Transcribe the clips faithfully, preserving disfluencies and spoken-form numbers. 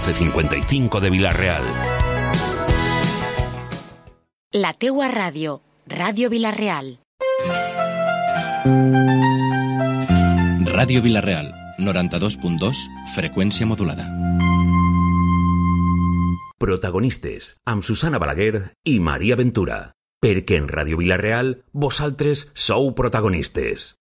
doce cincuenta y cinco de Vila-real. La teua ràdio, Ràdio Vila-real. Ràdio Vila-real, noranta-dos punt dos, freqüència modulada. Protagonistes, amb Susana Balaguer i Maria Ventura. Perquè en Ràdio Vila-real, vosaltres sou protagonistes.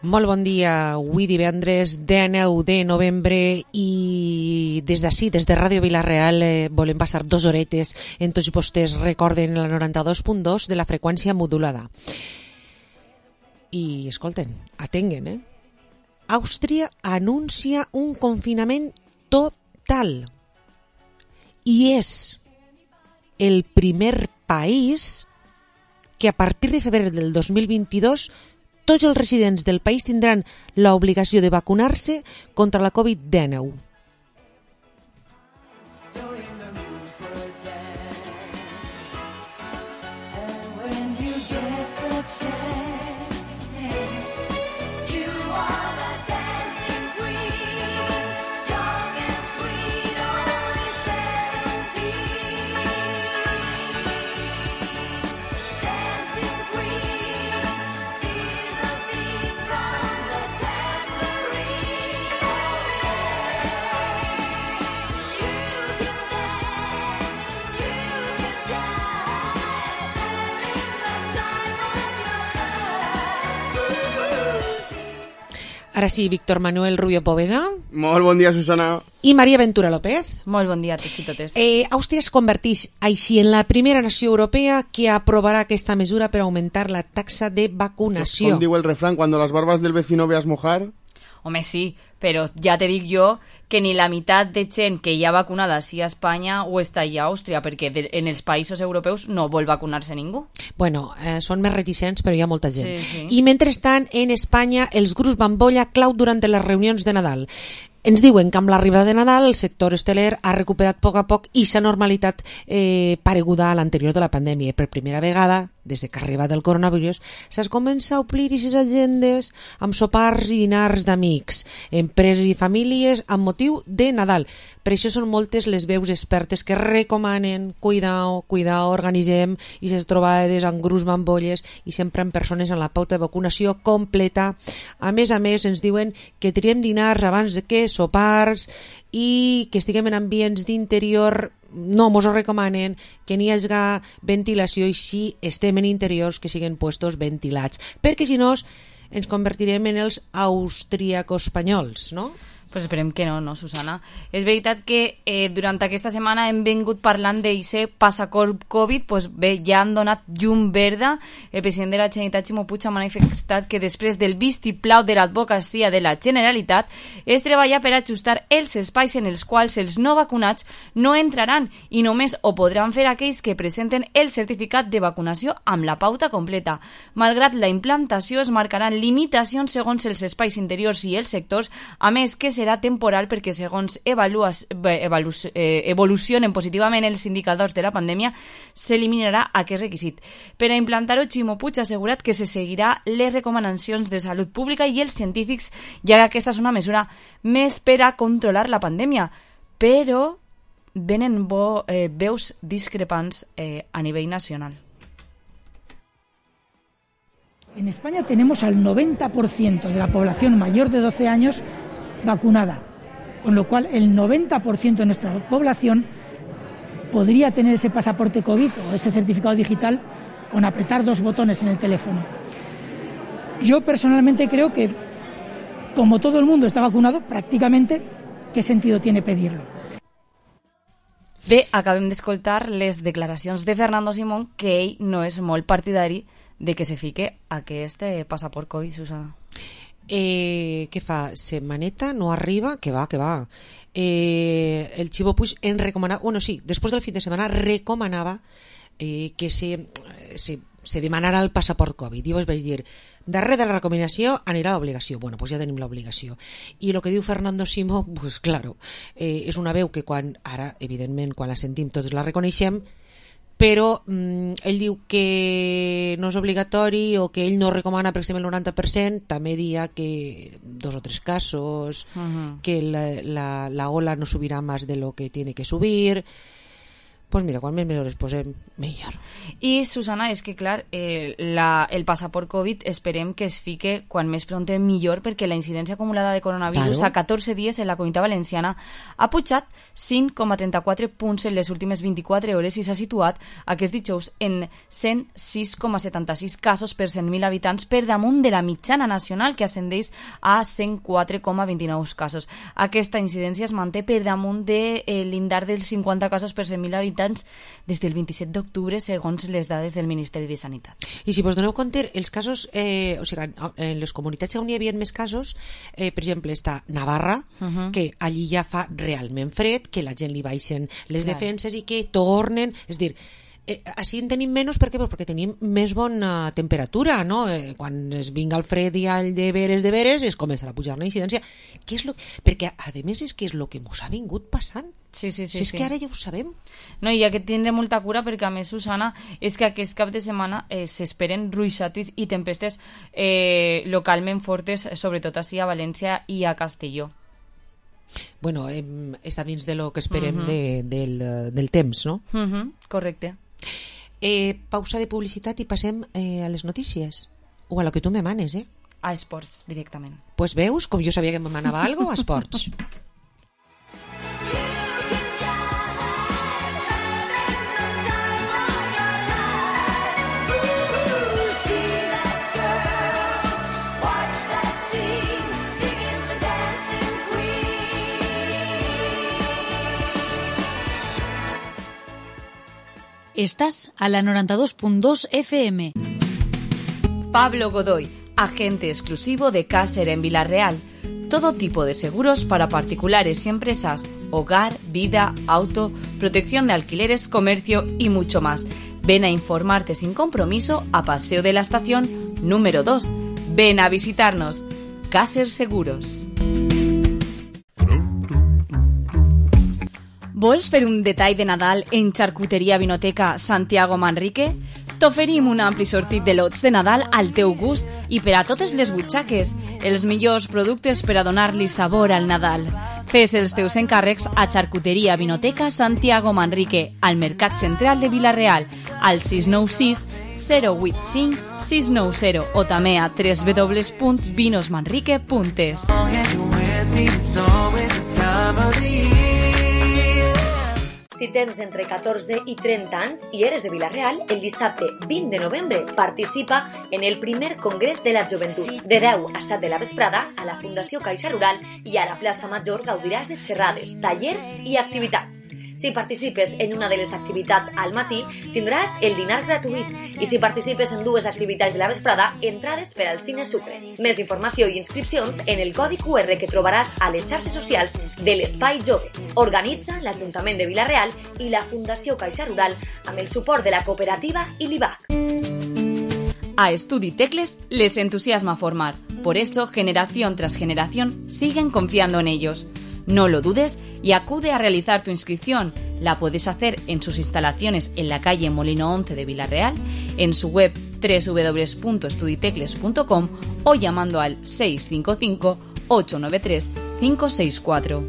Molt bon dia, avui divendres dinou de novembre i des d'ací, des de Ràdio Vila-real, eh, volem passar dos horetes en tots vostès recorden la noranta-dos punt dos de la freqüència modulada. I escolten, atenguen, eh? Àustria anuncia un confinament total i és el primer país que a partir de febrer del dos mil vint-i-dos tots els residents del país tindran l'obligació de vacunar-se contra la covid dinou. Ara sí, Víctor Manuel Rubio Poveda. Molt bon dia, Susana. I Maria Ventura López. Molt bon dia a tots i totes. Eh, Àustria es converteix així en la primera nació europea que aprovarà aquesta mesura per augmentar la taxa de vacunació. Com diu el refrán, cuando las barbas del vecino veas mojar... Home, sí, però ja te dic jo que ni la meitat de gent que hi ha vacunada sí a Espanya o està allà a Àustria, perquè de, en els països europeus no vol vacunar-se ningú. Bueno, eh, són més reticents, però hi ha molta gent. Sí, sí. I mentrestant, en Espanya, els grups bambolla clau durant les reunions de Nadal. Ens diuen que amb l'arribada de Nadal el sector hosteler ha recuperat a poc a poc i s'ha normalitat eh, pareguda a l'anterior de la pandèmia. Per primera vegada, des que ha arribat el coronavirus, s'ha començat a omplir aquestes agendes amb sopars i dinars d'amics, empreses i famílies amb motiu de Nadal. Per això són moltes les veus expertes que recomanen cuidao, cuidao, organitzem i ses trobades amb grups bambolles i sempre amb persones amb la pauta de vacunació completa. A més a més, ens diuen que triem dinars abans de que sopars i que estiguem en ambients d'interior. No mos ho recomanen, que n'hi hagi ventilació i si estem en interiors que siguin puestos ventilats, perquè si no ens convertirem en els austríaco-espanyols, no? Pues esperem que no, no, Susana. És veritat que eh, durant aquesta setmana hem vingut parlant d'eixe passaport Covid, pues bé, ja han donat llum verda. El president de la Generalitat, Ximo Puig, ha manifestat que després del vistiplau de l'advocacia de la Generalitat es treballa per ajustar els espais en els quals els no vacunats no entraran i només ho podran fer aquells que presenten el certificat de vacunació amb la pauta completa. Malgrat la implantació, es marcaran limitacions segons els espais interiors i els sectors, a més que serà temporal perquè segons evaluas, evalu, eh, evolucionen positivament els indicadors de la pandèmia, s'eliminarà aquest requisit. Per a implantar-ho, Ximo Puig ha assegurat que se seguirà les recomanacions de salut pública i els científics, ja que aquesta és una mesura més per a controlar la pandèmia. Però venen bo, eh, veus discrepants eh, a nivell nacional. En España tenemos al noventa por ciento de la población mayor de doce años vacunada, con lo cual el noventa por ciento de nuestra población podría tener ese pasaporte COVID o ese certificado digital con apretar dos botones en el teléfono. Yo personalmente creo que, como todo el mundo está vacunado, prácticamente, ¿qué sentido tiene pedirlo? Bé, acabem d'escoltar les declaracions de Fernando Simón, que ell no és molt partidari de que se fique aquest passaport Covid, Susana. Eh, què fa? Setmaneta no arriba? Que va, que va. Eh, el Ximo Puig en recomanava, bueno, sí, després del fin de setmana recomanava eh, que se, se, se demanara el passaport Covid. Jo us vaig dir, darrere de la recomanació anirà l'obligació. Bueno, doncs ja tenim l'obligació. I el que diu Fernando Simó, pues claro, eh, és una veu que quan, ara, evidentment, quan la sentim tots la reconeixem, però mm, ell diu que no és obligatori o que ell no recomana per exemple el noranta per cent, també dia que dos o tres casos, uh-huh. que la, la, la ola no subirà més de lo que tiene que subir. Pues mira, quan més mesos posem, millor. I, Susana, és que, clar, eh, la, el passaport Covid esperem que es fique quan més prompte millor, perquè la incidència acumulada de coronavirus claro. a catorze dies en la Comunitat Valenciana ha pujat cinc coma trenta-quatre punts en les últimes vint-i-quatre hores i s'ha situat aquest dijous en cent sis coma setanta-sis casos per cent mil habitants, per damunt de la mitjana nacional, que ascendeix a cent quatre coma vint-i-nou casos. Aquesta incidència es manté per damunt de eh, l'indar dels cinquanta casos per cent mil habitants des del vint-i-set d'octubre, segons les dades del Ministeri de Sanitat. I si vos doneu compte, els casos, eh, o sigui, en les comunitats on hi havia més casos, eh, per exemple, està Navarra, uh-huh. que allí ja fa realment fred, que la gent li baixen les Clar. defenses i que tornen, és dir, Eh, així en tenim menys, per què? Pues perquè tenim més bona temperatura, no? Eh, quan es vinga el fred i el de veres de veres es començarà a pujar la incidència. Què és lo... Perquè, a més, és que és el que ens ha vingut passant. Sí, sí, sí. Si és sí. que ara ja ho sabem. No, i hi ha que tindre molta cura, perquè a més, Susana, és que aquest cap de setmana eh, s'esperen ruixats i tempestes eh, localment fortes, sobretot així a València i a Castelló. Bueno, eh, està dins de lo que esperem uh-huh. de, del, del temps, no? Uh-huh. Correcte. Eh, pausa de publicitat i passem eh, a les notícies o a lo que tu me manes, eh? A esports, directament. Pues veus, com jo sabia que me manava algo, a esports. Estás a la noventa y dos punto dos F M. Pablo Godoy, agente exclusivo de Caser en Villarreal. Todo tipo de seguros para particulares y empresas, hogar, vida, auto, protección de alquileres, comercio y mucho más. Ven a informarte sin compromiso a Paseo de la Estación número dos. Ven a visitarnos. Caser Seguros. Vols fer un detall de Nadal en Xarcuteria Vinoteca Santiago Manrique? T'oferim un ampli sortit de lots de Nadal al teu gust i per a totes les butxaques, els millors productes per a donar-li sabor al Nadal. Fes els teus encàrrecs a Xarcuteria Vinoteca Santiago Manrique, al Mercat Central de Vila-real, al sis nou sis zero vuit cinc sis nou zero o també a w w w punt vinos manrique punt es. Si tens entre catorze i trenta anys i eres de Vila-real, el dissabte vint de novembre participa en el primer Congrés de la Joventut. De deu a set de la vesprada, a la Fundació Caixa Rural i a la plaça Major gaudiràs de xerrades, tallers i activitats. Si participes en una de les activitats al matí, tindràs el dinar gratuït. I si participes en dues activitats de la vesprada, entrades per al Cine Sucre. Més informació i inscripcions en el codi Q R que trobaràs a les xarxes socials de l'Espai Jove. Organitza l'Ajuntament de Vila-real i la Fundació Caixa Rural amb el suport de la cooperativa i l'I B A C. A Estudi Tecles les entusiasma formar. Por eso, generación tras generación, siguen confiando en ellos. No lo dudes y acude a realizar tu inscripción. La puedes hacer en sus instalaciones en la calle Molino once de Vila-real, en su web w w w punto estuditecles punto com o llamando al seis cinco cinco ocho nueve tres cinco seis cuatro.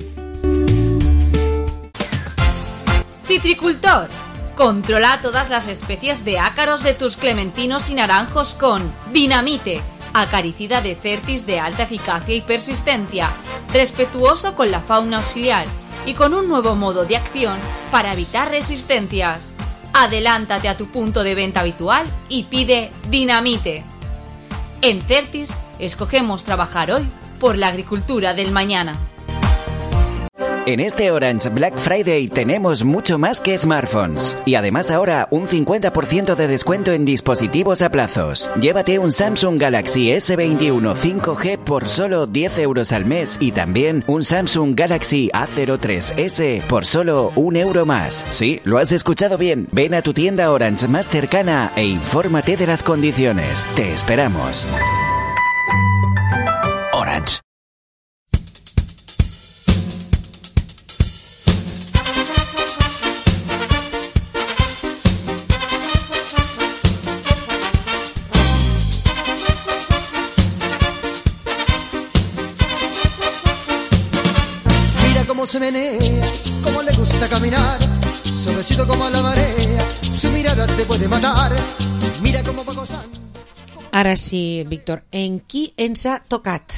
Citricultor. Controla todas las especies de ácaros de tus clementinos y naranjos con Dinamite, acaricida de Certis de alta eficacia y persistencia, respetuoso con la fauna auxiliar y con un nuevo modo de acción para evitar resistencias. Adelántate a tu punto de venta habitual y pide Dinamite. En Certis escogemos trabajar hoy por la agricultura del mañana. En este Orange Black Friday tenemos mucho más que smartphones. Y además ahora un cincuenta por ciento de descuento en dispositivos a plazos. Llévate un Samsung Galaxy S veintiuno cinco G por solo diez euros al mes y también un Samsung Galaxy A cero tres S por solo un euro más. Sí, lo has escuchado bien. Ven a tu tienda Orange más cercana e infórmate de las condiciones. Te esperamos. Orange. Se menea, como le gusta caminar, suavecito como la marea, su mirada te puede matar, mira cómo va gozando. Ara sí, Víctor, en qui ens ha tocat?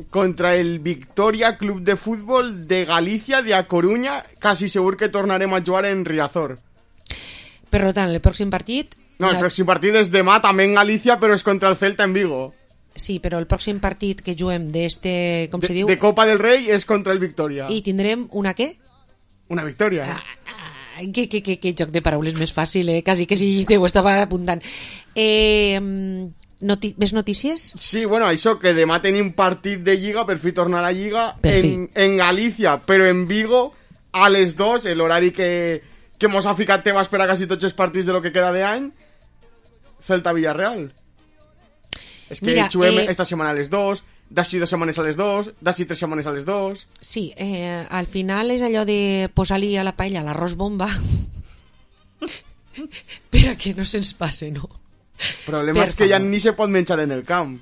Contra el Victoria Club de Fútbol de Galicia de A Coruña, casi segur que tornarem a jugar en Riazor. Per tant, el pròxim partit... No, el pròxim partit és demà també en Galícia, però és contra el Celta en Vigo. Sí, però el pròxim partit que juguem d'este, com de, se diu... De Copa del Rei és contra el Victoria. I tindrem una què? Una victòria. Ah, ah, que, que, que, que joc de paraules més fàcil, eh? Quasi que si te ho estava apuntant. Eh, noti més notícies? Sí, bueno, això, que demà tenim partit de Lliga, per fi tornar a la Lliga, en, en Galícia, però en Vigo, a les dos, l'horari que, que mos ha ficat Tebas per a quasi tots els partits de lo que queda d'any, Celta-Villarreal. És que Mira, juguem eh, esta setmana a les dos, d'ací dues setmanes a les dos, d'ací tres setmanes a les dos... Sí, eh, al final és allò de posar-li a la paella l'arròs bomba per a que no se'ns passe, no? El problema per és que favor. Ja ni se pot menjar en el camp.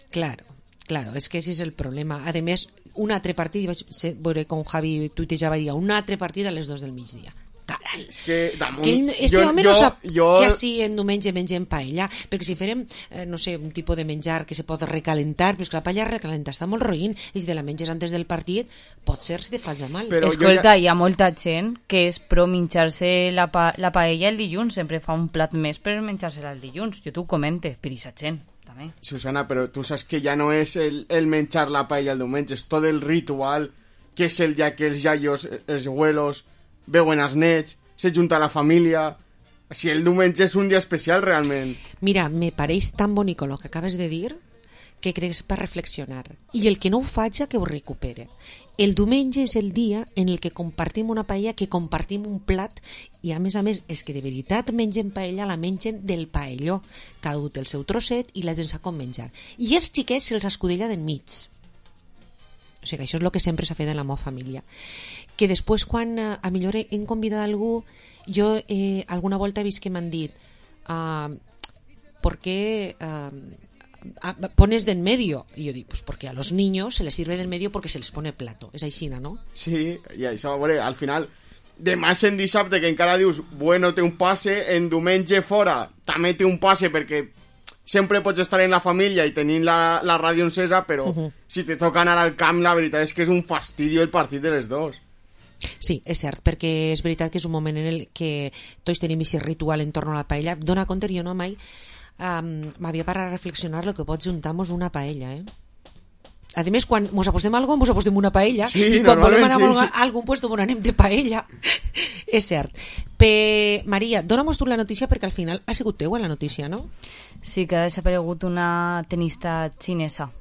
Claro, claro, és que ese és el problema. A més, un altre partit, vaig veure com Javi tuitejava, un altre partit a les dos del migdia. Carai, és que damunt... Que este jo, home jo, no sap jo... que així en diumenge mengem paella, perquè si farem, eh, no sé, un tipus de menjar que se pot recalentar, però és que la paella recalenta està molt roïn, i si te la menges antes del partit, pot ser si te fas mal. Però escolta, ja... hi ha molta gent que és pro menjar-se la, pa la paella el dilluns, sempre fa un plat més per menjar-se-la el dilluns, jo t'ho comente, per aquesta gent. També. Susana, però tu saps que ja no és el, el menjar la paella el diumenge, és tot el ritual, que és el dia que els iaios, els abuelos, veuen els nets, se junta la família... Si el diumenge és un dia especial, realment. Mira, me pareix tan bonic el que acabes de dir que crec per reflexionar. I el que no ho faci, que ho recupere. El diumenge és el dia en el que compartim una paella, que compartim un plat, i a més a més, és que de veritat mengen paella, la mengen del paelló. Cada un té el seu trosset i la gent sap com menjar. I els xiquets se'ls escudella d'enmig. O sigui, això és el que sempre s'ha fet en la meva família. Que després, quan eh, a millor hem convidat algú, jo eh, alguna volta he vist que m'han dit uh, ¿por qué uh, pones de en medio? Y yo digo, pues porque a los niños se les sirve de en medio porque se les pone plato. És aixina, no? Sí, i això, veure, al final, demà en dissabte, que encara dius, bueno, té un passe, en diumenge fora també té un passe perquè sempre pots estar en la família i tenint la, la ràdio encesa, però uh -huh. si te toca anar al camp, la veritat és que és un fastidio el partit de les dos. Sí, és cert, perquè és veritat que és un moment en el que tots tenim aquest ritual en torno a la paella. Dona compte, jo no mai um, m'havia parat a reflexionar el que pot juntar-nos una paella, eh? A més, quan mos apostem a alguna cosa, mos apostem una paella, sí, i quan volem anar sí. a algun puesto mos anem de paella. És cert. Pe... Maria, dóna-mos tu la notícia, perquè al final ha sigut teua la notícia, no? Sí, que ha desaparegut una tenista xinesa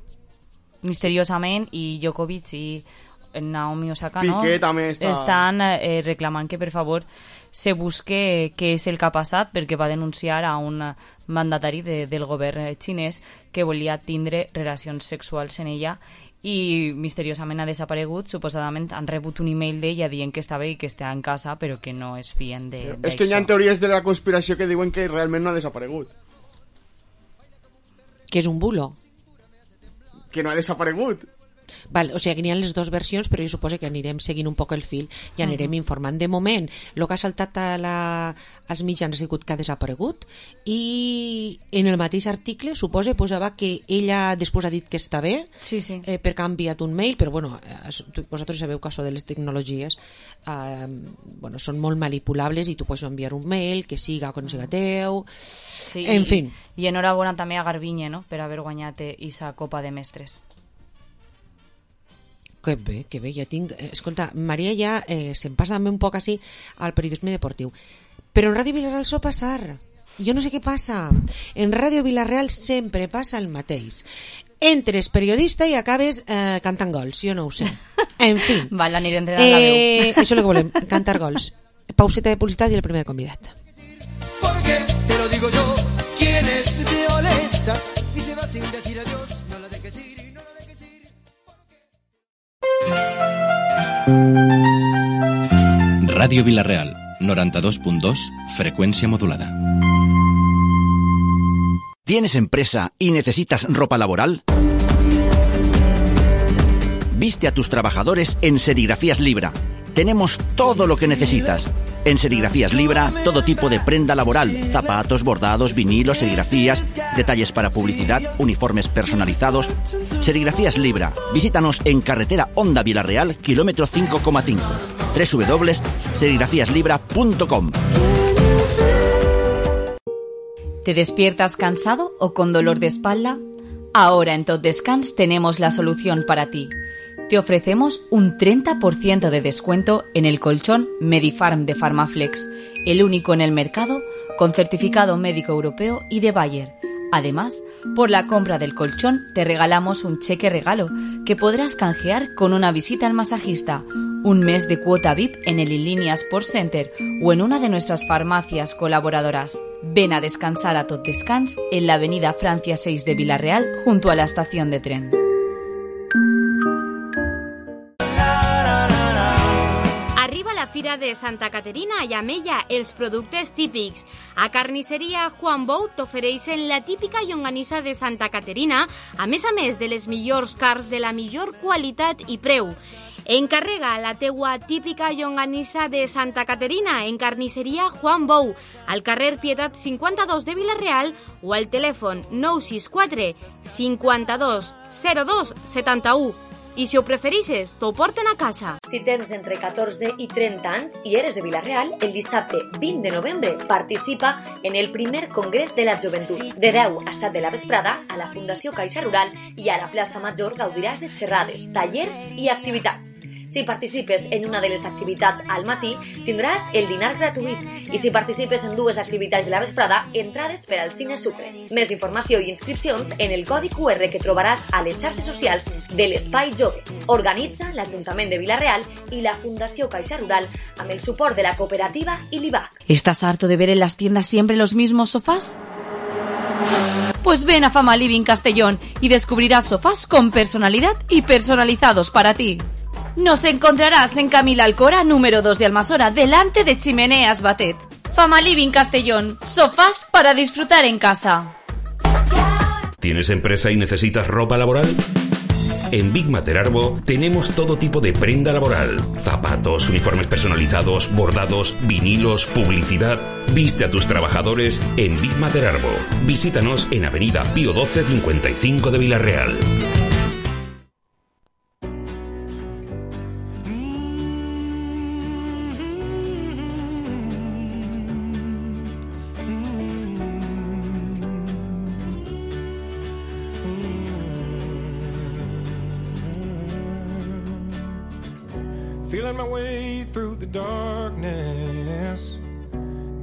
misteriosament, i Djokovic i Naomi Osaka, no? Piqué també està... estan eh, reclamant que per favor se busque què és el que ha passat, perquè va denunciar a un mandatari de, del govern xinès que volia tindre relacions sexuals en ella, i misteriosament ha desaparegut. Suposadament han rebut un email d'ella dient que està bé i que està en casa, però que no es fien d'això. És que hi ha teories de la conspiració que diuen que realment no ha desaparegut. Que és un bulo. Que no ha desaparegut. Val, o sigui, que n'hi ha les dues versions, però jo suposo que anirem seguint un poc el fil i anirem uh -huh. informant. De moment, el que ha saltat a la, als mitjans ha sigut que ha desaparegut, i en el mateix article suposa posava que ella després ha dit que està bé, sí, sí. Eh, perquè ha enviat un mail, però bueno, vosaltres sabeu que això de les tecnologies eh, bueno, són molt manipulables, i tu pots enviar un mail que siga o que no siga teu, sí, en i, fin. I enhorabona també a Garbiñe, no?, per haver guanyat aquesta Copa de Mestres. Que bé, que bé, ja tinc... Escolta, Maria ja eh, se'n passa també un poc així al periodisme deportiu. Però en Ràdio Vilareal sol passar. Jo no sé què passa. En Ràdio Vilareal sempre passa el mateix. Entres periodista i acabes eh, cantant gols, jo no ho sé. En fi. Val, aniré entrenant eh, la veu. Això és el que volem, cantar gols. Pauseta de publicitat i el primer convidat. Porque te lo digo yo, ¿quién es Violeta? Y se va sin decir adiós, no la dejes ir, no la dejes ir. Radio Vilareal, noranta-dos punt dos, frecuencia modulada. ¿Tienes empresa y necesitas ropa laboral? Viste a tus trabajadores en Serigrafías Libra. Tenemos todo lo que necesitas. En Serigrafías Libra, todo tipo de prenda laboral, zapatos, bordados, vinilos, serigrafías, detalles para publicidad, uniformes personalizados. Serigrafías Libra. Visítanos en carretera Honda Vilareal, kilómetro cinco coma cinco. doble u doble u doble u punto serigrafías libra punto com. ¿Te despiertas cansado o con dolor de espalda? Ahora en Tot Descans tenemos la solución para ti. Te ofrecemos un treinta por ciento de descuento en el colchón Medifarm de Farmaflex, el único en el mercado con certificado médico europeo y de Bayer. Además, por la compra del colchón te regalamos un cheque regalo que podrás canjear con una visita al masajista, un mes de cuota V I P en el Inlínea Sport Center o en una de nuestras farmacias colaboradoras. Ven a descansar a Tot Descans en la avenida Francia seis de Vilareal junto a la estación de tren. Arriba la Fira de Santa Caterina i amb ella els productes típics. A Carnisseria Juan Bou t'ofereixen la típica llonganissa de Santa Caterina, a més a més de les millors carns de la millor qualitat i preu. Encarrega la teua típica llonganissa de Santa Caterina en Carnisseria Juan Bou, al carrer Pietat cinquanta-dos de Vilareal o al telèfon nou sis quatre cinquanta-dos zero dos setanta-u. I si ho preferixes, t'ho porten a casa. Si tens entre catorze i trenta anys i eres de Vila-real, el dissabte vint de novembre participa en el primer Congrés de la Joventut. De deu a set de la vesprada, a la Fundació Caixa Rural i a la plaça Major gaudiràs de xerrades, tallers i activitats. Si participes en una de les activitats al matí, tindràs el dinar gratuït. I si participes en dues activitats de la vesprada, entrades per al Cine Sucre. Més informació i inscripcions en el codi cu erre que trobaràs a les xarxes socials de l'Espai Jove. Organitza l'Ajuntament de Vila-real i la Fundació Caixa Rural amb el suport de la cooperativa i l'I B A C. ¿Estás harto de ver en las tiendas siempre los mismos sofás? Pues ven a Fama Living Castellón y descubrirás sofás con personalidad y personalizados para ti. Nos encontrarás en Camila Alcora, número dos de Almasora, delante de Chimeneas Batet. Fama Living Castellón, sofás para disfrutar en casa. ¿Tienes empresa y necesitas ropa laboral? En Big Materarbo tenemos todo tipo de prenda laboral, zapatos, uniformes personalizados, bordados, vinilos, publicidad. Viste a tus trabajadores en Big Materarbo. Visítanos en Avenida Pío doce cincuenta y cinco de Vila-real. Feeling my way through the darkness,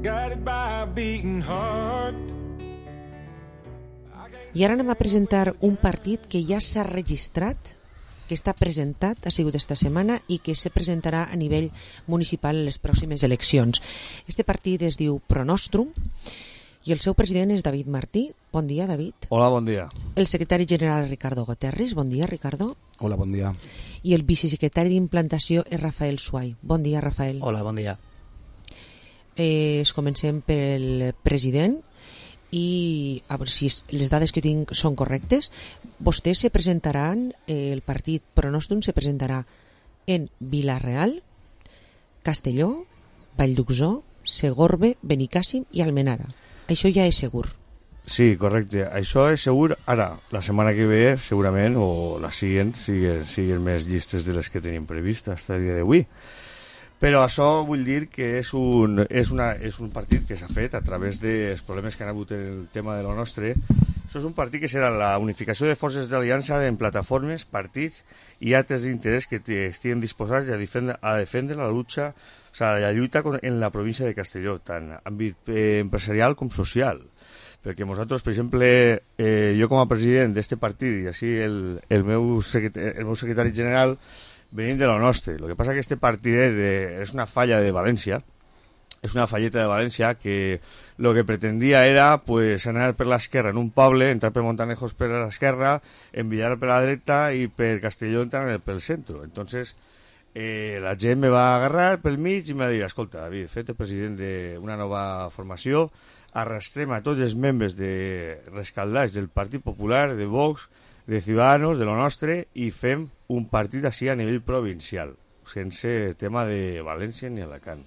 guided by a beating heart. I ara anem a presentar un partit que ja s'ha registrat, que està presentat, ha sigut esta setmana i que se presentarà a nivell municipal en les pròximes eleccions. Este partit es diu Pronostrum i el seu president és David Martí. Bon dia, David. Hola, bon dia. El secretari general Ricardo Guterres. Bon dia, Ricardo. Hola, bon dia. I el vicesecretari d'implantació és Rafael Suay. Bon dia, Rafael. Hola, bon dia. Eh, es comencem per el president i a veure si les dades que tinc són correctes. Vostès se presentaran, eh, el partit Pronostrum se presentarà en Vila-real, Castelló, Vallduxó, Segorbe, Benicàssim i Almenara. Això ja és segur. Sí, correcte. Això és segur. Ara, la setmana que ve, segurament, o la següent, siguin, siguin més llistes de les que tenim previst fins al dia d'avui. Però això vull dir que és un, és una, és un partit que s'ha fet a través dels problemes que han hagut en el tema de lo nostre Això és un partit que serà la unificació de forces d'aliança en plataformes, partits i altres d'interès que estiguin disposats a defendre, a defendre la lucha, o sigui, la lluita en la província de Castelló, tant en àmbit eh, empresarial com social. Perquè nosaltres, per exemple, eh, jo com a president d'aquest partit i així el, el, meu secretari, el meu secretari general venim de lo nostre. El que passa que aquest partit és una falla de València, és una falleta de València que el que pretendia era pues, anar per l'esquerra en un poble, entrar per Montanejos per l'esquerra, enviar per la dreta i per Castelló entrar pel centre. Entonces, eh, la gent me va agarrar pel mig i me va dir, escolta, David, fet el president d'una nova formació, arrastrem a tots els membres de rescaldats del Partit Popular, de Vox, de Ciudadanos, de lo nostre, i fem un partit així a nivell provincial, sense tema de València ni Alacant.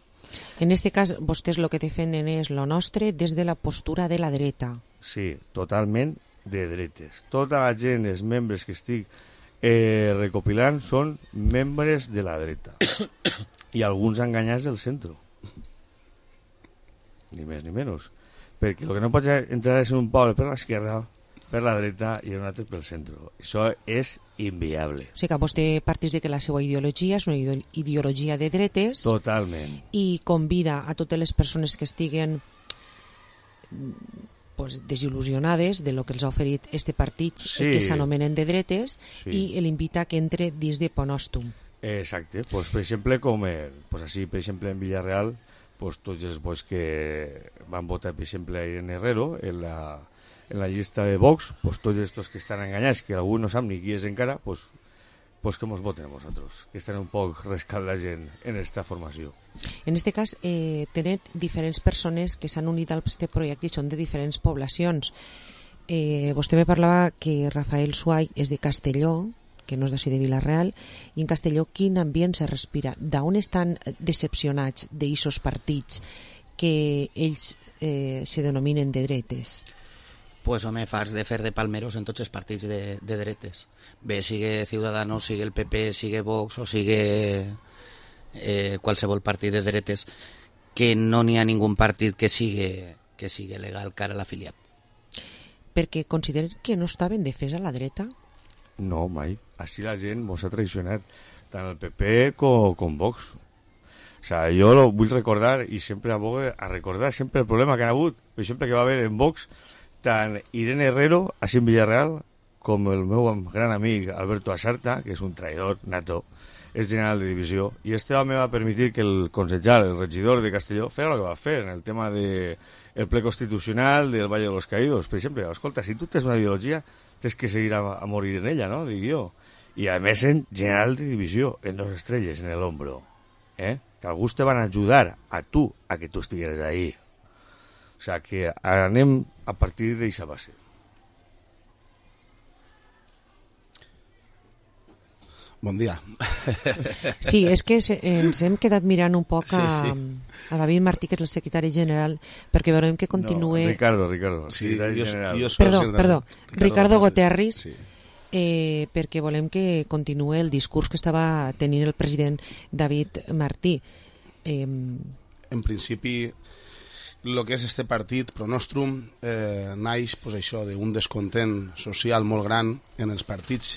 En este cas, vostès el que defenen és lo nostre des de la postura de la dreta. Sí, totalment de dretes. Tota la gent, els membres que estic eh, recopilant, són membres de la dreta. I alguns enganyats del centre. Ni més ni menys. Perquè el que no pots entrar és en un poble per l'esquerra, per la dreta i un altre pel centre. Això és inviable. O sigui que vostè partís de que la seva ideologia és una ideologia de dretes. Totalment. I convida a totes les persones que estiguen pues, desil·lusionades de lo que els ha oferit este partit, sí, que s'anomenen de dretes, sí, i l'invita que entre dins de Ponòstum. Exacte. Pues, per exemple, com eh, pues, així, per exemple, en Villarreal, pues, tots els bois que van votar, per exemple, a Irene Herrero, en la en la llista de Vox, pues tots estos que estan enganyats, que algú no sap ni qui és encara, pues, pues que mos voten a vosaltres, que estan un poc rescaldats en, en esta formació. En este cas, eh, tenen diferents persones que s'han unit a aquest projecte i són de diferents poblacions. Eh, vostè me parlava que Rafael Suay és de Castelló, que no és d'ací de Vila-real, i en Castelló quin ambient se respira? D'on estan decepcionats d'eixos partits que ells eh, se denominen de dretes? Pues home, fas de fer de palmeros en tots els partits de, de dretes. Bé, sigue Ciudadanos, sigue el P P, sigue Vox o sigue eh, qualsevol partit de dretes, que no n'hi ha ningú partit que sigue, que sigue legal cara a l'afiliat. Perquè consideren que no està ben defès a la dreta? No, mai. Així la gent mos ha traicionat, tant el P P com, com Vox. O sea, jo lo vull recordar i sempre abogo a recordar sempre el problema que ha hagut, per exemple, que va haver en Vox tant Irene Herrero, així en Villarreal, com el meu gran amic Alberto Asarta, que és un traïdor nato, és general de divisió, i este home va permetir que el consellal, el regidor de Castelló, fera el que va fer en el tema del de ple constitucional del Valle de los Caídos. Per exemple, escolta, si tu tens una ideologia, tens que seguir a, a morir en ella, no? Dic jo. I a més en general de divisió, en dos estrelles en el hombro. ¿Eh? Que alguns te van ajudar a tu a que tu estigueres ahí. O sea, que anem a partir d'aquesta base. Bon dia. Sí, és que ens hem quedat mirant un poc a, sí, sí. a David Martí, que és el secretari general, perquè veurem que continue... No, Ricardo, Ricardo, sí, secretari jo, general. Jo perdó, perdó, Ricardo, Ricardo Goterris, sí. eh, perquè volem que continue el discurs que estava tenint el president David Martí. Eh... En principi... el que és este partit, Pronostrum, eh, naix pues, això d'un descontent social molt gran en els partits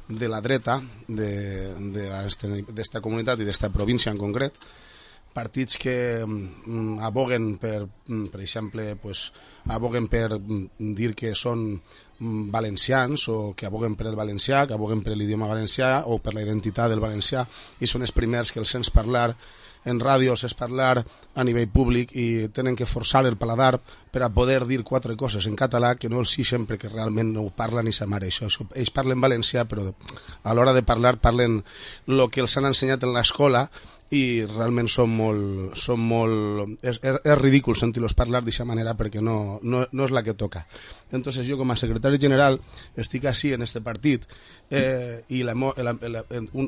de la dreta d'esta comunitat i d'esta província en concret, partits que mm, aboguen per, per exemple, pues, aboguen per dir que són valencians o que aboguen per el valencià, que aboguen per l'idioma valencià o per la identitat del valencià, i són els primers que els sents parlar en ràdio, és parlar a nivell públic i tenen que forçar el paladar per a poder dir quatre coses en català que no els sixen perquè realment no ho parlen ni sa mare. Això, això. Ells parlen valencià, però a l'hora de parlar parlen el que els han ensenyat en l'escola i realment són molt... Són molt és, és, és ridícul sentir-los parlar d'aquesta manera perquè no, no, no és la que toca. Entonces jo com a secretari general estic així en este partit eh, i la, la, la,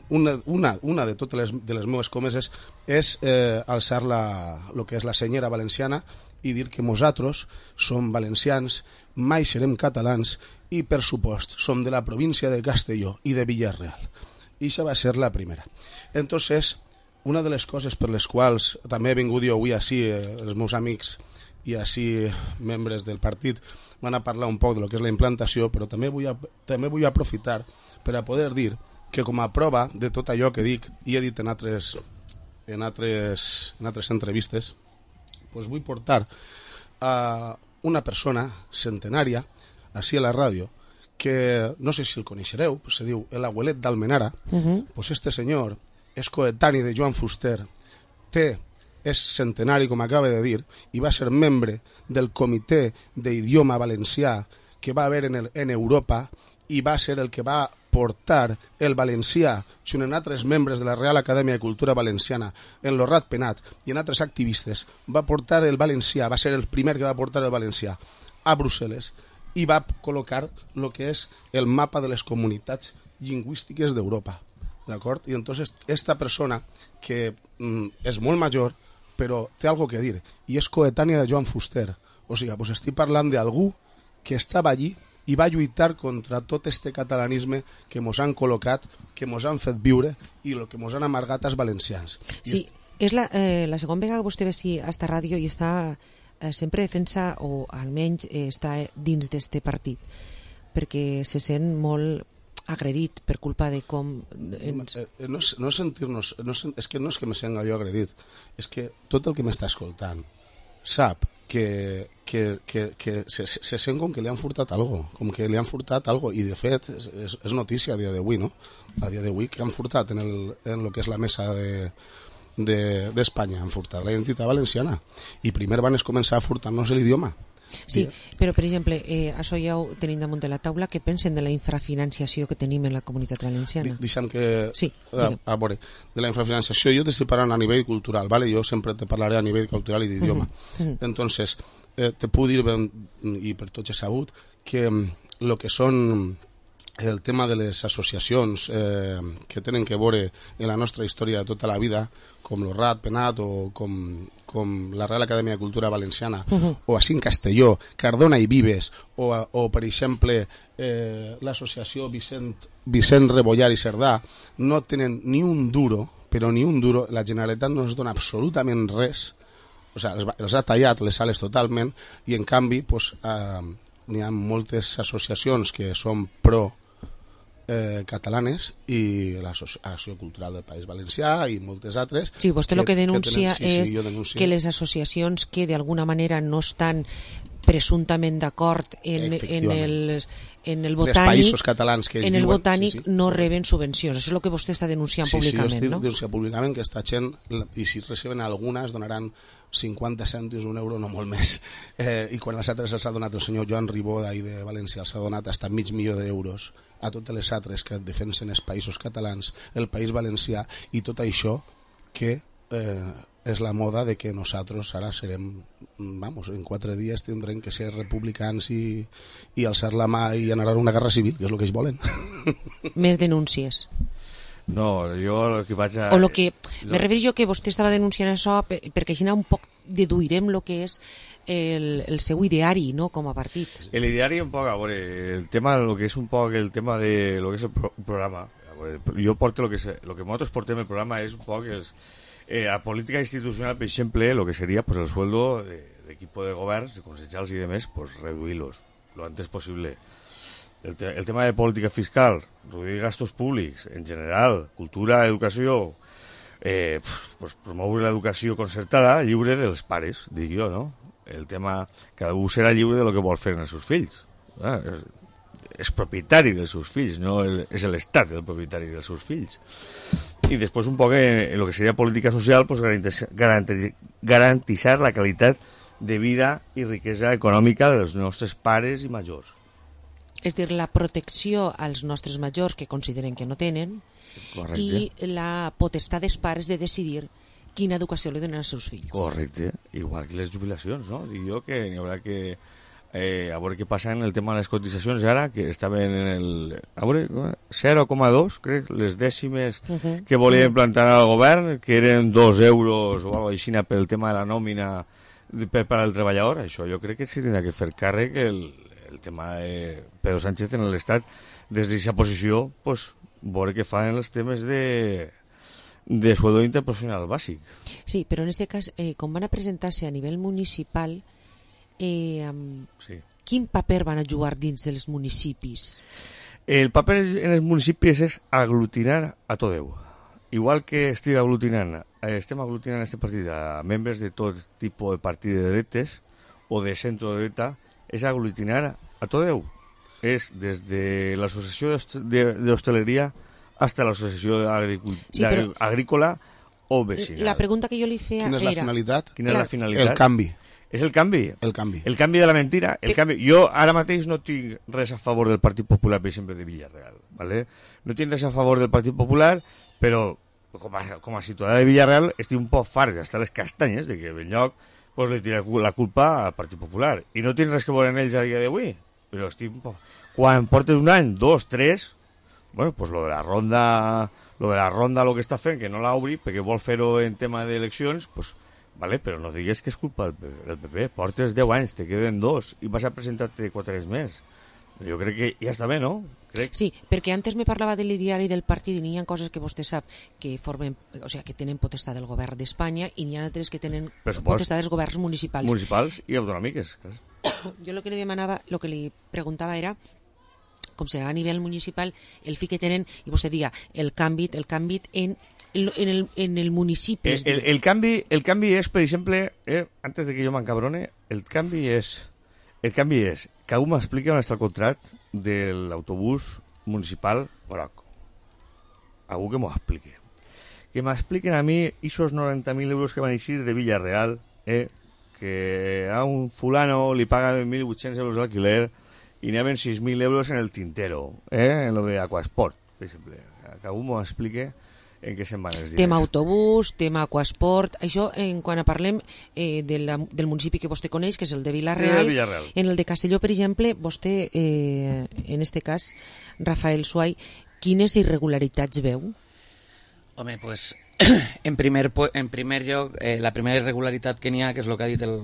una, una, una de totes les, de les meves comeses és eh, alçar la, lo que és la senyera valenciana i dir que nosaltres som valencians, mai serem catalans i per supost som de la província de Castelló i de Villarreal. I això va ser la primera. Entonces, una de les coses per les quals també he vingut jo avui així, eh, els meus amics i així membres del partit van a parlar un poc de lo que és la implantació, però també vull, a, també vull aprofitar per a poder dir que com a prova de tot allò que dic i he dit en altres, en altres, en altres entrevistes, pues vull portar a una persona centenària així a la ràdio, que no sé si el coneixereu, pues se diu el abuelet d'Almenara. Uh-huh. Pues este senyor és coetani de Joan Fuster, té, és centenari, com acaba de dir, i va ser membre del comitè d'idioma valencià que va haver en, el, en Europa, i va ser el que va portar el valencià, junt amb altres membres de la Real Acadèmia de Cultura Valenciana, en lo Rat Penat i en altres activistes, va portar el valencià, va ser el primer que va portar el valencià a Brussel·les, i va col·locar el que és el mapa de les comunitats lingüístiques d'Europa. D'acord? I entonces esta persona, que mm, és molt major, però té algo que dir, i és coetània de Joan Fuster. O sigui, pues estic parlant d'algú que estava allí i va lluitar contra tot este catalanisme que mos han col·locat, que mos han fet viure i el que mos han amargat als valencians. Sí, est... és la, eh, la segona vegada que vostè vesti a esta ràdio i està eh, sempre defensa, o almenys eh, està dins d'este partit, perquè se sent molt agredit per culpa de com... Ens... No, no sentir-nos... No, és que no és que me sent jo agredit, és que tot el que m'està escoltant sap que, que, que, que se, se sent com que li han furtat algo, com que li han furtat algo, i de fet és, és, és notícia a dia d'avui, no? A dia d'avui que han furtat en, el, en lo que és la mesa de d'Espanya, de, han furtat la identitat valenciana, i primer van començar a furtar-nos l'idioma. Sí, però per exemple, eh, això ja ho tenim damunt de la taula. Què pensen de la infrafinanciació que tenim en la comunitat valenciana? Deixa'm que... Sí, a, a veure, de la infrafinanciació jo t'estic parlant a nivell cultural, ¿vale? Jo sempre te parlaré a nivell cultural i d'idioma. Uh -huh. Entonces, eh, te puc dir, ben, i per tots he sabut, que el que són el tema de les associacions eh, que tenen que veure en la nostra història de tota la vida, com el Rat Penat o com, com la Real Acadèmia de Cultura Valenciana, uh-huh. o així en Castelló, Cardona i Vives, o, o per exemple eh, l'associació Vicent, Vicent Rebollar i Cerdà, no tenen ni un duro, però ni un duro, la Generalitat no ens dona absolutament res, o sigui, els, els ha tallat les sales totalment, i en canvi pues, eh, n'hi ha moltes associacions que són pro Eh, catalanes i l'Associació Cultural del País Valencià i moltes altres. Sí, vostè el que, que denuncia que tenen, sí, és sí, denuncio. que les associacions que d'alguna manera no estan presumptament d'acord en, en, el, en el botànic, països catalans que en el diuen, botànic sí, sí. no reben subvencions. Això és el que vostè està denunciant sí, públicament, sí, jo estic no? denunciant públicament que aquesta gent, i si reciben algunes, donaran cinquanta cèntims, un euro, no molt més. Eh, I quan les altres els ha donat el senyor Joan Ribó d'ahir de València, els ha donat fins a mig milió d'euros a totes les altres que defensen els països catalans, el País Valencià, i tot això que eh, és la moda de que nosaltres ara serem, vamos, en quatre dies tindrem que ser republicans i, i alçar la mà i anar a una guerra civil, que és el que ells volen. Més denúncies. No, jo el que vaig a... O lo que... Me refereixo que vostè estava denunciant això per, perquè així un poc deduirem el que és el, el seu ideari, no?, com a partit. El ideari un poc, a veure, el tema, lo que és un poc el tema de lo que és el pro programa. A veure, jo porto lo que, és, lo que nosaltres portem el programa és un poc els, eh, a política institucional, per exemple, lo que seria pues, el sueldo de, de equipo de governs, de consellers i demés, pues reduirlos lo antes posible. El, te el tema de política fiscal, reduir gastos públics, en general, cultura, educació, eh, pues, promoure l'educació concertada lliure dels pares, dic jo, no? El tema, cada un serà lliure de lo que vol fer en els seus fills. Eh? És, és propietari dels seus fills, no el, és l'Estat el propietari dels seus fills. I després un poc en, en lo que seria política social, pues, garantir, garantitzar la qualitat de vida i riquesa econòmica dels nostres pares i majors. És dir, la protecció als nostres majors que consideren que no tenen. Correcte. I la potestat dels pares de decidir quina educació li donen als seus fills. Correcte, igual que les jubilacions, no? Dic jo que n'hi haurà que eh, a veure què passa en el tema de les cotitzacions ara, que estaven en el a veure, zero coma dos, crec, les dècimes uh -huh. que volia implantar al govern, que eren dos euros o alguna cosa així per el tema de la nòmina per, per al treballador. Això jo crec que s'hi tindrà que fer càrrec el el tema de Pedro Sánchez en l'Estat, des d'aquesta posició, pues, veure què fan en els temes de, de sueldo interprofessional bàsic. Sí, però en aquest cas, eh, com van a presentar-se a nivell municipal, eh, um, sí. quin paper van a jugar dins dels municipis? El paper en els municipis és aglutinar a tot Déu. Igual que estic aglutinant, estem aglutinant este partit a membres de tot tipus de partit de dretes o de centro-dreta, és aglutinar a tot Déu. És des de l'associació d'hostaleria fins a l'associació sí, però... agrícola o vecinal. La pregunta que jo li feia Quina és la era... finalitat? Quina és la finalitat? El canvi. És el canvi. El canvi. El canvi de la mentira. El canvi. Jo ara mateix no tinc res a favor del Partit Popular, per exemple, de Villarreal. ¿vale? No tinc res a favor del Partit Popular, però com a, com a ciutadà de Villarreal estic un poc fart d'estar les castanyes de que Benlloc pues, li tira la culpa al Partit Popular. I no tinc res que veure en ells a dia d'avui, però estic un poc... Quan portes un any, dos, tres, bueno, pues lo de la ronda, lo de la ronda lo que està fent, que no l'obri, perquè vol fer-ho en tema d'eleccions, pues, vale, però no digues que és culpa del P P. Portes deu anys, te queden dos, i vas a presentar-te quatre anys més. Jo crec que ja està bé, no? Crec. Sí, perquè antes me parlava de l'ideari del partit i n'hi ha coses que vostè sap que formen, o sigui, que tenen potestat del govern d'Espanya i n'hi ha altres que tenen potestat dels governs municipals. Municipals i autonòmiques. Jo el que li demanava, el que li preguntava era com serà a nivell municipal el fi que tenen, i vostè diga, el canvi, el canvi en, en, el, en el municipi. El, el, el, canvi, el canvi és, per exemple, eh, antes de que jo m'encabrone, el canvi és El canvi és que algú m'expliqui on està el contracte de l'autobús municipal groc. Algú que m'ho expliqui. Que m'expliquen a mi esos noranta mil euros que van eixir de Villarreal, eh, que a un fulano li pagan mil vuit-cents euros d'alquiler i n'hi ha sis mil euros en el tintero, eh, en lo de Aquasport, per exemple. Que algú m'ho expliqui en què se'n van els diners. Tema autobús, tema aquasport, això en quan parlem eh, de la, del municipi que vostè coneix, que és el de Villarreal. El de Villarreal. En el de Castelló, per exemple, vostè, eh, en este cas, Rafael Suay, quines irregularitats veu? Home, pues, en primer, en primer lloc, eh, la primera irregularitat que n'hi ha, que és el que ha dit el,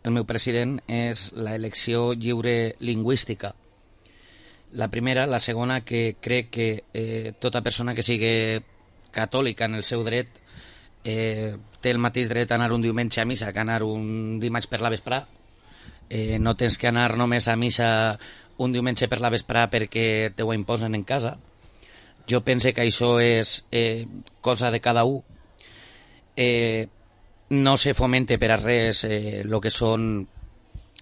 el meu president, és la elecció lliure lingüística. La primera. La segona, que crec que eh, tota persona que sigui catòlica en el seu dret eh, té el mateix dret a anar un diumenge a missa que anar un dimarts per la vesprà. Eh, no tens que anar només a missa un diumenge per la vesprà perquè te ho imposen en casa. Jo pense que això és eh, cosa de cada un. Eh, no se fomente per a res eh, lo que són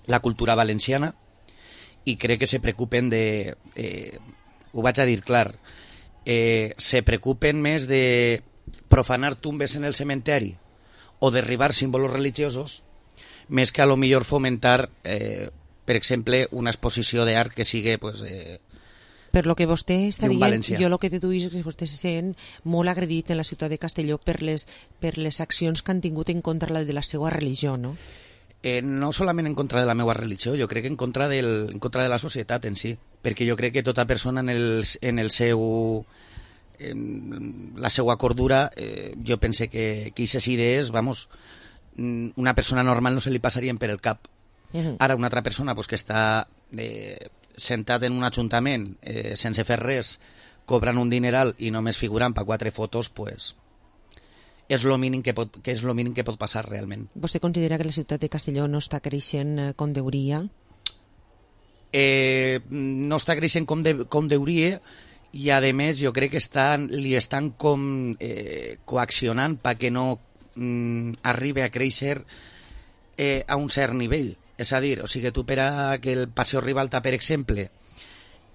la cultura valenciana i crec que se preocupen de... Eh, ho vaig a dir clar, Eh, se preocupen més de profanar tumbes en el cementeri o derribar símbolos religiosos més que a lo millor fomentar eh, per exemple una exposició d'art que sigui pues, eh, per lo que vostè està dient, valencià. Jo el que deduïs és que vostè se sent molt agredit en la ciutat de Castelló per les, per les accions que han tingut en contra de la seva religió, no? Eh, no solament en contra de la meva religió, jo crec que en contra, del, en contra de la societat en si, perquè jo crec que tota persona en el, en el seu en la seva cordura eh, jo pense que aquestes idees, vamos, una persona normal no se li passarien per el cap. Uh-huh. Ara una altra persona pues, que està eh, sentat en un ajuntament eh, sense fer res, cobrant un dineral i només figurant per quatre fotos, pues és lo mínim que pot, que és lo mínim que pot passar realment. Vostè considera que la ciutat de Castelló no està creixent com deuria? Eh, no està creixent com, de, com deuria i a més jo crec que estan, li estan com eh, coaccionant perquè no mm, arribi a créixer eh, a un cert nivell. És a dir, o sigui, tu per a que el Paseo Ribalta, per exemple,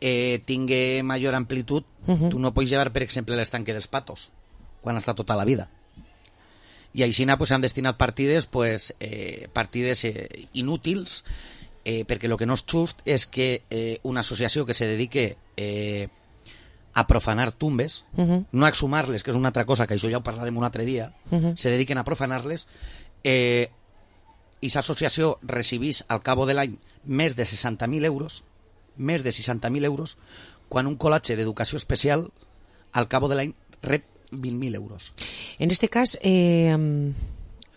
eh, tingui major amplitud, uh-huh. tu no pots llevar, per exemple, l'estanque dels Patos, quan està tota la vida. I així pues, han destinat partides, pues, eh, partides eh, inútils, eh, perquè el que no és just és que eh, una associació que se dedique eh, a profanar tumbes, uh-huh. no a exhumar-les, que és una altra cosa, que això ja ho parlarem un altre dia, uh-huh. se dediquen a profanar-les, eh, i aquesta associació recibís al cabo de l'any més de seixanta mil euros, més de seixanta mil euros, quan un col·latge d'educació especial al cabo de l'any rep vint mil euros. En este cas, eh,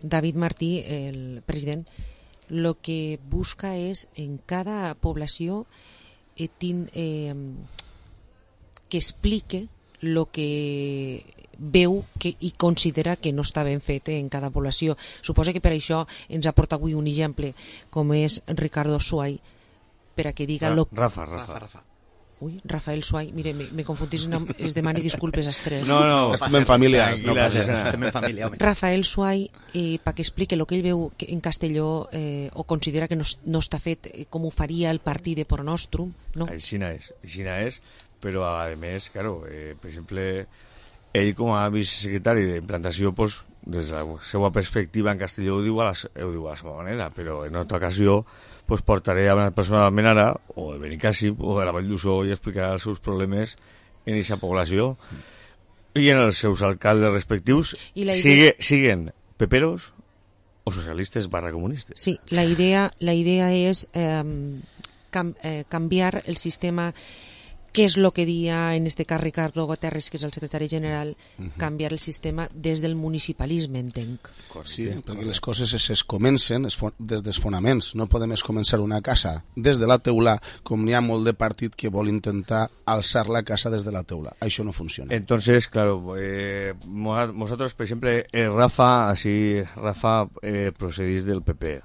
David Martí, el president, lo que busca és en cada població eh, tin, eh, que explique lo que veu que, i considera que no està ben fet en cada població. Suposo que per això ens aporta avui un exemple com és Ricardo Suay, per a que diga... Ra lo... Rafa, Rafa. Rafa. Ui, Rafael Suay, mire, me, me confundís, no, es demani disculpes als tres. No, no, estem en família. No passa nada. Estem en família, home. Rafael Suay, eh, perquè explique el que ell veu que en Castelló eh, o considera que no, no està fet eh, com ho faria el partit de Pro Nostrum, no? Aixina és, aixina és, però a més, claro, eh, per exemple, ell com a vicesecretari d'implantació, pues, des de la seva perspectiva en Castelló ho diu a la, ho diu a la seva manera, però en altra ocasió pues portaré a una persona d'Almenara o de Benicàssim o de la Vall d'Uixó i explicarà els seus problemes en aquesta població i en els seus alcaldes respectius, idea... sigue, siguen peperos o socialistes barra comunistes. Sí, la idea, la idea és eh, cam, eh, canviar el sistema, que és el que dia en este cas Ricardo Guterres, que és el secretari general, uh -huh. canviar el sistema des del municipalisme, entenc. Sí, perquè les coses es, es comencen es, des dels fonaments. No podem es començar una casa des de la teula, com n'hi ha molt de partit que vol intentar alçar la casa des de la teula. Això no funciona. Entonces, claro, eh, nosotros, por ejemplo, eh, Rafa, así, Rafa eh, procedís del P P.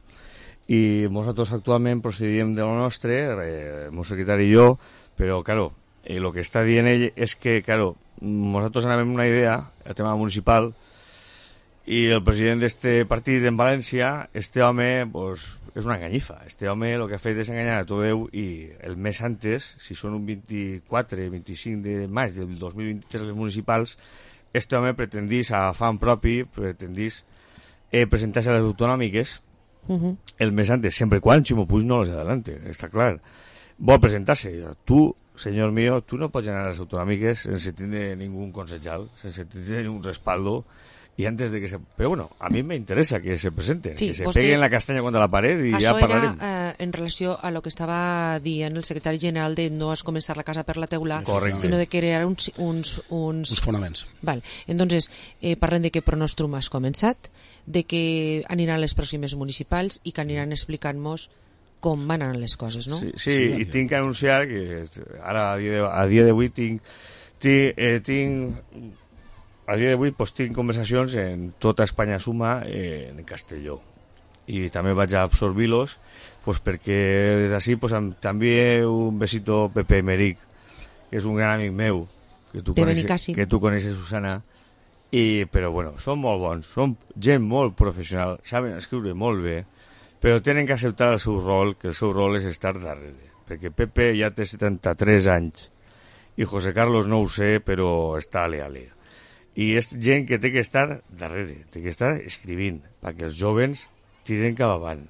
I nosaltres actualment procedíem de lo nostre, eh, el meu secretari i jo, però, claro, eh, lo que està dient ell és que, claro, nosaltres anàvem una idea, el tema municipal, i el president d'este partit en València, este home, pues, és una enganyifa. Este home el que ha fet és enganyar a tot Déu, i el mes antes, si són un vint-i-quatre vint-i-cinc de maig del dos mil vint-i-tres les municipals, este home pretendís a fan propi, pretendís eh, presentar-se a les autonòmiques uh-huh. el mes antes, sempre quan Ximo Puig no les adelante, està clar. Vol presentar-se. Tu, senyor mío, tu no pots anar a les autonòmiques sense tindre ningún consejal, sense tindre ningún respaldo, i antes de que se... Però bueno, a mi me interesa que se presenten, sí, que se vostè... peguen la castanya contra la paret i ja parlarem. Això era eh, en relació a lo que estava dient el secretari general de no es començar la casa per la teula, correcte, sinó de crear uns... uns, uns... uns fonaments. Val. Entonces, eh, parlem de que Pro Nostrum has començat, de que aniran les pròximes municipals i que aniran explicant-nos com van anar les coses, no? Sí, sí, sí, i tinc que anunciar que ara a dia d'avui tinc, tinc, eh, tinc a dia d'avui pues, tinc conversacions en tota Espanya Suma eh, en Castelló, i també vaig a absorbir-los pues, perquè des d'ací pues, també un besito Pepe Meric, que és un gran amic meu que tu, coneixes, que tu coneixes, Susana, i, però bueno, són molt bons, són gent molt professional, saben escriure molt bé, però tenen que acceptar el seu rol, que el seu rol és estar darrere, perquè Pepe ja té setanta-tres anys i José Carlos no ho sé, però està ale-ale. I és gent que té que estar darrere, té que estar escrivint, perquè els jovens tiren cap avant,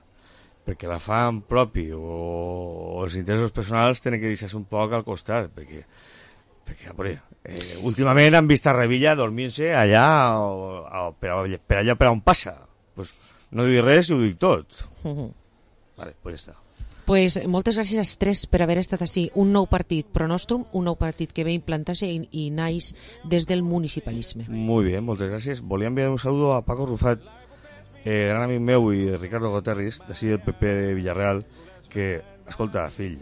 perquè la fan propi o, o els interessos personals tenen que deixar-se un poc al costat, perquè, perquè veure, eh, últimament han vist a Revilla dormint-se allà o, o, per, per allà per on passa, pues, no dic res i ho dic tot. Uh-huh. Vale, pues ja està. Pues moltes gràcies als tres per haver estat així. Un nou partit Pro Nostrum, un nou partit que ve implantar-se i, i naix des del municipalisme. Muy bien, moltes gràcies. Volia enviar un saludo a Paco Rufat, eh, gran amic meu, i de Ricardo Guterres, d'ací del P P de Villarreal, que, escolta, fill,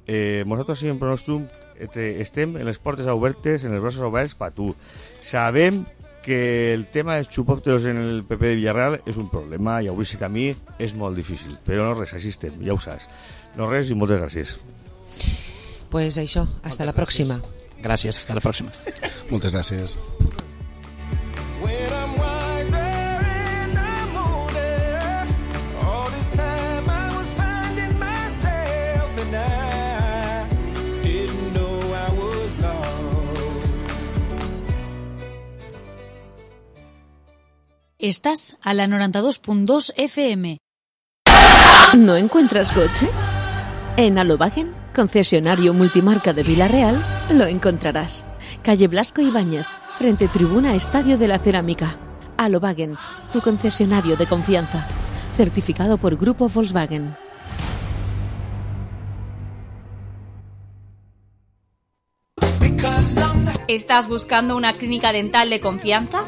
eh, nosaltres en Pro Nostrum estem en les portes obertes, en els braços oberts per tu. Sabem que el tema dels xupòpteros en el P P de Villarreal és un problema i obrir-se camí és molt difícil, però no res, així estem, ja ho saps. No res i moltes gràcies. Pues això, hasta moltes la pròxima. Gràcies, hasta la pròxima. Moltes gràcies. Estás a la noventa y dos punto dos F M. ¿No encuentras coche? En Alobagen, concesionario multimarca de Vila-real, lo encontrarás. Calle Blasco Ibáñez, frente tribuna Estadio de la Cerámica. Alobagen, tu concesionario de confianza. Certificado por Grupo Volkswagen. ¿Estás buscando una clínica dental de confianza?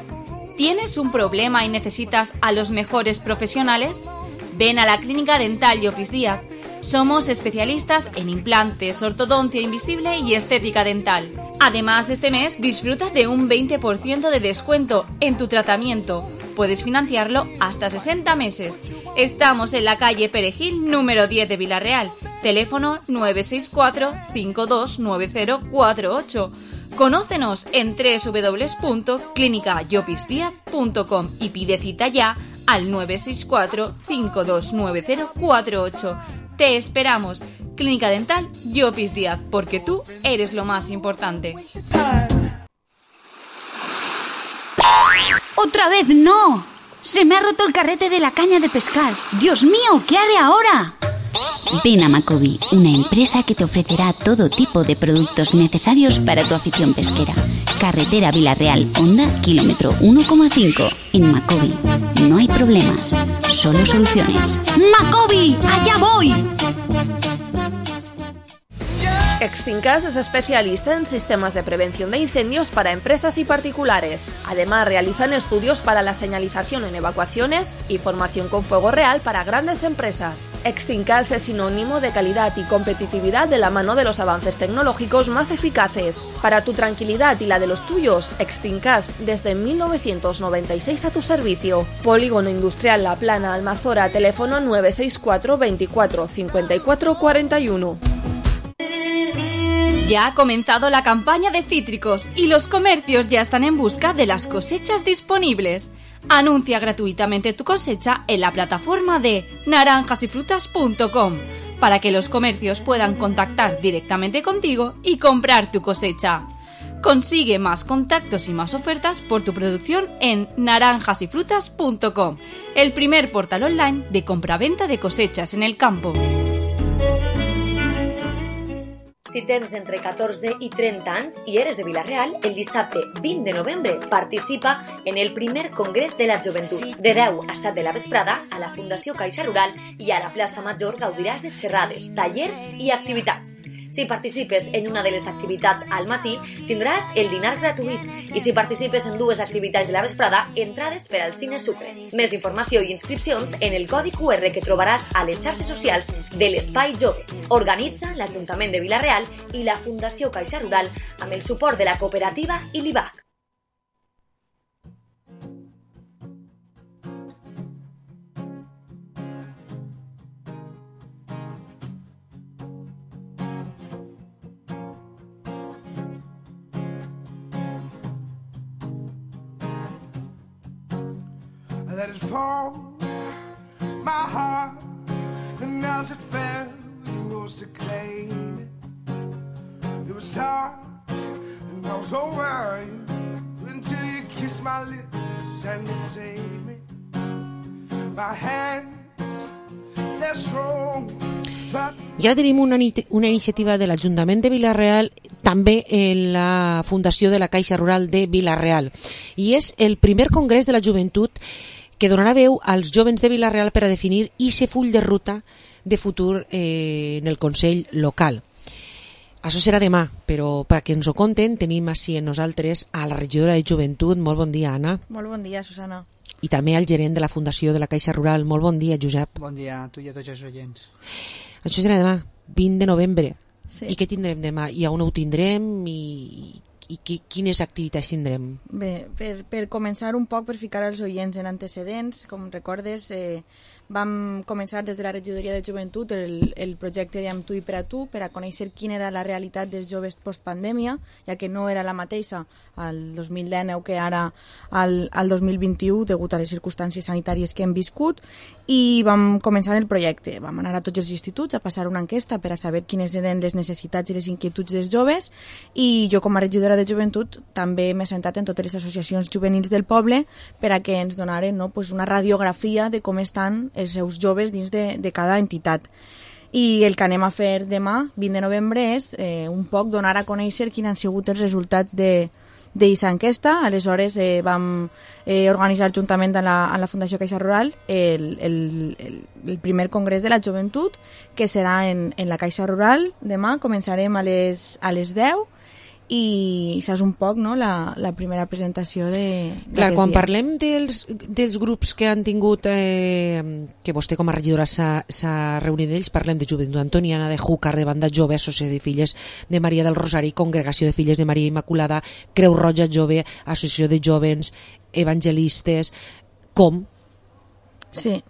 ¿Tienes un problema y necesitas a los mejores profesionales? Ven a la Clínica Dental y Office Díaz. Somos especialistas en implantes, ortodoncia invisible y estética dental. Además, este mes disfruta de un veinte por ciento de descuento en tu tratamiento. Puedes financiarlo hasta sesenta meses. Estamos en la calle Perejil, número diez de Villarreal. Teléfono nueve seis cuatro, cinco dos nueve cero cuatro ocho. Conócenos en doble u doble u doble u punto clínica llopis díaz punto com y pide cita ya al nueve seis cuatro, cinco dos nueve cero cuatro ocho. Te esperamos. Clínica Dental Llopis Díaz, porque tú eres lo más importante. ¡Otra vez no! Se me ha roto el carrete de la caña de pescar. ¡Dios mío! ¿Qué haré ahora? Ven a Macobi, una empresa que te ofrecerá todo tipo de productos necesarios para tu afición pesquera. Carretera Villarreal, Honda, kilómetro uno coma cinco. En Macobi no hay problemas, solo soluciones. ¡Macobi! ¡Allá voy! Extincas es especialista en sistemas de prevención de incendios para empresas y particulares. Además, realizan estudios para la señalización en evacuaciones y formación con fuego real para grandes empresas. Extincas es sinónimo de calidad y competitividad de la mano de los avances tecnológicos más eficaces. Para tu tranquilidad y la de los tuyos, Extincas desde mil novecientos noventa y seis a tu servicio. Polígono Industrial La Plana, Almazora, teléfono nueve seis cuatro, veinticuatro, cincuenta y cuatro cuarenta y uno. Ya ha comenzado la campaña de cítricos y los comercios ya están en busca de las cosechas disponibles. Anuncia gratuitamente tu cosecha en la plataforma de naranjas y frutas punto com para que los comercios puedan contactar directamente contigo y comprar tu cosecha. Consigue más contactos y más ofertas por tu producción en naranjas y frutas punto com, el primer portal online de compraventa de cosechas en el campo. Si tens entre catorze i trenta anys i eres de Vila-real, el dissabte vint de novembre participa en el primer Congrés de la Joventut. De deu a set de la vesprada, a la Fundació Caixa Rural i a la plaça Major gaudiràs de xerrades, tallers i activitats. Si participes en una de les activitats al matí, tindràs el dinar gratuït. I si participes en dues activitats de la vesprada, entrades per al Cine Sucre. Més informació i inscripcions en el codi cu erre que trobaràs a les xarxes socials de l'Espai Jove. Organitza l'Ajuntament de Vila-real i la Fundació Caixa Rural amb el suport de la cooperativa i l'I B A C. I let it fall, my heart, and as it fell, you rose to claim it. It was dark, and I was over you, until you kissed my lips and you saved me. My hands, they're strong. I ara tenim una, una iniciativa de l'Ajuntament de Vila-real, també en la Fundació de la Caixa Rural de Vila-real, i és el primer congrés de la joventut que donarà veu als jovens de Vila-real per a definir ese full de ruta de futur eh, en el Consell local. Això serà demà, però perquè ens ho conten tenim així en nosaltres a la regidora de Joventut. Molt bon dia, Anna. Molt bon dia, Susana. I també al gerent de la Fundació de la Caixa Rural. Molt bon dia, Josep. Bon dia a tu i a tots els oients. Això serà demà, vint de novembre. Sí. I què tindrem demà? I on ho tindrem? I, i qui, quines activitats tindrem? Bé, per, per començar un poc, per ficar els oients en antecedents, com recordes, eh, vam començar des de la regidoria de joventut el, el projecte de Amb tu i per a tu, per a conèixer quina era la realitat dels joves postpandèmia, ja que no era la mateixa al dos mil dinou que ara al, al dos mil vint-i-u, degut a les circumstàncies sanitàries que hem viscut, i vam començar el projecte. Vam anar a tots els instituts a passar una enquesta per a saber quines eren les necessitats i les inquietuds dels joves, i jo com a regidora de joventut també m'he sentat en totes les associacions juvenils del poble per a que ens donaren, no, pues una radiografia de com estan els seus joves dins de, de cada entitat. I el que anem a fer demà, vint de novembre, és eh, un poc donar a conèixer quins han sigut els resultats de d'aquesta enquesta. Aleshores eh, vam eh, organitzar juntament amb la, amb la Fundació Caixa Rural el, el, el, el primer congrés de la joventut, que serà en, en la Caixa Rural. Demà començarem a les, a les deu i això és un poc, no?, la, la primera presentació de... Clar, quan dia. Parlem dels, dels grups que han tingut, eh, que vostè com a regidora s'ha reunit d'ells, parlem de Joventut Antoniana, de Júcar, de Banda Jove, Associació de Filles de Maria del Rosari, Congregació de Filles de Maria Immaculada, Creu Roja Jove, Associació de Jovens, Evangelistes, com? Sí.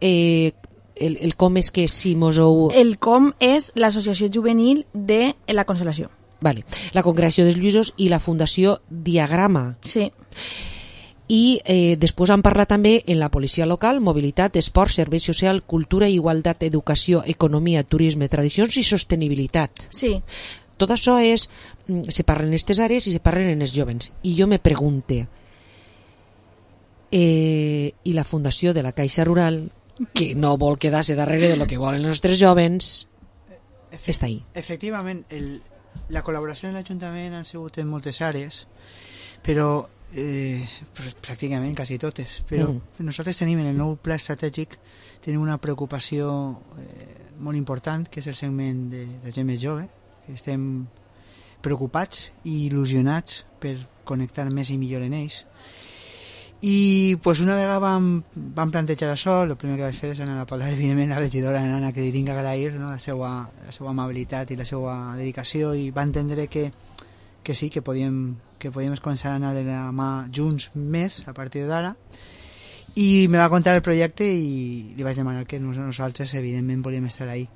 Eh, el, el com és que si mos heu... El com és l'Associació Juvenil de la Consolació. Vale. La Congregació dels Lluïsos i la Fundació Diagrama. Sí. I eh, després han parlat també en la policia local, mobilitat, esport, servei social, cultura, igualtat, educació, economia, turisme, tradicions i sostenibilitat. Sí. Tot això és... Se parlen en aquestes àrees i se parlen en els jovens. I jo me pregunte, eh, i la Fundació de la Caixa Rural, que no vol quedar-se darrere de lo que volen els nostres jovens, Efect està ahí. Efectivament, el... la col·laboració amb l'Ajuntament han sigut en moltes àrees, però eh, pràcticament quasi totes, però mm. nosaltres tenim en el nou pla estratègic tenim una preocupació eh, molt important, que és el segment de la gent més jove, que estem preocupats i il·lusionats per connectar més i millor en ells. I pues, una vegada vam, vam plantejar això, el primer que vaig fer és anar a parlar evidentment la regidora Nana, que li tinc que agrair, no? la, seva, la seva amabilitat i la seva dedicació, i va entendre que, que sí, que podíem, que podíem començar a anar de la mà junts més a partir d'ara, i me va contar el projecte i li vaig demanar que nosaltres evidentment volíem estar ahí.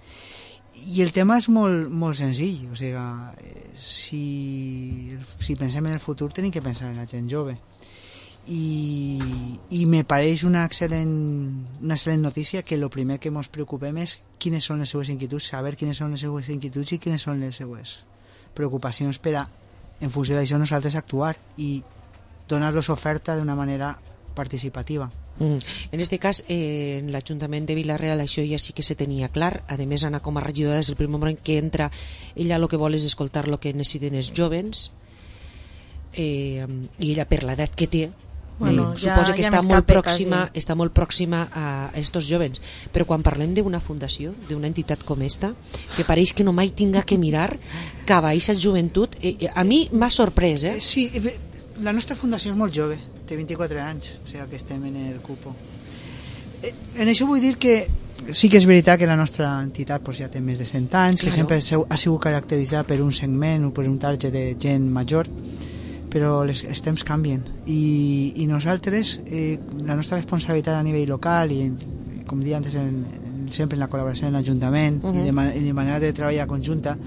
I el tema és molt, molt senzill, o sigui, si, si pensem en el futur tenim que pensar en la gent jove. I, i me pareix una excel·lent, una excel·lent notícia que el primer que ens preocupem és quines són les seues inquietuds, saber quines són les seues inquietuds i quines són les seues preocupacions per a, en funció d'això, nosaltres actuar i donar-los oferta d'una manera participativa. Mm. En este cas, eh, en l'Ajuntament de Vila-real això ja sí que se tenia clar. A més, Anna, com a regidora, des del primer moment que entra, ella el que vol és escoltar el que necessiten els jovens, eh, i ella per l'edat que té, Bueno, eh, suposa ja, que ja està molt pròxima, quasi. està molt pròxima a estos jovens, però quan parlem d'una fundació, d'una entitat com esta, que pareix que no mai tinga que mirar cap a aquesta joventut, eh, eh, a mi m'ha sorprès, eh? Sí, la nostra fundació és molt jove, té vint-i-quatre anys, o sigui que estem en el cupo. Eh, en això vull dir que sí que és veritat que la nostra entitat pues, ja té més de cent anys, claro. que sempre ha sigut caracteritzada per un segment o per un target de gent major, però les, els temps canvien i, i nosaltres, eh, la nostra responsabilitat a nivell local i, com deia antes, en, en, sempre en la col·laboració amb l'Ajuntament uh -huh. i de, man de manera de treballar conjunta,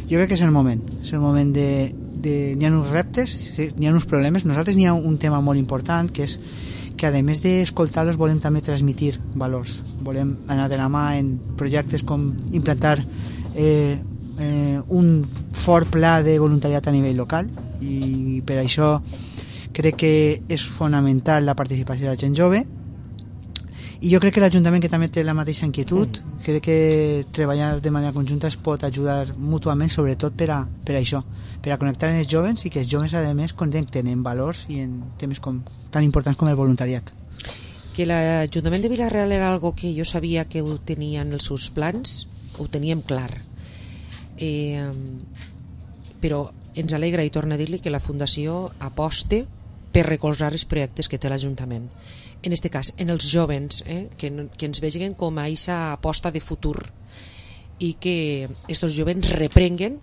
jo crec que és el moment, és el moment de, de n'hi ha uns reptes, n'hi ha uns problemes, nosaltres n'hi ha un tema molt important, que és que a més d'escoltar-los volem també transmitir valors, volem anar de la mà en projectes com implantar eh, eh, un fort pla de voluntariat a nivell local, i per això crec que és fonamental la participació de la gent jove, i jo crec que l'Ajuntament, que també té la mateixa inquietud, mm. crec que treballar de manera conjunta es pot ajudar mútuament, sobretot per a, per a això, per a connectar amb els jovens i que els jovens a més connecten en valors i en temes com, tan importants com el voluntariat. Que l'Ajuntament de Vila-real era algo que jo sabia que ho tenia en els seus plans, ho teníem clar, eh, però ens alegra, i torna a dir-li, que la Fundació aposte per recolzar els projectes que té l'Ajuntament. En aquest cas, en els jovens, eh, que, que ens vegin com a aquesta aposta de futur i que aquests jovens reprenguen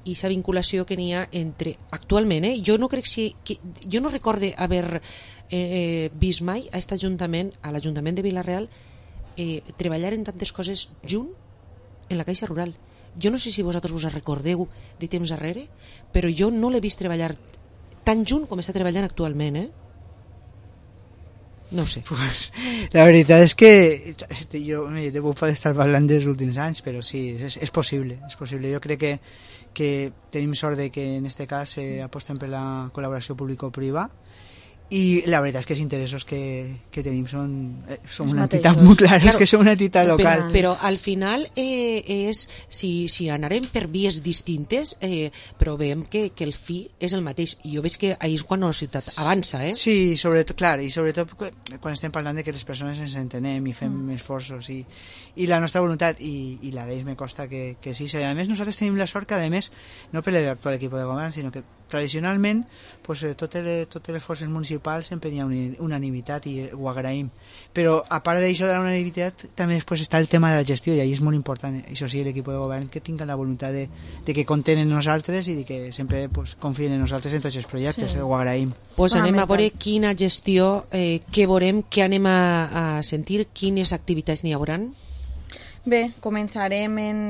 aquesta vinculació que n'hi ha entre... Actualment, eh, jo no crec si... Que, jo no recorde haver eh, vist mai a aquest Ajuntament, a l'Ajuntament de Vila-real, eh, treballar en tantes coses junt en la Caixa Rural. Jo no sé si vosaltres us recordeu de temps darrere, però jo no l'he vist treballar tan junt com està treballant actualment, eh? No sé. Pues, la veritat és que jo, jo puc estar parlant dels últims anys, però sí, és, és possible, és possible. Jo crec que, que tenim sort de que en aquest cas eh, apostem per la col·laboració público-privada i la veritat és que els interessos que, que tenim són, eh, som una mateixos. entitat molt clara, Claro, és que som una entitat local. Però, però al final eh, és, si, si anarem per vies distintes, eh, però veiem que, que el fi és el mateix. I jo veig que ahir és quan la ciutat avança, eh? Sí, sobretot, clar, i sobretot quan estem parlant de que les persones ens entenem i fem mm. esforços i, i la nostra voluntat, i, i la d'ells me costa que, que sí. A més, nosaltres tenim la sort que, a més, no per l'actual equip de govern, sinó que tradicionalment pues, totes, les, totes les forces municipals sempre hi ha unanimitat i ho agraïm, però a part d'això de la unanimitat també després està el tema de la gestió, i ahí és molt important, això sí, l'equip de govern que tinga la voluntat de, de que compten en nosaltres i de que sempre pues, confien en nosaltres en tots els projectes, sí. eh, ho agraïm. Pues anem a veure quina gestió, eh, què veurem, què anem a, a sentir, quines activitats n'hi hauran. Bé, començarem en...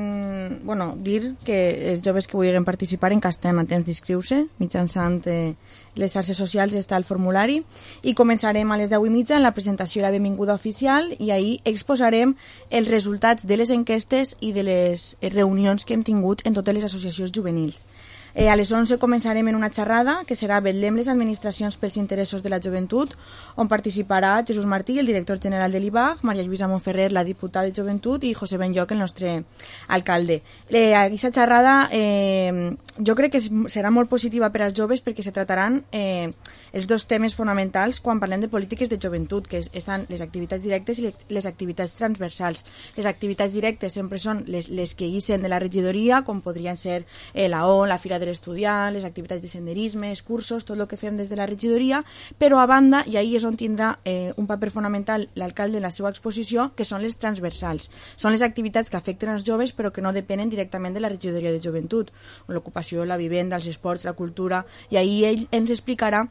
Bueno, dir que els joves que vulguin participar encara estem a temps d'inscriure-se, mitjançant eh, les xarxes socials està el formulari, i començarem a les deu i mitja en la presentació i la benvinguda oficial, i ahir exposarem els resultats de les enquestes i de les reunions que hem tingut en totes les associacions juvenils. Eh, a les onze començarem en una xerrada que serà Vetllem les administracions pels interessos de la joventut, on participarà Jesús Martí, el director general de l'I B A G, Maria Lluïsa Montferrer, la diputada de joventut, i José Benlloc, el nostre alcalde. Eh, aquesta xerrada eh, jo crec que serà molt positiva per als joves perquè se trataran eh, els dos temes fonamentals quan parlem de polítiques de joventut, que estan les activitats directes i les activitats transversals. Les activitats directes sempre són les, les que guisen de la regidoria, com podrien ser eh, la O, la Fira de l'estudiant, les activitats de senderisme, els cursos, tot el que fem des de la regidoria, però a banda, i ahí és on tindrà eh, un paper fonamental l'alcalde en la seva exposició, que són les transversals. Són les activitats que afecten els joves però que no depenen directament de la regidoria de joventut, l'ocupació, la vivenda, els esports, la cultura, i ahí ell ens explicarà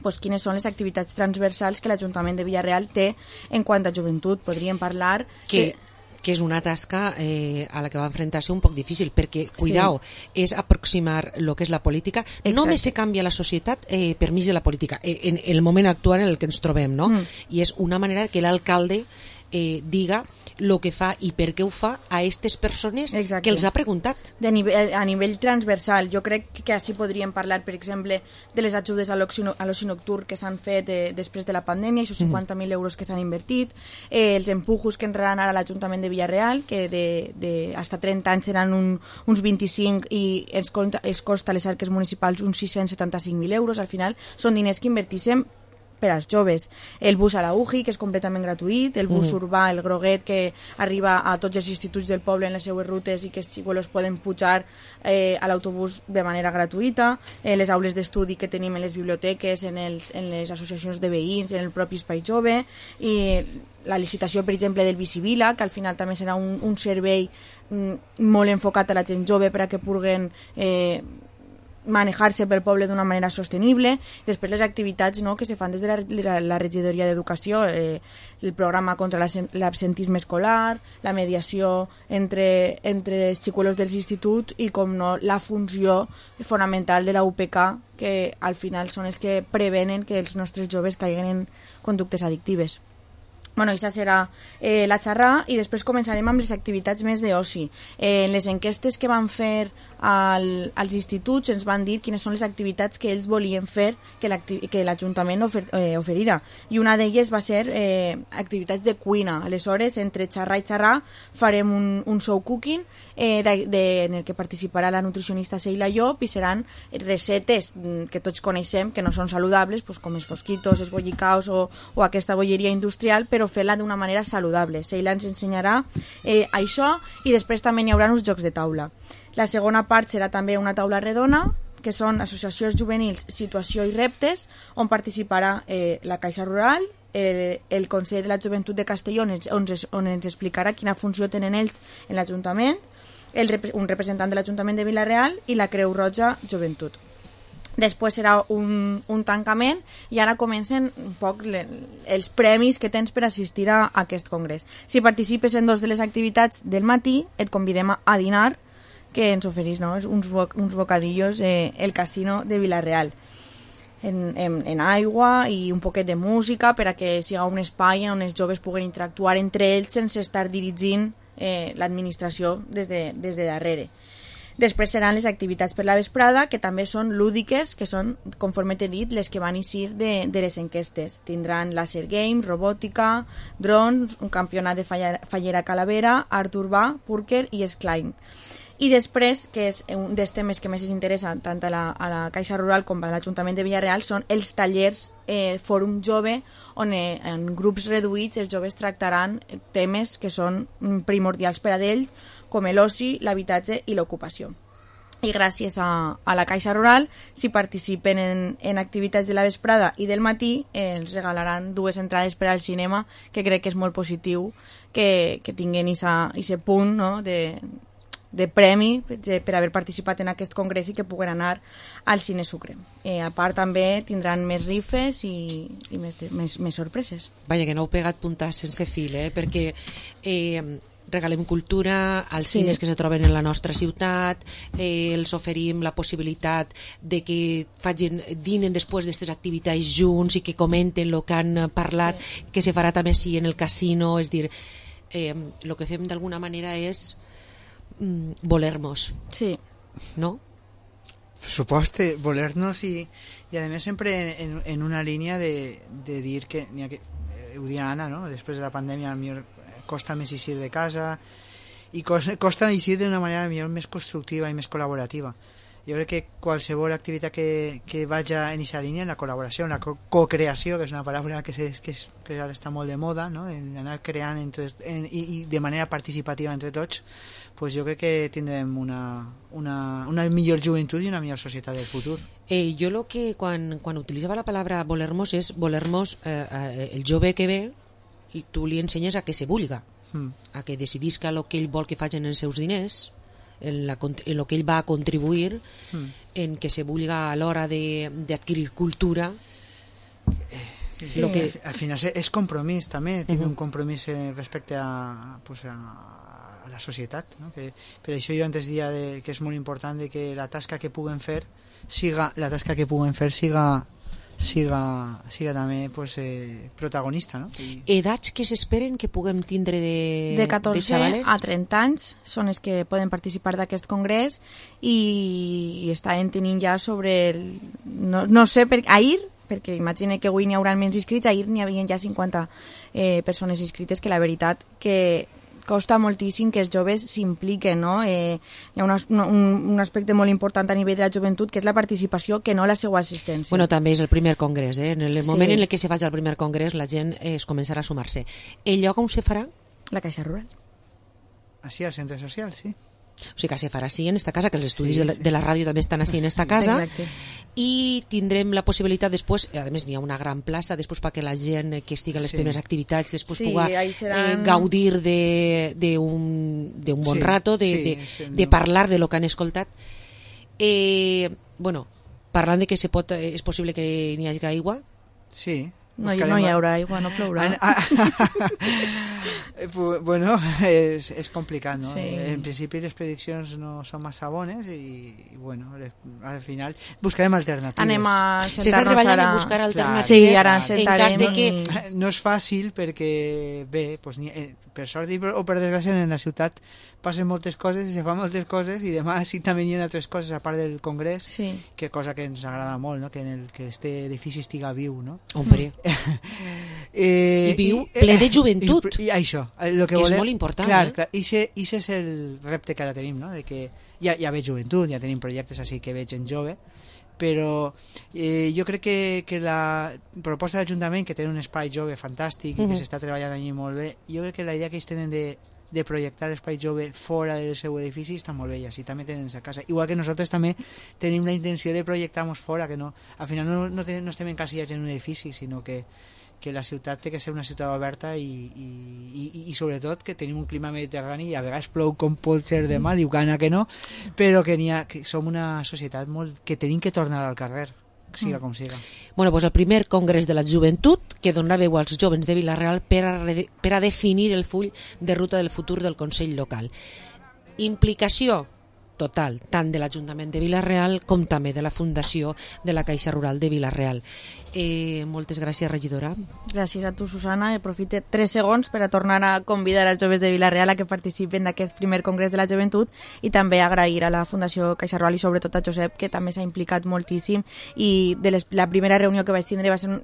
pues, quines són les activitats transversals que l'Ajuntament de Villarreal té en quant a joventut. Podríem parlar... Que... Eh... que és una tasca eh, a la que va enfrontar-se un poc difícil, perquè, cuidao, sí. és aproximar el que és la política. Exacte. Només se canvia la societat eh, per mig de la política, eh, en el moment actual en el que ens trobem, no? Mm. I és una manera que l'alcalde eh, diga el que fa i per què ho fa a aquestes persones Exacte. Que els ha preguntat. De nivell, a nivell transversal, jo crec que així podríem parlar, per exemple, de les ajudes a l'oci nocturn que s'han fet eh, després de la pandèmia, aquests cinquanta mil euros que s'han invertit, eh, els empujos que entraran ara a l'Ajuntament de Villarreal, que de, de hasta trenta anys seran un, uns vint-i-cinc i ens costa, ens costa a les arques municipals uns sis-cents setanta-cinc mil euros. Al final són diners que invertíssim per als joves. El bus a la U J I, que és completament gratuït, el bus mm. urbà, el groguet, que arriba a tots els instituts del poble en les seues rutes i que els xicolos poden pujar eh, a l'autobús de manera gratuïta, eh, les aules d'estudi que tenim en les biblioteques, en, els, en les associacions de veïns, en el propi espai jove, i la licitació, per exemple, del Bicivila, que al final també serà un, un servei mm, molt enfocat a la gent jove per a que puguen eh, manejar-se pel poble d'una manera sostenible. Després les activitats, no?, que se fan des de la, la, la regidoria d'educació, eh, el programa contra l'absentisme escolar, la mediació entre, entre els xicolos dels instituts i, com no, la funció fonamental de la U P K, que al final són els que prevenen que els nostres joves caiguen en conductes addictives. Bueno, això serà eh, la xerrada, i després començarem amb les activitats més d'oci. Eh, en les enquestes que van fer al, als instituts ens van dir quines són les activitats que ells volien fer que l'Ajuntament ofer, eh, oferirà. I una d'elles va ser eh, activitats de cuina. Aleshores, entre xerrar i xerrar, farem un, un show cooking eh, de, de, en el que participarà la nutricionista Seila Llop, i seran recetes que tots coneixem, que no són saludables, pues, com els fosquitos, els bollicaos o, o aquesta bolleria industrial, però fer-la d'una manera saludable. Seila ens ensenyarà eh, això, i després també n'hi haurà uns jocs de taula. La segona part serà també una taula redona, que són associacions juvenils, situació i reptes, on participarà eh, la Caixa Rural, el, el Consell de la Joventut de Castelló, on, on ens explicarà quina funció tenen ells en l'Ajuntament, el, un representant de l'Ajuntament de Vila-real i la Creu Roja Joventut. Després serà un, un tancament, i ara comencen un poc le, els premis que tens per assistir a, a aquest congrés. Si participes en dos de les activitats del matí, et convidem a, a dinar, que ens oferís, no?, uns, bo, uns bocadillos eh, el casino de Vila-real. En, en, en aigua i un poquet de música per a que sigui un espai on els joves puguen interactuar entre ells sense estar dirigint eh, l'administració des de, des de darrere. Després seran les activitats per la vesprada, que també són lúdiques, que són, conforme t'he dit, les que van eixir de, de les enquestes. Tindran laser game, robòtica, drons, un campionat de fallera, fallera calavera, art urbà, púrquer i esclaim. I després, que és un dels temes que més ens interessa tant a la, a la Caixa Rural com a l'Ajuntament de Villarreal, són els tallers eh, Fòrum Jove, on eh, en grups reduïts els joves tractaran temes que són primordials per a ells, com l'oci, l'habitatge i l'ocupació. I gràcies a, a la Caixa Rural, si participen en, en activitats de la vesprada i del matí, eh, els regalaran dues entrades per al cinema, que crec que és molt positiu que, que tinguin aquest punt, no?, de de premi per haver participat en aquest congrés i que puguen anar al Cine Sucre. Eh, a part també tindran més rifes i, i més, més, més sorpreses. Vaja, que no heu pegat puntats sense fil, eh? Perquè eh, regalem cultura als sí. cines que se troben en la nostra ciutat, eh, els oferim la possibilitat de que facin, dinen després d'aquestes activitats junts i que comenten el que han parlat, sí. que se farà també sí en el casino, és dir, eh, el que fem d'alguna manera és volernos, sí, ¿no? Por supuesto, volernos y, y además siempre en, en una línea de, de dir que, que eh, ho dia Anna, no? Després de la pandèmia millor costa més eixir de casa i costa, costa eixir d'una manera millor més constructiva i més col·laborativa. Jo crec que qualsevol activitat que, que vaja en aquesta línia, en la col·laboració, en la co- co-creació, que és una paraula que, se, que, és, que ara està molt de moda, no? En anar creant entre, en, i, i de manera participativa entre tots, pues jo crec que tindrem una, una, una millor joventut i una millor societat del futur. Eh, jo lo que quan, quan utilitzava la paraula volermos és volermos, eh, eh, el jove que ve, tu li ensenyes a que se vulga, mm. a que decidisca el que ell vol que facin els seus diners, en, la, en lo que ell va a contribuir, mm. en que se vulga a l'hora d'adquirir cultura. Sí, sí. Lo que... Al final és compromís també, uh-huh. tinc un compromís respecte a, pues a, a la societat, no? Que, per això jo antes dia de, que és molt important de que la tasca que puguen fer siga, la tasca que puguen fer siga siga, siga també pues, eh, protagonista, no? I... Edats que s'esperen que puguem tindre de, de catorze de xavales? A trenta anys són els que poden participar d'aquest congrés i, i estan tenint ja sobre el, no, no sé, per, ahir perquè imagine que avui n'hi haurà menys inscrits, ahir n'hi havia ja cinquanta eh, persones inscrites, que la veritat que costa moltíssim que els joves s'impliquen, no? Eh, hi ha una, un, un aspecte molt important a nivell de la joventut, que és la participació, que no la seva assistència. Bueno, també és el primer congrés, eh? En el moment sí. en el que se faci el primer congrés, la gent eh, es començarà a sumar-se. El lloc on se farà? La Caixa Rural. Així, al centre social, sí. O sigui que se farà així en esta casa, que els estudis sí, sí. De, la, de la ràdio també estan així en esta sí, casa, exacte. I tindrem la possibilitat després, a més n'hi ha una gran plaça després perquè la gent que estigui a les sí. primeres activitats després sí, pugui seran... eh, gaudir d'un bon sí, rato de, sí, de, sí, de parlar de lo que han escoltat. Eh, bueno, parlant de que se pot, és possible que n'hi hagi aigua. Sí. No, no hi haurà aigua, no plourà. Bueno, és, és complicat, no? Sí. En principi les prediccions no són massa bones i, i bueno, al final buscarem alternatives. Anem a sentar-nos S'està treballant ara... en buscar alternatives. Sí, ara ens en cas de que... No és fàcil perquè, bé, pues, ni, per sort o per desgràcia en la ciutat passen moltes coses i se fan moltes coses i demà sí també hi ha altres coses a part del congrés, sí. que cosa que ens agrada molt, no? Que en el que este edifici estiga viu, no? Hombre. eh, I viu ple de joventut. I, i això, lo que és volem, molt important. Clar, eh? clar, i ese és el repte que ara tenim, no? De que ja, ja veig joventut, ja tenim projectes així que veig gent jove, però eh, jo crec que, que la proposta de l'Ajuntament, que té un espai jove fantàstic i uh-huh. que s'està treballant allí molt bé, jo crec que la idea que ells tenen de de projectar l'espai jove fora del seu edifici està molt bé, i així també tenen a casa, igual que nosaltres també tenim la intenció de projectar-nos fora, que no, al final no, no, ten, no estem encasillats en un edifici, sinó que, que la ciutat té que ser una ciutat oberta i, i, i, i sobretot que tenim un clima mediterrani i a vegades plou com pot ser demà, diu gana que no, però que, ha, que som una societat molt, que tenim que tornar al carrer, siga com siga. Bueno, pues el primer congrés de la joventut que donarà veu als jovens de Vila-real per a, per a definir el full de ruta del futur del Consell Local. Implicació, total, tant de l'Ajuntament de Vila-real com també de la Fundació de la Caixa Rural de Vila-real. Eh, moltes gràcies, regidora. Gràcies a tu, Susana. Aprofite tres segons per a tornar a convidar als joves de Vila-real a que participen d'aquest primer congrés de la joventut i també agrair a la Fundació Caixa Rural i sobretot a Josep, que també s'ha implicat moltíssim, i de les, la primera reunió que vaig tindre va ser un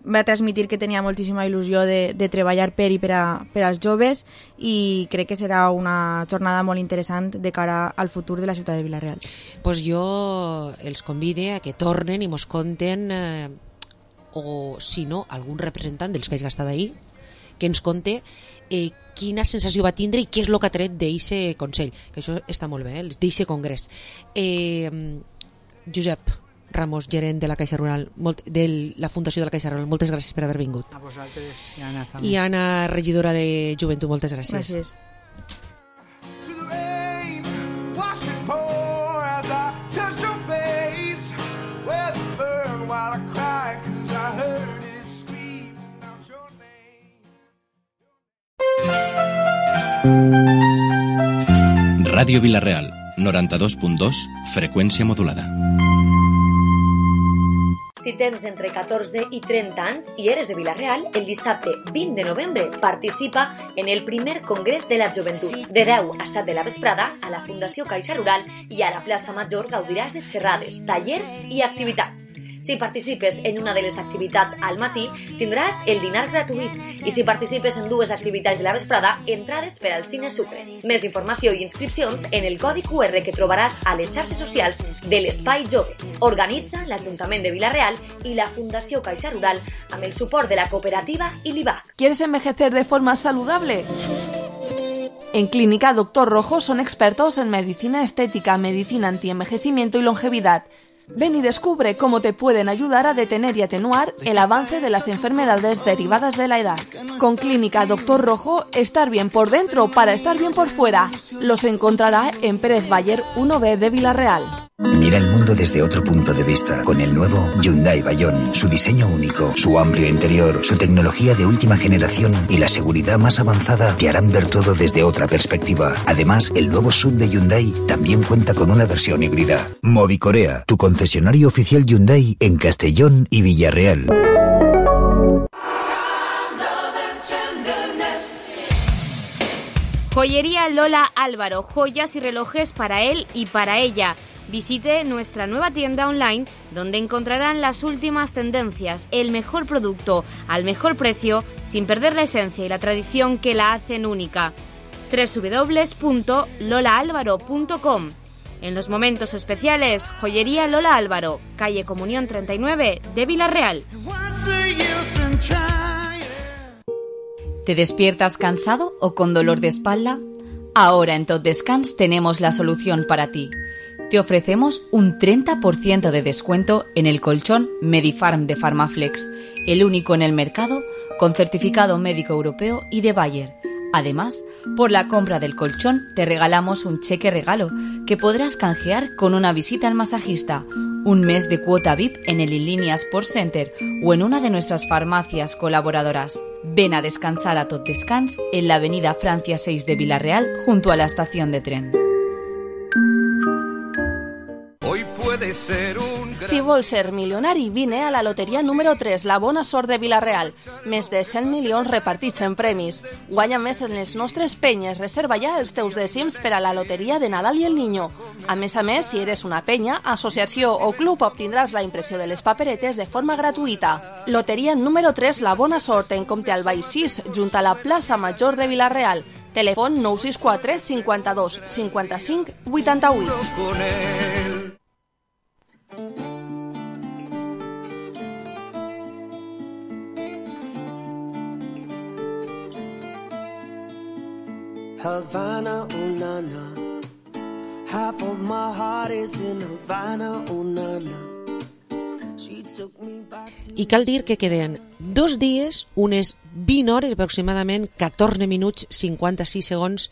va transmitir que tenia moltíssima il·lusió de, de treballar per i per, a, per als joves, i crec que serà una jornada molt interessant de cara al futur de la ciutat de Vila-real. Pues jo els convide a que tornen i mos conten, eh, o si no, algun representant dels que hagi estat ahir, que ens conte eh, quina sensació va tindre i què és el que ha tret d'eixe Consell, que això està molt bé, eh, d'eixe congrés. Eh, Josep Ramos, gerent de la Caixa Rural, molt, de la Fundació de la Caixa Rural, moltes gràcies per haver vingut. A vosaltres i Anna també. I Anna, regidora de Joventut, moltes gràcies. Gràcies. Ràdio Vila-real, noranta-dos punt dos, freqüència modulada. Si tens entre catorze i trenta anys i eres de Vila-real, el dissabte vint de novembre participa en el primer Congrés de la Joventut. De deu a set de la vesprada, a la Fundació Caixa Rural i a la plaça Major gaudiràs de xerrades, tallers i activitats. Si participes en una de les activitats al matí, tindràs el dinar gratuït. I si participes en dues activitats de la vesprada, entrades per al Cine Sucre. Més informació i inscripcions en el codi cu erre que trobaràs a les xarxes socials de l'Espai Jove. Organitza l'Ajuntament de Vila-real i la Fundació Caixa Rural amb el suport de la cooperativa i l'I B A C. ¿Quieres envejecer de forma saludable? En Clínica Doctor Rojo son expertos en medicina estética, medicina antienvejecimiento y longevidad. Ven y descubre cómo te pueden ayudar a detener y atenuar el avance de las enfermedades derivadas de la edad. Con Clínica Doctor Rojo, estar bien por dentro para estar bien por fuera. Los encontrará en Pérez Bayer uno B de Vila-real. Mira el mundo desde otro punto de vista con el nuevo Hyundai Bayon. Su diseño único, su amplio interior, su tecnología de última generación y la seguridad más avanzada te harán ver todo desde otra perspectiva. Además, el nuevo S U V de Hyundai también cuenta con una versión híbrida. Movicorea, tu concesionario oficial Hyundai en Castellón y Villarreal. Joyería Lola Álvaro, joyas y relojes para él y para ella. Visite nuestra nueva tienda online donde encontrarán las últimas tendencias, el mejor producto al mejor precio sin perder la esencia y la tradición que la hacen única. doble u doble u doble u punto lola álvaro punto com. En los momentos especiales, Joyería Lola Álvaro, calle Comunión treinta y nueve de Vila-real. ¿Te despiertas cansado o con dolor de espalda? Ahora en Tot Descans tenemos la solución para ti. Te ofrecemos un treinta por ciento de descuento en el colchón Medifarm de Farmaflex, el único en el mercado con certificado médico europeo y de Bayer. Además, por la compra del colchón te regalamos un cheque regalo que podrás canjear con una visita al masajista, un mes de cuota V I P en el Inlínea Sports Center o en una de nuestras farmacias colaboradoras. Ven a descansar a Tot Descans en la avenida Francia seis de Vila-real junto a la estación de tren. Hoy puede ser un gran... Si vols ser milionari, vine a la loteria número tres, la bona sort de Vila-real. Més de cent milions repartits en premis. Guanya més en les nostres penyes. Reserva ja els teus dècims per a la loteria de Nadal i el Niño. A més a més, si eres una penya, associació o club, obtindràs la impressió de les paperetes de forma gratuïta. Loteria número tres, la bona sort, en Comte Albay sis, junt a la plaça Major de Vila-real. Telèfon nou sis quatre cinquanta-dos cinquanta-cinc vuitanta-vuit. Havana, oh nana. Half of my heart is in Havana, oh nana. She took me back to... I cal dir que queden dos dies, unes vint hores, aproximadament catorze minuts, cinquanta-sis segons,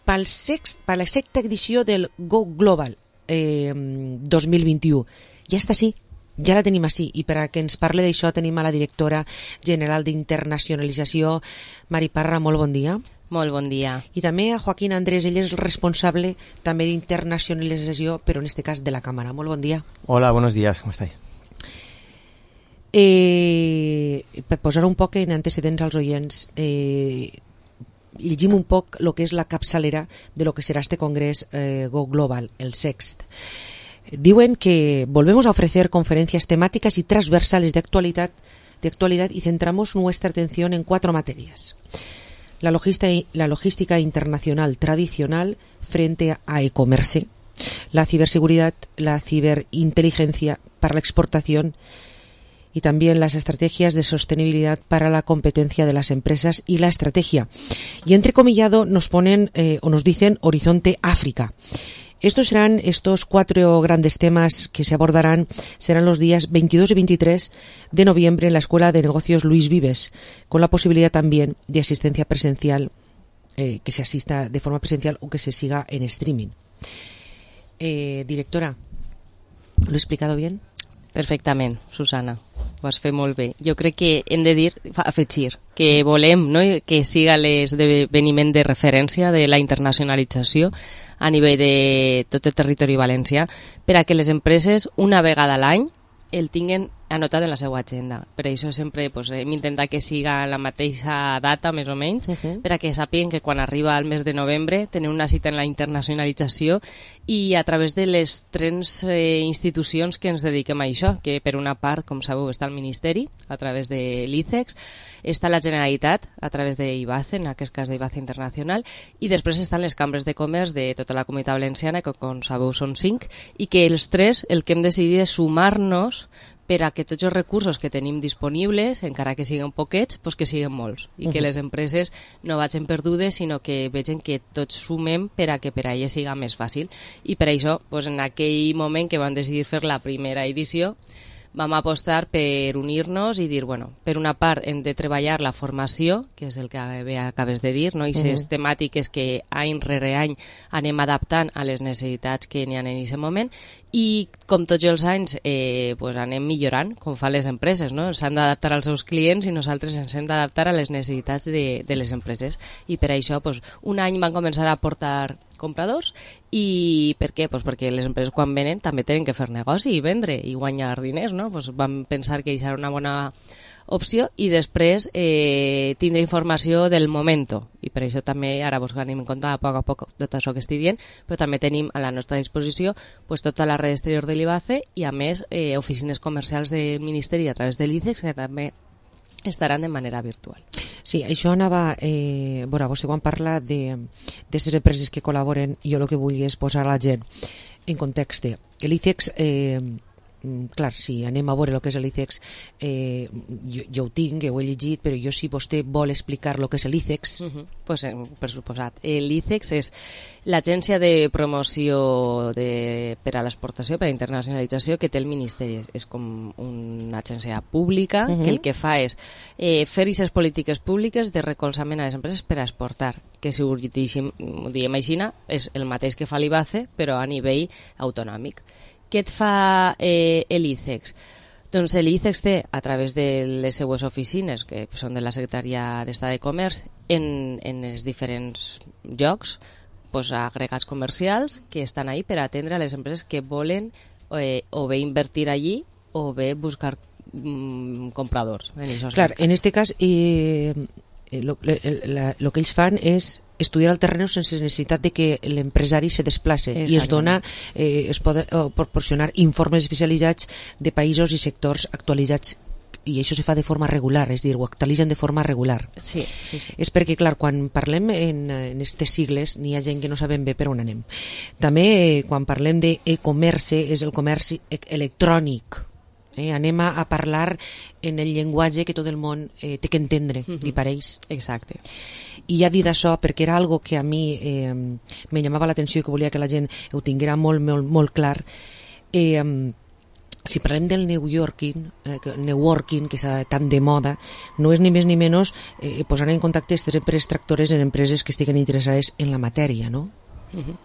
pel sext, per la sexta edició del Go Global eh, dos mil vint-i-u. Ja està així, ja la tenim així, i per a que ens parli d'això tenim a la directora general d'Internacionalització, Mari Parra. Molt bon dia. Molt bon dia. I també a Joaquín Andrés, ell és el responsable també d'internacionalització, però en este cas de la Cámara. Molt bon dia. Hola, buenos días, ¿cómo estáis? Eh, per posar un poc en antecedents als oients, eh, llegim un poc el que és la capçalera de lo que serà este congrés eh, Go Global, el sext. Diuen que volvemos a ofrecer conferencias temáticas y transversales de actualidad, de actualidad y centramos nuestra atención en cuatro materias. La logística, la logística internacional tradicional frente a e-commerce, la ciberseguridad, la ciberinteligencia para la exportación y también las estrategias de sostenibilidad para la competencia de las empresas y la estrategia. Y entrecomillado nos ponen eh, o nos dicen Horizonte África. Estos serán estos cuatro grandes temas que se abordarán, serán los días veintidós y veintitrés de noviembre en la Escuela de Negocios Luis Vives, con la posibilidad también de asistencia presencial, eh, que se asista de forma presencial o que se siga en streaming. Eh, directora, ¿lo he explicado bien? Perfectament, Susana, ho has fet molt bé. Jo crec que hem de dir, afegir, que volem, no?, que siga l'esdeveniment de referència de la internacionalització a nivell de tot el territori valencià per a que les empreses una vegada a l'any el tinguen anotat en la seva agenda. Per això sempre pues, hem intentat que siga la mateixa data, més o menys, uh-huh. per a que sàpiguen que quan arriba el mes de novembre tenen una cita en la internacionalització i a través de les tres eh, institucions que ens dediquem a això, que per una part, com sabeu, està el Ministeri, a través de l'I C E X, està la Generalitat, a través de I B A C E, en aquest cas d'I B A C E Internacional, i després estan les cambres de comerç de tota la comunitat valenciana, que com sabeu són cinc, i que els tres el que hem decidit és sumar-nos per a que tots els recursos que tenim disponibles, encara que siguin poquets, pues que siguin molts, i uh-huh. que les empreses no vagin perdudes, sinó que vegin que tots sumem per a que per a elles siga més fàcil. I per això, pues, en aquell moment que vam decidir fer la primera edició, vam apostar per unir-nos i dir, bueno, per una part hem de treballar la formació, que és el que bé acabes de dir, no? I les uh-huh. temàtiques que any rere any anem adaptant a les necessitats que n'hi ha en aquest moment, i com tots els anys eh, pues anem millorant, com fan les empreses, no? S'han d'adaptar als seus clients i nosaltres ens hem d'adaptar a les necessitats de, de les empreses, i per això pues, un any van començar a portar compradors. I per què? Pues perquè les empreses quan venen també tenen que fer negoci i vendre i guanyar diners, no? Pues vam pensar que això era una bona opció, i després eh, tindre informació del moment, i per això també ara vos anem en compte a poc a poc tot això que estic dient, però també tenim a la nostra disposició pues, tota la red exterior de l'I B A C E i a més eh, oficines comercials del Ministeri a través de l'I C E X que també estaran de manera virtual. Sí, això anava, eh, bueno, vostè quan parla de les empreses que col·laboren, jo el que vull és posar a la gent en context. L'I C E X, eh, clar, si anem a veure el que és l'I C E X, eh, jo, jo ho tinc, ho he llegit, però jo si vostè vol explicar el que és l'I C E X... Uh-huh. Pues, eh, per suposat. L'I C E X és l'agència de promoció de, per a l'exportació, per a internacionalització que té el Ministeri. És com una agència pública uh-huh. que el que fa és eh, fer aquestes polítiques públiques de recolzament a les empreses per a exportar, que si ho diem així, és el mateix que fa l'I B A C E, però a nivell autonòmic. Què et fa eh, l'I C E X? Doncs l'I C E X té, a través de les seues oficines, que són de la Secretaria d'Estat de Comerç, en, en els diferents llocs, pues, agregats comercials que estan ahí per atendre a les empreses que volen eh, o bé invertir allí o bé buscar mm, compradors. En Clar, en este cas, eh, lo, la, lo que ells fan és estudiar el terreny sense necessitat de que l'empresari se desplace i es dona, eh, es pot proporcionar informes especialitzats de països i sectors actualitzats, i això se fa de forma regular, és a dir, ho actualitzen de forma regular. Sí, sí, sí. És perquè, clar, quan parlem en aquestes sigles n'hi ha gent que no sabem bé per on anem. També eh, quan parlem d'e-commerce és el comerç electrònic. Eh, anem a, a parlar en el llenguatge que tot el món eh, té que entendre, uh-huh. li pareix? Exacte. I ja dit això, perquè era algo que a mi eh, me llamava l'atenció i que volia que la gent ho tinguera molt, molt, molt clar, eh, si parlem del networking, eh, networking que està tan de moda, no és ni més ni menys eh, posar en contacte aquestes empreses tractores en empreses que estiguen interessades en la matèria, ¿no? Uh-huh.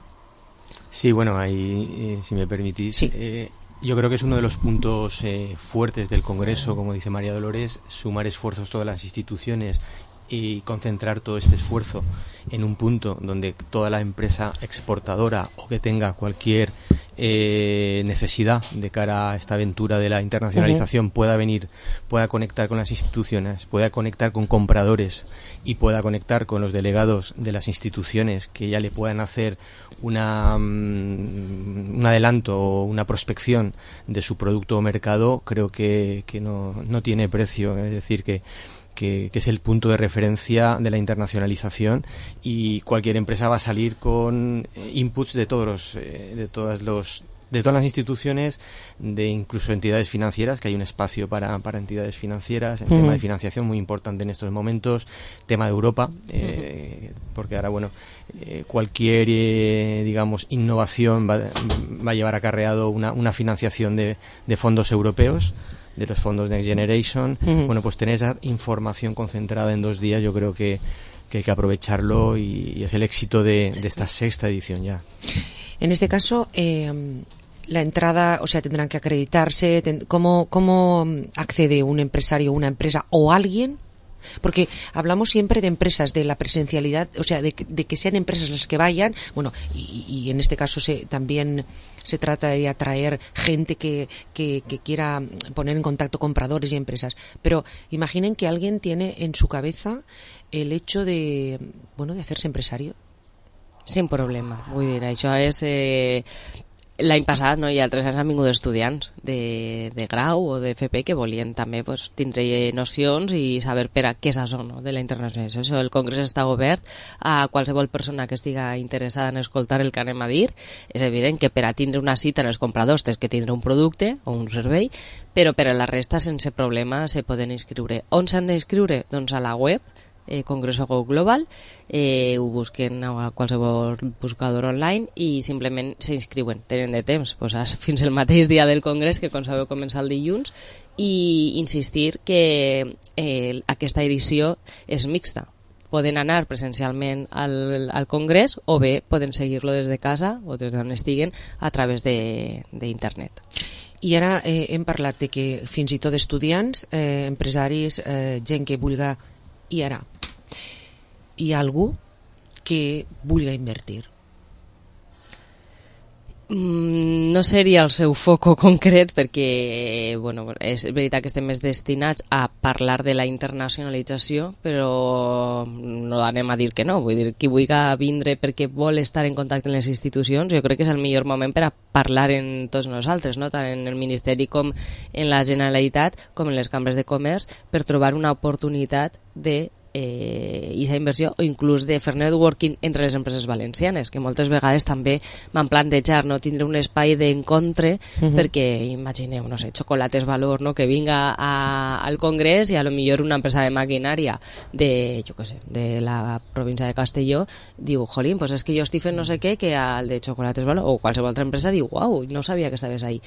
Sí, bueno, ahí, eh, si me permitís... Sí. Eh, Yo creo que es uno de los puntos eh, fuertes del Congreso, como dice María Dolores, sumar esfuerzos todas las instituciones y concentrar todo este esfuerzo en un punto donde toda la empresa exportadora o que tenga cualquier eh, necesidad de cara a esta aventura de la internacionalización uh-huh. pueda venir, pueda conectar con las instituciones, pueda conectar con compradores y pueda conectar con los delegados de las instituciones que ya le puedan hacer una um, un adelanto o una prospección de su producto o mercado, creo que, que no, no tiene precio. Es decir, que Que, que es el punto de referencia de la internacionalización, y cualquier empresa va a salir con eh, inputs de todos los, eh, de todas los de todas las instituciones, de incluso entidades financieras, que hay un espacio para, para entidades financieras, el uh-huh. tema de financiación muy importante en estos momentos, tema de Europa, eh, uh-huh. porque ahora, bueno, eh, cualquier, eh, digamos, innovación va, va a llevar acarreado una, una financiación de, de fondos europeos, de los fondos Next Generation. Uh-huh. Bueno, pues tener esa información concentrada en dos días, yo creo que, que hay que aprovecharlo, y, y es el éxito de, de esta sexta edición ya. En este caso, eh, la entrada, o sea, tendrán que acreditarse. Ten, ¿cómo, ¿Cómo accede un empresario, una empresa o alguien? Porque hablamos siempre de empresas, de la presencialidad, o sea, de, de que sean empresas las que vayan, bueno, y, y en este caso se, también se trata de atraer gente que, que, que quiera poner en contacto compradores y empresas. Pero imaginen que alguien tiene en su cabeza el hecho de, bueno, de hacerse empresario. Sin problema, vull dir, això és... Eh... L'any passat, no, i altres anys han vingut estudiants de, de grau o de F P que volien també pues, tindre nocions i saber per a què és això, no, de la internacionalització. Això, el congrés està obert a qualsevol persona que estiga interessada en escoltar el que anem a dir. És evident que per a tindre una cita en els compradors tens que tindre un producte o un servei, però per a la resta sense problema se poden inscriure. On s'han d'inscriure? Doncs a la web Eh, Congreso Go Global, eh, ho busquen a qualsevol buscador online i simplement s'inscriuen, tenen de temps pues, fins el mateix dia del congrés, que com sabeu comença el dilluns, i insistir que eh, aquesta edició és mixta. Poden anar presencialment al, al congrés o bé poden seguir-lo des de casa o des d'on estiguen a través d'internet. I ara eh, hem parlat de que fins i tot estudiants, eh, empresaris, eh, gent que vulga. I ara, hi ha algú que vulgui invertir? Mm, no seria el seu foco concret, perquè bueno, és veritat que estem més destinats a parlar de la internacionalització, però no anem a dir que no. Vull dir, qui vulgui vindre perquè vol estar en contacte amb les institucions, jo crec que és el millor moment per a parlar en tots nosaltres, no? Tant en el Ministeri com en la Generalitat, com en les cambres de comerç, per trobar una oportunitat de eh, i la inversió, o inclús de fer networking entre les empreses valencianes, que moltes vegades també van plantejar, no, tindre un espai d'encontre, uh-huh. perquè imagineu, no sé, Chocolates Valor, no, que vinga a, al congrés i a lo millor una empresa de maquinària de, jo què sé, de la província de Castelló diu, jolín, pues és que jo estic fent no sé què, que al de Chocolates Valor o qualsevol altra empresa diu, uau, no sabia que estaves ahí.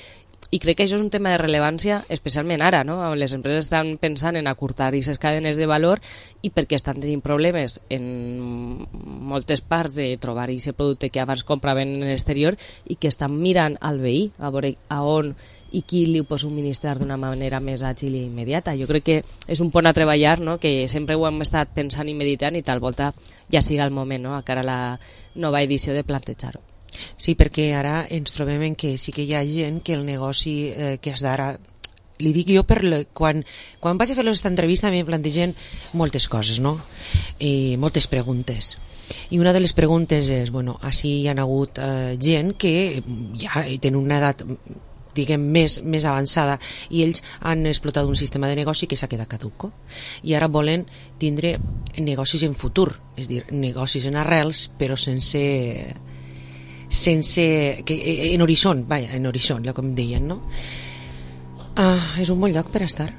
I crec que això és un tema de rellevància, especialment ara, no? Les empreses estan pensant en acurtar aquestes cadenes de valor i perquè estan tenint problemes en moltes parts de trobar aquest producte que abans compraven en l'exterior i que estan mirant al veí a veure a on i qui li ho pot subministrar d'una manera més àgil i immediata. Jo crec que és un pont a treballar, no? Que sempre ho hem estat pensant i meditant i tal volta ja siga el moment, no? A cara a la nova edició de plantejar-ho. Sí, perquè ara ens trobem en que sí que hi ha gent que el negoci eh, que has d'ara, li dic jo per le, quan, quan vaig a fer aquesta entrevista m'hi plantegen moltes coses, no? I moltes preguntes. I una de les preguntes és, bueno, així hi ha hagut eh, gent que ja tenen una edat diguem més, més avançada i ells han explotat un sistema de negoci que s'ha quedat caduco i ara volen tindre negocis en futur, és a dir, negocis en arrels però sense sense que, en horitzont, vaja, en horitzont, ja com deien, no? Ah, és un bon lloc per estar.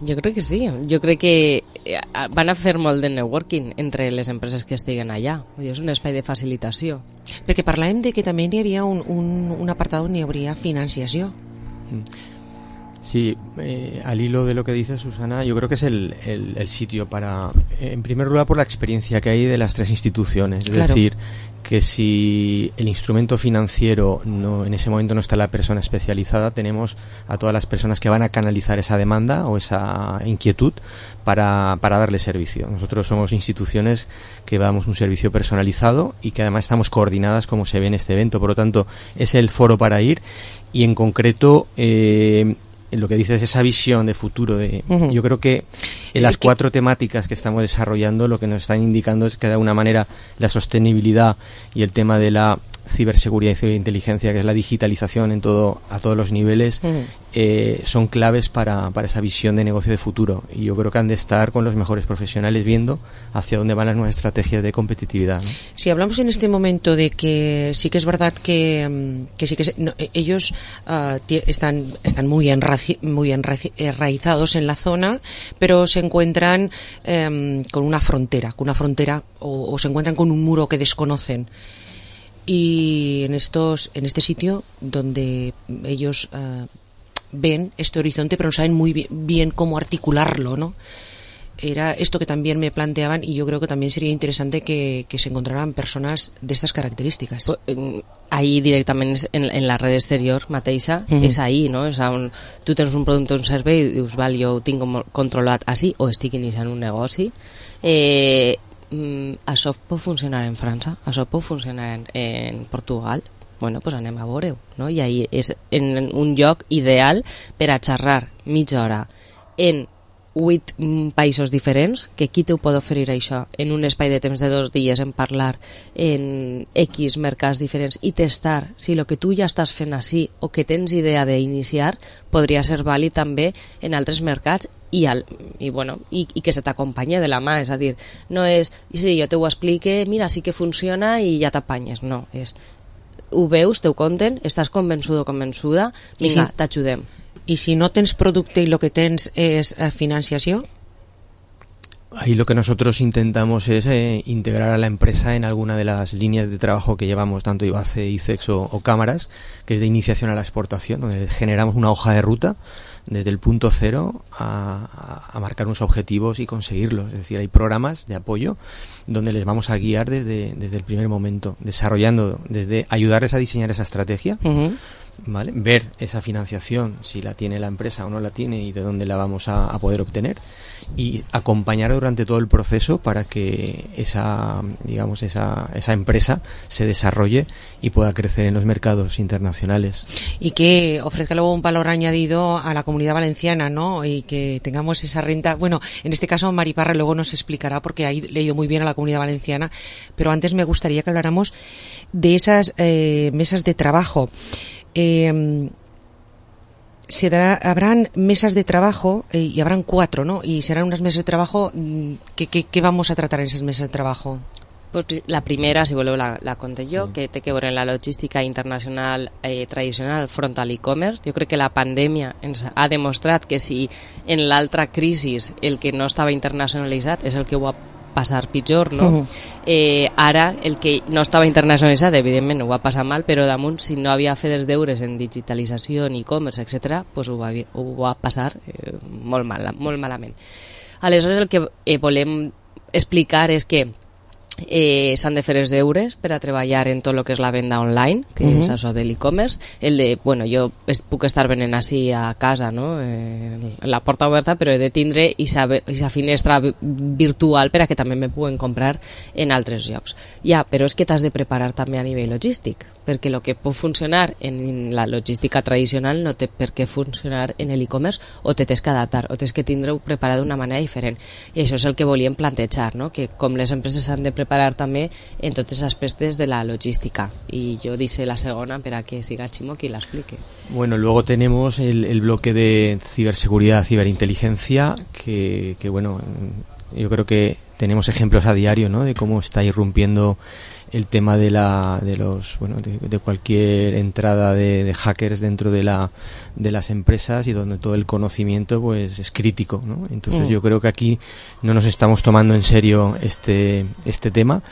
Jo crec que sí, jo crec que van a fer molt de networking entre les empreses que estiguen allà, és un espai de facilitació. Perquè parlàvem de que també hi havia un, un, un apartat on hi hauria financiació. Mm. Sí, eh, al hilo de lo que dice Susana, yo creo que es el, el, el sitio para, en primer lugar, por la experiencia que hay de las tres instituciones. Es claro. decir, que si el instrumento financiero no, en ese momento no está la persona especializada, tenemos a todas las personas que van a canalizar esa demanda o esa inquietud para, para darle servicio. Nosotros somos instituciones que damos un servicio personalizado y que además estamos coordinadas como se ve en este evento. Por lo tanto, es el foro para ir y en concreto... Eh, lo que dices, esa visión de futuro. De, uh-huh. Yo creo que en las cuatro temáticas que estamos desarrollando lo que nos están indicando es que de alguna manera la sostenibilidad y el tema de la ciberseguridad y ciberinteligencia, que es la digitalización en todo a todos los niveles, uh-huh. eh, son claves para, para esa visión de negocio de futuro. Y yo creo que han de estar con los mejores profesionales viendo hacia dónde van las nuevas estrategias de competitividad, ¿no? Si hablamos en este momento de que sí que es verdad que, que sí que se, no, ellos uh, t- están, están muy, enraci- muy enraizados en la zona, pero se encuentran um, con una frontera, con una frontera o, o se encuentran con un muro que desconocen. Y en estos en este sitio donde ellos uh, ven este horizonte pero no saben muy bien, bien cómo articularlo, ¿no? Era esto que también me planteaban y yo creo que también sería interesante que, que se encontraran personas de estas características. Ahí directament en, en la red exterior mateixa, mm-hmm. és ahí, no? És on tu tens un producte o un servei i dius, val, jo ho tinc controlat així o estic iniciant un negoci. Eh, Mm, això pot funcionar en França, això pot funcionar en, en Portugal, bueno, pues anem a veure-ho, no? I ahí és en un lloc ideal per a xerrar mitja hora en vuit països diferents, que qui t'ho pot oferir això en un espai de temps de dos dies en parlar en X mercats diferents i testar si el que tu ja estàs fent així o que tens idea d'iniciar podria ser vàlid també en altres mercats i, al, i, bueno, i, i que se t'acompanya de la mà, és a dir, no és sí, jo te ho explique, mira, sí que funciona i ja t'apanyes, no, és ho veus, te ho conten, estàs convençudo o convençuda, vinga, sí. T'ajudem. I si no tens producte i el que tens és eh, financiació? Ahí lo que nosotros intentamos es eh, integrar a la empresa en alguna de las líneas de trabajo que llevamos, tanto IBACE, ICEX o, o cámaras, que es de iniciación a la exportación, donde generamos una hoja de ruta desde el punto cero a, a, a marcar unos objetivos y conseguirlos. Es decir, hay programas de apoyo donde les vamos a guiar desde, desde el primer momento, desarrollando, desde ayudarles a diseñar esa estrategia, uh-huh. ¿vale? Ver esa financiación, si la tiene la empresa o no la tiene y de dónde la vamos a, a poder obtener, y acompañar durante todo el proceso para que esa, digamos, esa, esa empresa se desarrolle y pueda crecer en los mercados internacionales. Y que ofrezca luego un valor añadido a la Comunidad Valenciana, ¿no? Y que tengamos esa renta. Bueno, en este caso Mari Parra luego nos explicará porque ha leído muy bien a la Comunidad Valenciana, pero antes me gustaría que habláramos de esas eh, mesas de trabajo. Eh, se dará, habrán mesas de trabajo eh, y habrán cuatro, ¿no? Y serán unas mesas de trabajo que, que, que vamos a tratar en esas mesas de trabajo. Pues la primera, si voleu, la, la conté jo, mm. que té que veure en la logística internacional eh, tradicional front a l'e-commerce. Jo crec que la pandèmia ens ha demostrat que si en l'altra crisi el que no estava internacionalitzat és el que ho ha passar pitjor, no? Uh-huh. Eh, ara, el que no estava internacionalitzat, evidentment ho va passar mal, però damunt, si no havia fet els deures en digitalització, en e-commerce, etcètera, pues ho, va, ho va passar eh, molt, mal, molt malament. Aleshores, el que eh, volem explicar és que eh, s'han de fer els deures per a treballar en tot el que és la venda online, que uh-huh. és això de l'e-commerce, el de, bueno, jo es, puc estar venent així a casa, no? Eh, la porta oberta, però he de tindre aquesta finestra virtual per a que també me puguen comprar en altres llocs. Ja, però és que t'has de preparar també a nivell logístic, perquè el que pot funcionar en la logística tradicional no té per què funcionar en l'e-commerce, o te tens que adaptar, o tens que tindre-ho preparat d'una manera diferent. I això és el que volíem plantejar, no? Que com les empreses s'han de preparar també en tots els aspectes de la logística. Y yo dice la segunda para que siga Chimo que la explique. Bueno, luego tenemos el, el bloque de ciberseguridad, ciberinteligencia, que, que bueno, yo creo que tenemos ejemplos a diario, ¿no? De cómo está irrumpiendo el tema de la de los bueno de, de cualquier entrada de, de hackers dentro de la de las empresas y donde todo el conocimiento pues es crítico, ¿no? Entonces mm. yo creo que aquí no nos estamos tomando en serio este este tema.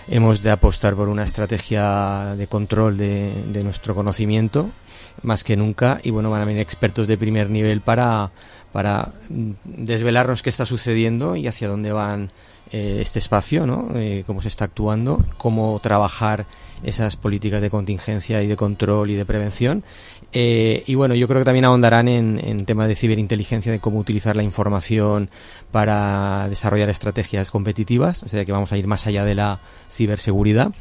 Hemos de apostar por una estrategia de control de, de nuestro conocimiento más que nunca, y bueno, van a venir expertos de primer nivel para para desvelarnos qué está sucediendo y hacia dónde van Eh, este espacio, ¿no? Eh, cómo se está actuando, cómo trabajar esas políticas de contingencia y de control y de prevención. Eh, y bueno, yo creo que también ahondarán en, en temas de ciberinteligencia, de cómo utilizar la información para desarrollar estrategias competitivas, o sea que vamos a ir más allá de la ciberseguridad.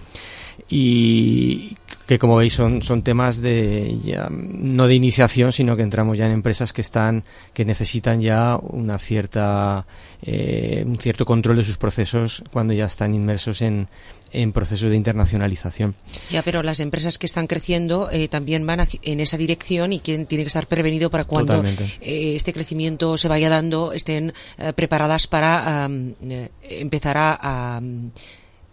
Y que, como veis, son son temas de ya, no de iniciación, sino que entramos ya en empresas que están que necesitan ya una cierta eh, un cierto control de sus procesos cuando ya están inmersos en en procesos de internacionalización. Ya, pero las empresas que están creciendo eh, también van en esa dirección, y quien tiene que estar prevenido para cuando eh, este crecimiento se vaya dando, estén eh, preparadas para um, eh, empezar a, a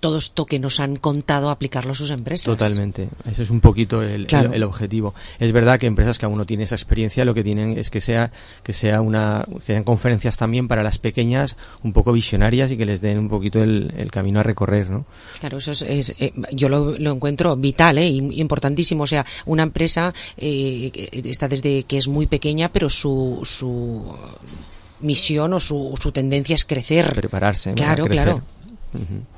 todo esto que nos han contado, aplicarlo a sus empresas. Totalmente. Ese es un poquito el, claro. el, el objetivo. Es verdad que empresas que aún no tienen esa experiencia, lo que tienen es que sea que sea una que sean conferencias también para las pequeñas, un poco visionarias, y que les den un poquito el, el camino a recorrer, ¿no? Claro, eso es, es eh, yo lo, lo encuentro vital, eh, importantísimo. O sea, una empresa eh, está desde que es muy pequeña, pero su su misión o su, su tendencia es crecer. Prepararse. Claro, crecer. claro. Uh-huh.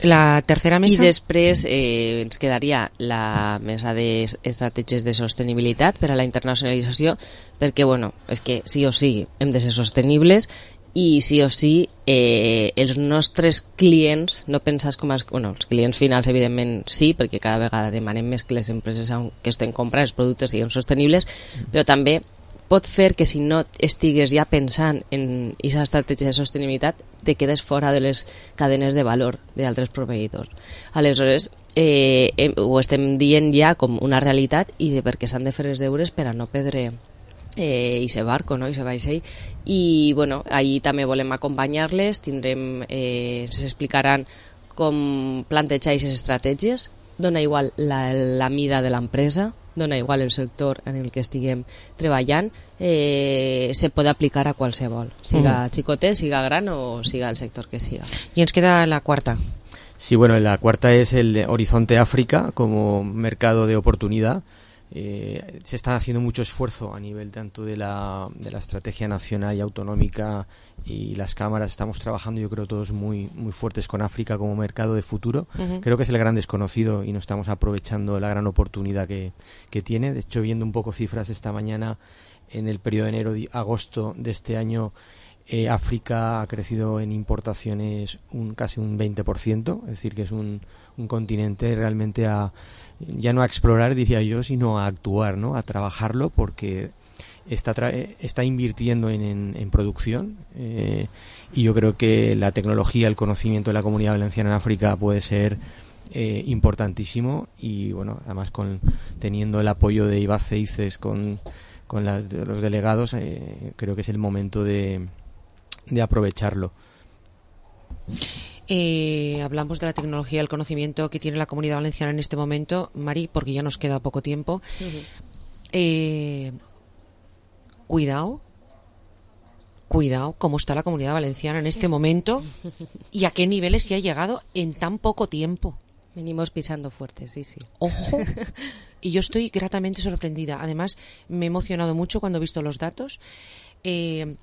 La tercera mesa. I després eh, ens quedaria la mesa d'estratègies de sostenibilitat per a la internacionalització, perquè, bueno, és que sí o sí hem de ser sostenibles, i sí o sí eh, els nostres clients, no pensar com els, bueno, els clients finals evidentment sí, perquè cada vegada demanem més que les empreses que estem comprant els productes siguin sostenibles, però també pot fer que si no estigues ja pensant en aquesta estratègia de sostenibilitat te quedes fora de les cadenes de valor d'altres proveïdors. Aleshores, eh, eh, ho estem dient ja com una realitat, i de perquè s'han de fer els deures per a no perdre eh, ese barco, no? Ese vaixell. I bueno, ahí també volem acompanyar-les, tindrem, eh, s'explicaran com plantejar aquestes estratègies. Dona igual la, la mida de l'empresa, dona igual el sector en el que estiguem treballant, eh, se pot aplicar a qualsevol, siga uh-huh. xicotet, siga gran o siga el sector que siga. Y ens queda la cuarta. Sí, bueno, la cuarta es el Horizonte África como mercado de oportunidad. Eh, se está haciendo mucho esfuerzo a nivel tanto de la, de la estrategia nacional y autonómica, y las cámaras estamos trabajando, yo creo, todos muy muy fuertes con África como mercado de futuro. Uh-huh. Creo que es el gran desconocido y no estamos aprovechando la gran oportunidad que, que tiene. De hecho, viendo un poco cifras esta mañana, en el periodo de enero-agosto de este año, eh, África ha crecido en importaciones un casi un veinte por ciento, es decir, que es un, un continente realmente a ya no a explorar, diría yo, sino a actuar, ¿no? A trabajarlo, porque está tra- está invirtiendo en, en, en producción, eh, y yo creo que la tecnología, el conocimiento de la Comunidad Valenciana en África puede ser eh, importantísimo, y bueno, además con teniendo el apoyo de IBACE y CES con, con las, de los delegados, eh, creo que es el momento de, de aprovecharlo. Eh, hablamos de la tecnología, el conocimiento que tiene la Comunidad Valenciana en este momento, Mari, porque ya nos queda poco tiempo. Uh-huh. Eh, cuidado, cuidado cómo está la Comunidad Valenciana en este momento y a qué niveles se ha llegado en tan poco tiempo. Venimos pisando fuerte, sí, sí. Ojo. Y yo estoy gratamente sorprendida. Además, me he emocionado mucho cuando he visto los datos. Eh,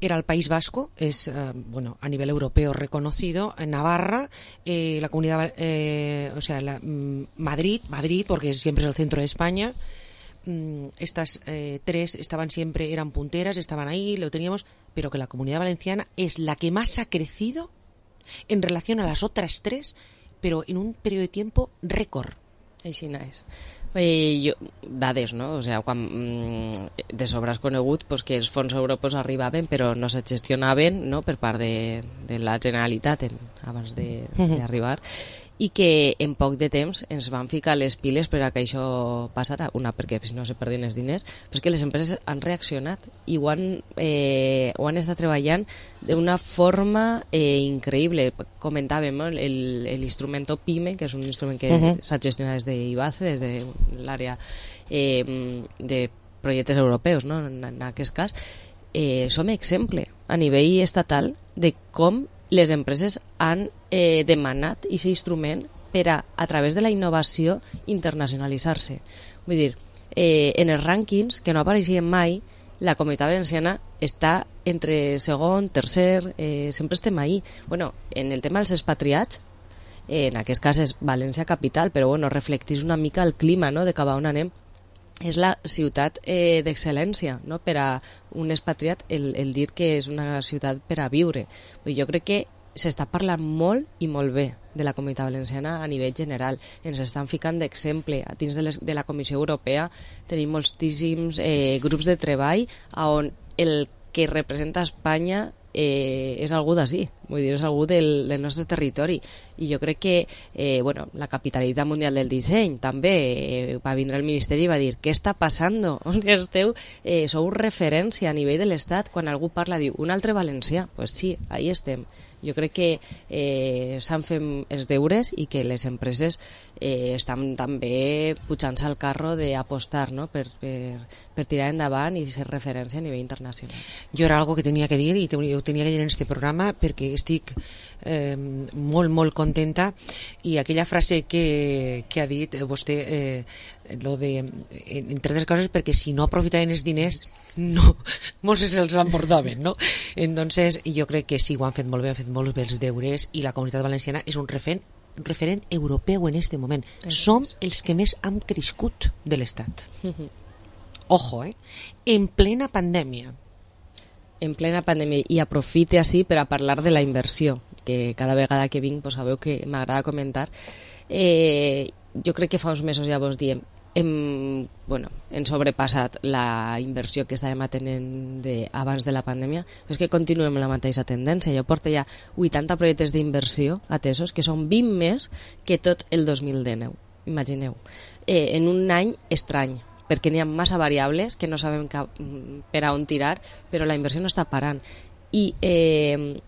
Era el País Vasco, es eh, bueno, a nivel europeo reconocido, Navarra, eh, la comunidad, eh, o sea, la, mm, Madrid, Madrid, porque siempre es el centro de España. Mm, estas eh, tres estaban siempre, eran punteras, estaban ahí, lo teníamos, pero que la Comunidad Valenciana es la que más ha crecido en relación a las otras tres, pero en un periodo de tiempo récord. Així és. Eh, jo, dades, no? O sea, quan, mm, de sobre has conegut pues, que els fons europeus arribaven però no se gestionaven, no? Per part de, de la Generalitat en, abans d'arribar, i que en poc de temps ens van ficar les piles per a que això passara, una perquè si no se perdien els diners, però és que les empreses han reaccionat i ho han, eh, ho han estat treballant d'una forma eh, increïble. Comentàvem no? l'instrument PYME, que és un instrument que uh-huh. s'ha gestionat des d'Ibace, des de l'àrea eh, de projectes europeus, no? en, en aquest cas, eh, som exemple a nivell estatal de com les empreses han eh, demanat aquest instrument per a, a través de la innovació, internacionalitzar-se. Vull dir, eh, en els rànquings, que no apareixien mai, la Comunitat Valenciana està entre segon, tercer, eh, sempre estem ahí. Bueno, en el tema dels expatriats, eh, en aquest cas és València capital, però bueno, reflectís una mica el clima, no?, de cap a on anem. És la ciutat eh, d'excel·lència, no? Per a un expatriat el, el dir que és una ciutat per a viure. Jo crec que s'està parlant molt i molt bé de la Comunitat Valenciana a nivell general. Ens estan ficant d'exemple. A dins de, les, de la Comissió Europea tenim moltíssims eh, grups de treball on el que representa Espanya eh, és algú d'ací, vull dir, és algú del, del nostre territori. I jo crec que eh, bueno, la capitalitat mundial del disseny també eh, va vindre al Ministeri i va dir què està passant? Esteu, eh, sou referència a nivell de l'Estat. Quan algú parla diu un altre valencià, doncs pues sí, ahí estem. Jo crec que eh, s'han fet els deures i que les empreses eh, estan també pujant-se al carro d'apostar, no? per, per, per tirar endavant i ser referència a nivell internacional. Jo era algo que tenia que dir i ho tenia que dir en este programa perquè estic eh, molt, molt contenta i aquella frase que, que ha dit vostè, eh, lo de, entre altres coses, perquè si no aprofitaven els diners no, molts se'ls emportaven, no? Entonces jo crec que sí, ho han fet molt bé, han fet molt bé els deures i la Comunitat Valenciana és un referent, un referent europeu en este moment. Som els que més hem crescut de l'Estat. Ojo, eh? En plena pandèmia. En plena pandèmia, i aprofite així per a parlar de la inversió, que cada vegada que vinc pues, sabeu que m'agrada comentar. Eh, jo crec que fa uns mesos ja vos diem hem, bueno, hem sobrepassat la inversió que estàvem atenent de, abans de la pandèmia, però és que continuem amb la mateixa tendència. Jo porto ja vuitanta projectes d'inversió atesos, que són vint més que tot el dos mil dinou, imagineu, eh, en un any estrany, perquè n'hi ha massa variables que no sabem cap, per a on tirar, però la inversió no està parant. I eh,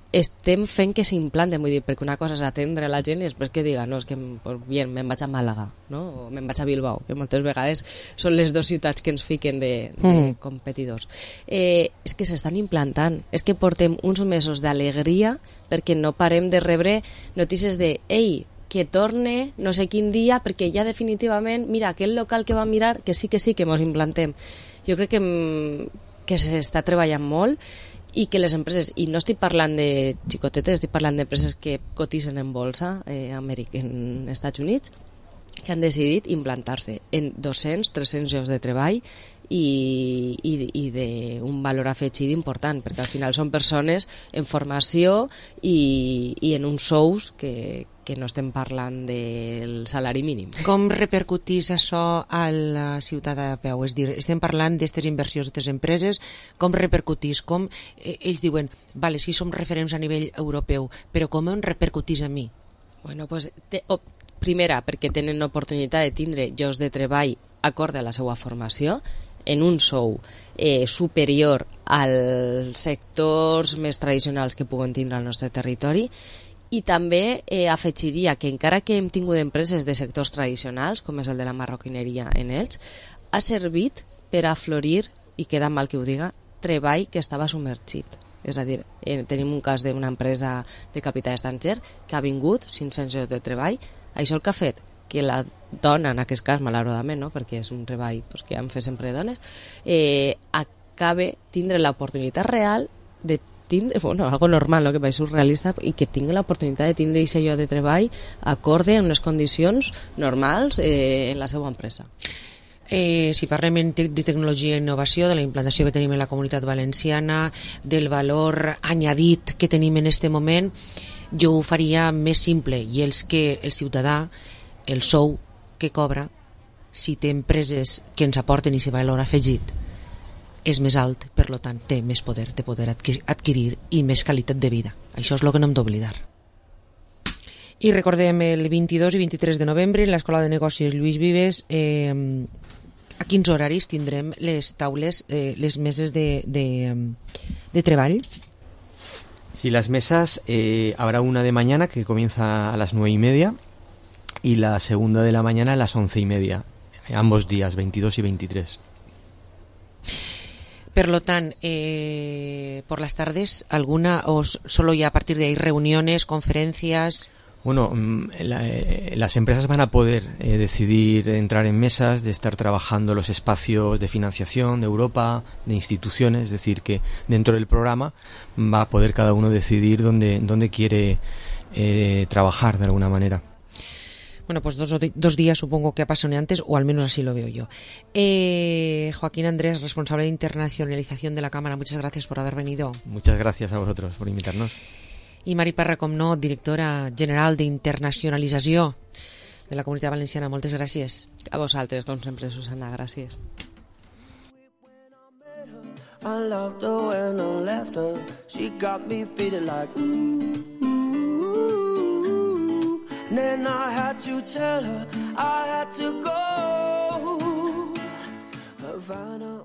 estem fent que s'implanten, vull dir, perquè una cosa és atendre la gent i després que diga, no, és que pues bien, me'n vaig a Màlaga, no? O me'n vaig a Bilbao, que moltes vegades són les dues ciutats que ens fiquen de, de mm. competidors. Eh, és que s'estan implantant, és que portem uns mesos d'alegria perquè no parem de rebre notícies de, ei, que torne no sé quin dia perquè ja definitivament, mira, aquell local que va mirar, que sí, que sí, que mos implantem. Jo crec que, que s'està treballant molt i que les empreses, i no estic parlant de xicotetes, estic parlant d'empreses que cotitzen en bolsa eh, Amèrica, en Estats Units, que han decidit implantar-se en dos-cents a tres-cents llocs de treball i, i, i d'un valor afegit important, perquè al final són persones en formació i, i en uns sous que, que no estem parlant del salari mínim. Com repercutís això a la ciutat a peu? És dir, estem parlant d'aquestes inversions d'aquestes empreses, com repercutís? Com eh, ells diuen, vale, sí som referents a nivell europeu, però com em repercutís a mi? Bueno, pues, te, oh, primera, perquè tenen l'oportunitat de tindre llocs de treball acord a la seva formació, en un sou eh, superior als sectors més tradicionals que puguen tindre al nostre territori, i també eh, afegiria que encara que hem tingut empreses de sectors tradicionals, com és el de la marroquineria en ells, ha servit per a florir, i queda mal que ho diga, treball que estava submergit. És a dir, eh, tenim un cas d'una empresa de capital estranger que ha vingut cinc-cents llocs de treball. Això el que ha fet que la dona, en aquest cas, malauradament, no? Perquè és un treball pues, que han fet sempre dones, eh, acabe tindre l'oportunitat real de tindre, bueno, algo normal, no? Que va ser surrealista, i que tingui l'oportunitat de tindre aquest lloc de treball acorde en unes condicions normals eh, en la seva empresa. Eh, si parlem de tecnologia i innovació, de la implantació que tenim en la Comunitat Valenciana, del valor añadit que tenim en este moment, jo ho faria més simple, i és que el ciutadà, el sou que cobra, si té empreses que ens aporten aquest valor afegit, és més alt, per tant, té més poder de poder adquirir, adquirir i més qualitat de vida. Això és el que no hem d'oblidar. I recordem el vint-i-dos i vint-i-tres de novembre en l'Escola de Negocis Lluís Vives. Eh, a quins horaris tindrem les taules, eh, les meses de, de, de treball? Sí, las mesas, eh, habrá una de mañana que comienza a las nueve y media y la segunda de la mañana a las once y media, ambos días, veintidós y veintitrés. Per lo tant, eh, por las tardes, ¿alguna o solo ya a partir de ahí reuniones, conferencias? Bueno, la, eh, las empresas van a poder eh, decidir entrar en mesas, de estar trabajando los espacios de financiación de Europa, de instituciones, es decir, que dentro del programa va a poder cada uno decidir dónde, dónde quiere eh, trabajar de alguna manera. Bueno, pues dos, dos días supongo que apasionantes, o al menos así lo veo yo. Eh, Joaquín Andrés, responsable de internacionalización de la Cámara, muchas gracias por haber venido. Muchas gracias a vosotros por invitarnos. I Mari Parra, com no, directora general d'internacionalització de la Comunitat Valenciana. Moltes gràcies. A vosaltres, com sempre, Susana, gràcies. I loved her when I left her. She got me feeling like ooh, ooh. Then I had to tell her I had to go. Havana.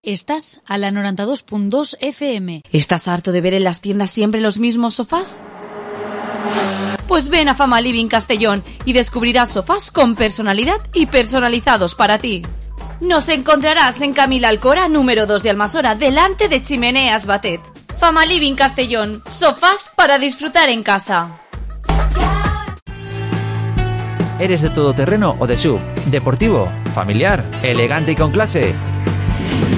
Estás a la noventa y dos punto dos F M. ¿Estás harto de ver en las tiendas siempre los mismos sofás? Pues ven a Fama Living Castellón y descubrirás sofás con personalidad y personalizados para ti. Nos encontrarás en Camila Alcora, número dos de Almasora, delante de Chimeneas Batet. Fama Living Castellón, sofás para disfrutar en casa. ¿Eres de todoterreno o de S U V? ¿Deportivo? ¿Familiar? ¿Elegante y con clase?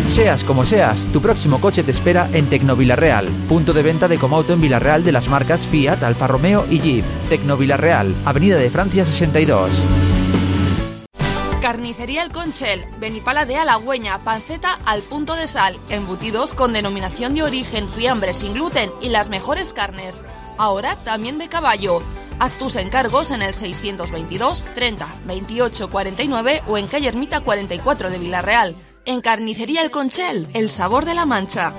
Seas como seas, tu próximo coche te espera en Tecnovilarreal, punto de venta de Comauto en Villarreal de las marcas Fiat, Alfa Romeo y Jeep. Tecnovilarreal, Avenida de Francia sesenta y dos. Carnicería El Conchel, Benipala de Halagüeña, panceta al punto de sal, embutidos con denominación de origen, fiambre sin gluten y las mejores carnes. Ahora también de caballo. Haz tus encargos en el seiscientos veintidós treinta veintiocho cuarenta y nueve o en calle Ermita cuarenta y cuatro de Villarreal. En Carnicería El Conchel, el sabor de la Mancha.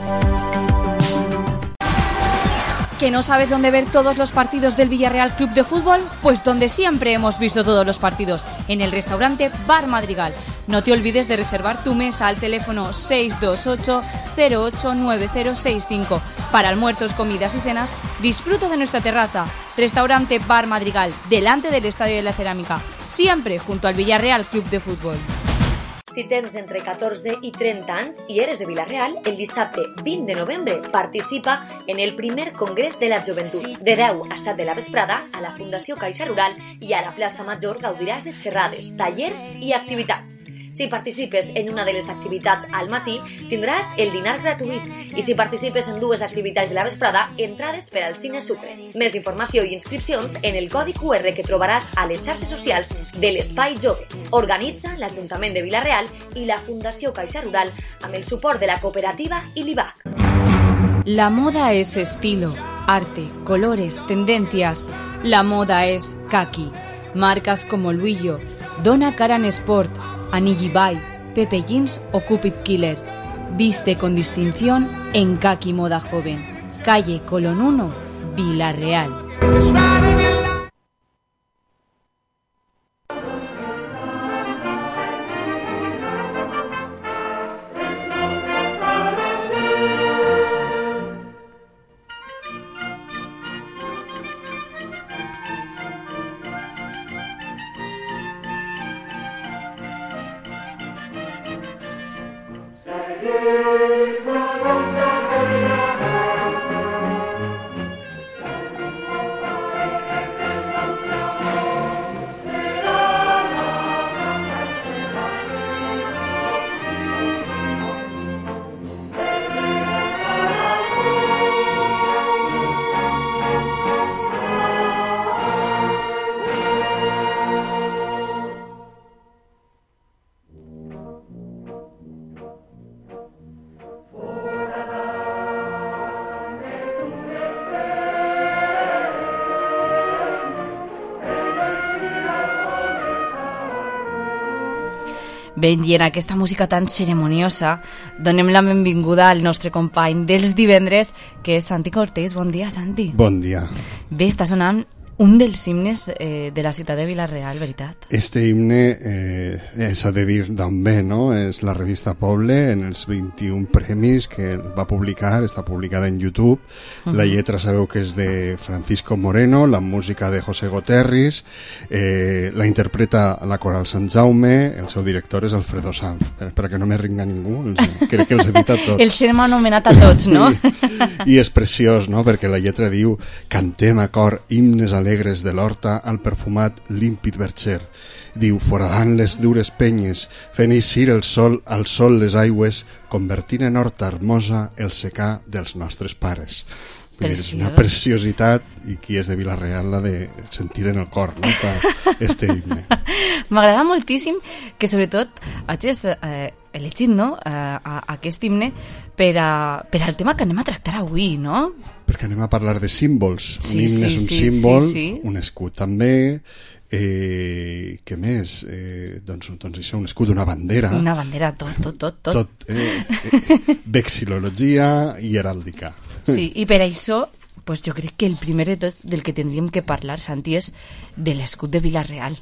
¿Que no sabes dónde ver todos los partidos del Villarreal Club de Fútbol? Pues donde siempre hemos visto todos los partidos, en el restaurante Bar Madrigal. No te olvides de reservar tu mesa al teléfono seis dos ocho cero ocho nueve cero seis cinco. Para almuerzos, comidas y cenas, disfruta de nuestra terraza. Restaurante Bar Madrigal, delante del Estadio de la Cerámica, siempre junto al Villarreal Club de Fútbol. Si tens entre catorze i trenta anys i eres de Vila-real, el dissabte vint de novembre participa en el primer Congrés de la Joventut. De deu a set de la vesprada, a la Fundació Caixa Rural i a la plaça Major gaudiràs de xerrades, tallers i activitats. Si participes en una de les activitats al matí, tindràs el dinar gratuït. I si participes en dues activitats de la vesprada, entrades per al Cine Sucre. Més informació i inscripcions en el codi Q R que trobaràs a les xarxes socials de l'Espai Jove. Organitza l'Ajuntament de Vila-real i la Fundació Caixa Rural amb el suport de la cooperativa i l'I B A C. La moda es estilo, arte, colores, tendencias. La moda es kaki. Marcas como Luillo, Donna Karan Sport, Anigi Bay, Pepe Jeans o Cupid Killer. Viste con distinción en Kaki Moda Joven. Calle Colón uno, Vila-real. For Ben, i en aquesta música tan ceremoniosa donem la benvinguda al nostre company dels divendres, que és Santi Cortés. Bon dia, Santi. Bon dia. Bé, està sonant un dels himnes eh, de la ciutat de Vila-real, veritat? Este himne eh, s'ha de dir d'on ve, no? És la revista Poble, en els vint-i-un premis que va publicar, està publicada en YouTube. Uh-huh. La lletra sabeu que és de Francisco Moreno, la música de José Goterris, eh, la interpreta la Coral Sant Jaume, el seu director és Alfredo Sanz. Per, perquè no me ringa ningú, els, crec que els he dit a tots. El xerma anomenat a tots, no? I, I és preciós, no? Perquè la lletra diu: cantem a cor himnes a alegres de l'horta al perfumat límpid verger. Diu: foradant les dures penyes, fent eixir el sol al sol les aigües, convertint en horta hermosa el secà dels nostres pares. És una preciositat, i qui és de Vila-real l'ha de sentir en el cor, no? Esta, este himne. M'agrada moltíssim que sobretot hagis eh, elegit, no? eh, a, aquest himne per, a, per al tema que anem a tractar avui, no? Perquè anem a parlar de símbols. Sí, un himne sí, és un sí, símbol, sí, sí. Un escut també. Eh, què més? Eh, doncs, doncs això, un escut, una bandera. Una bandera, tot, tot, tot. tot. tot eh, eh, vexil·lologia i heràldica. Sí, i per això pues jo crec que el primer de tot del que tindríem que parlar, Santi, és de l'escut de Vila-real.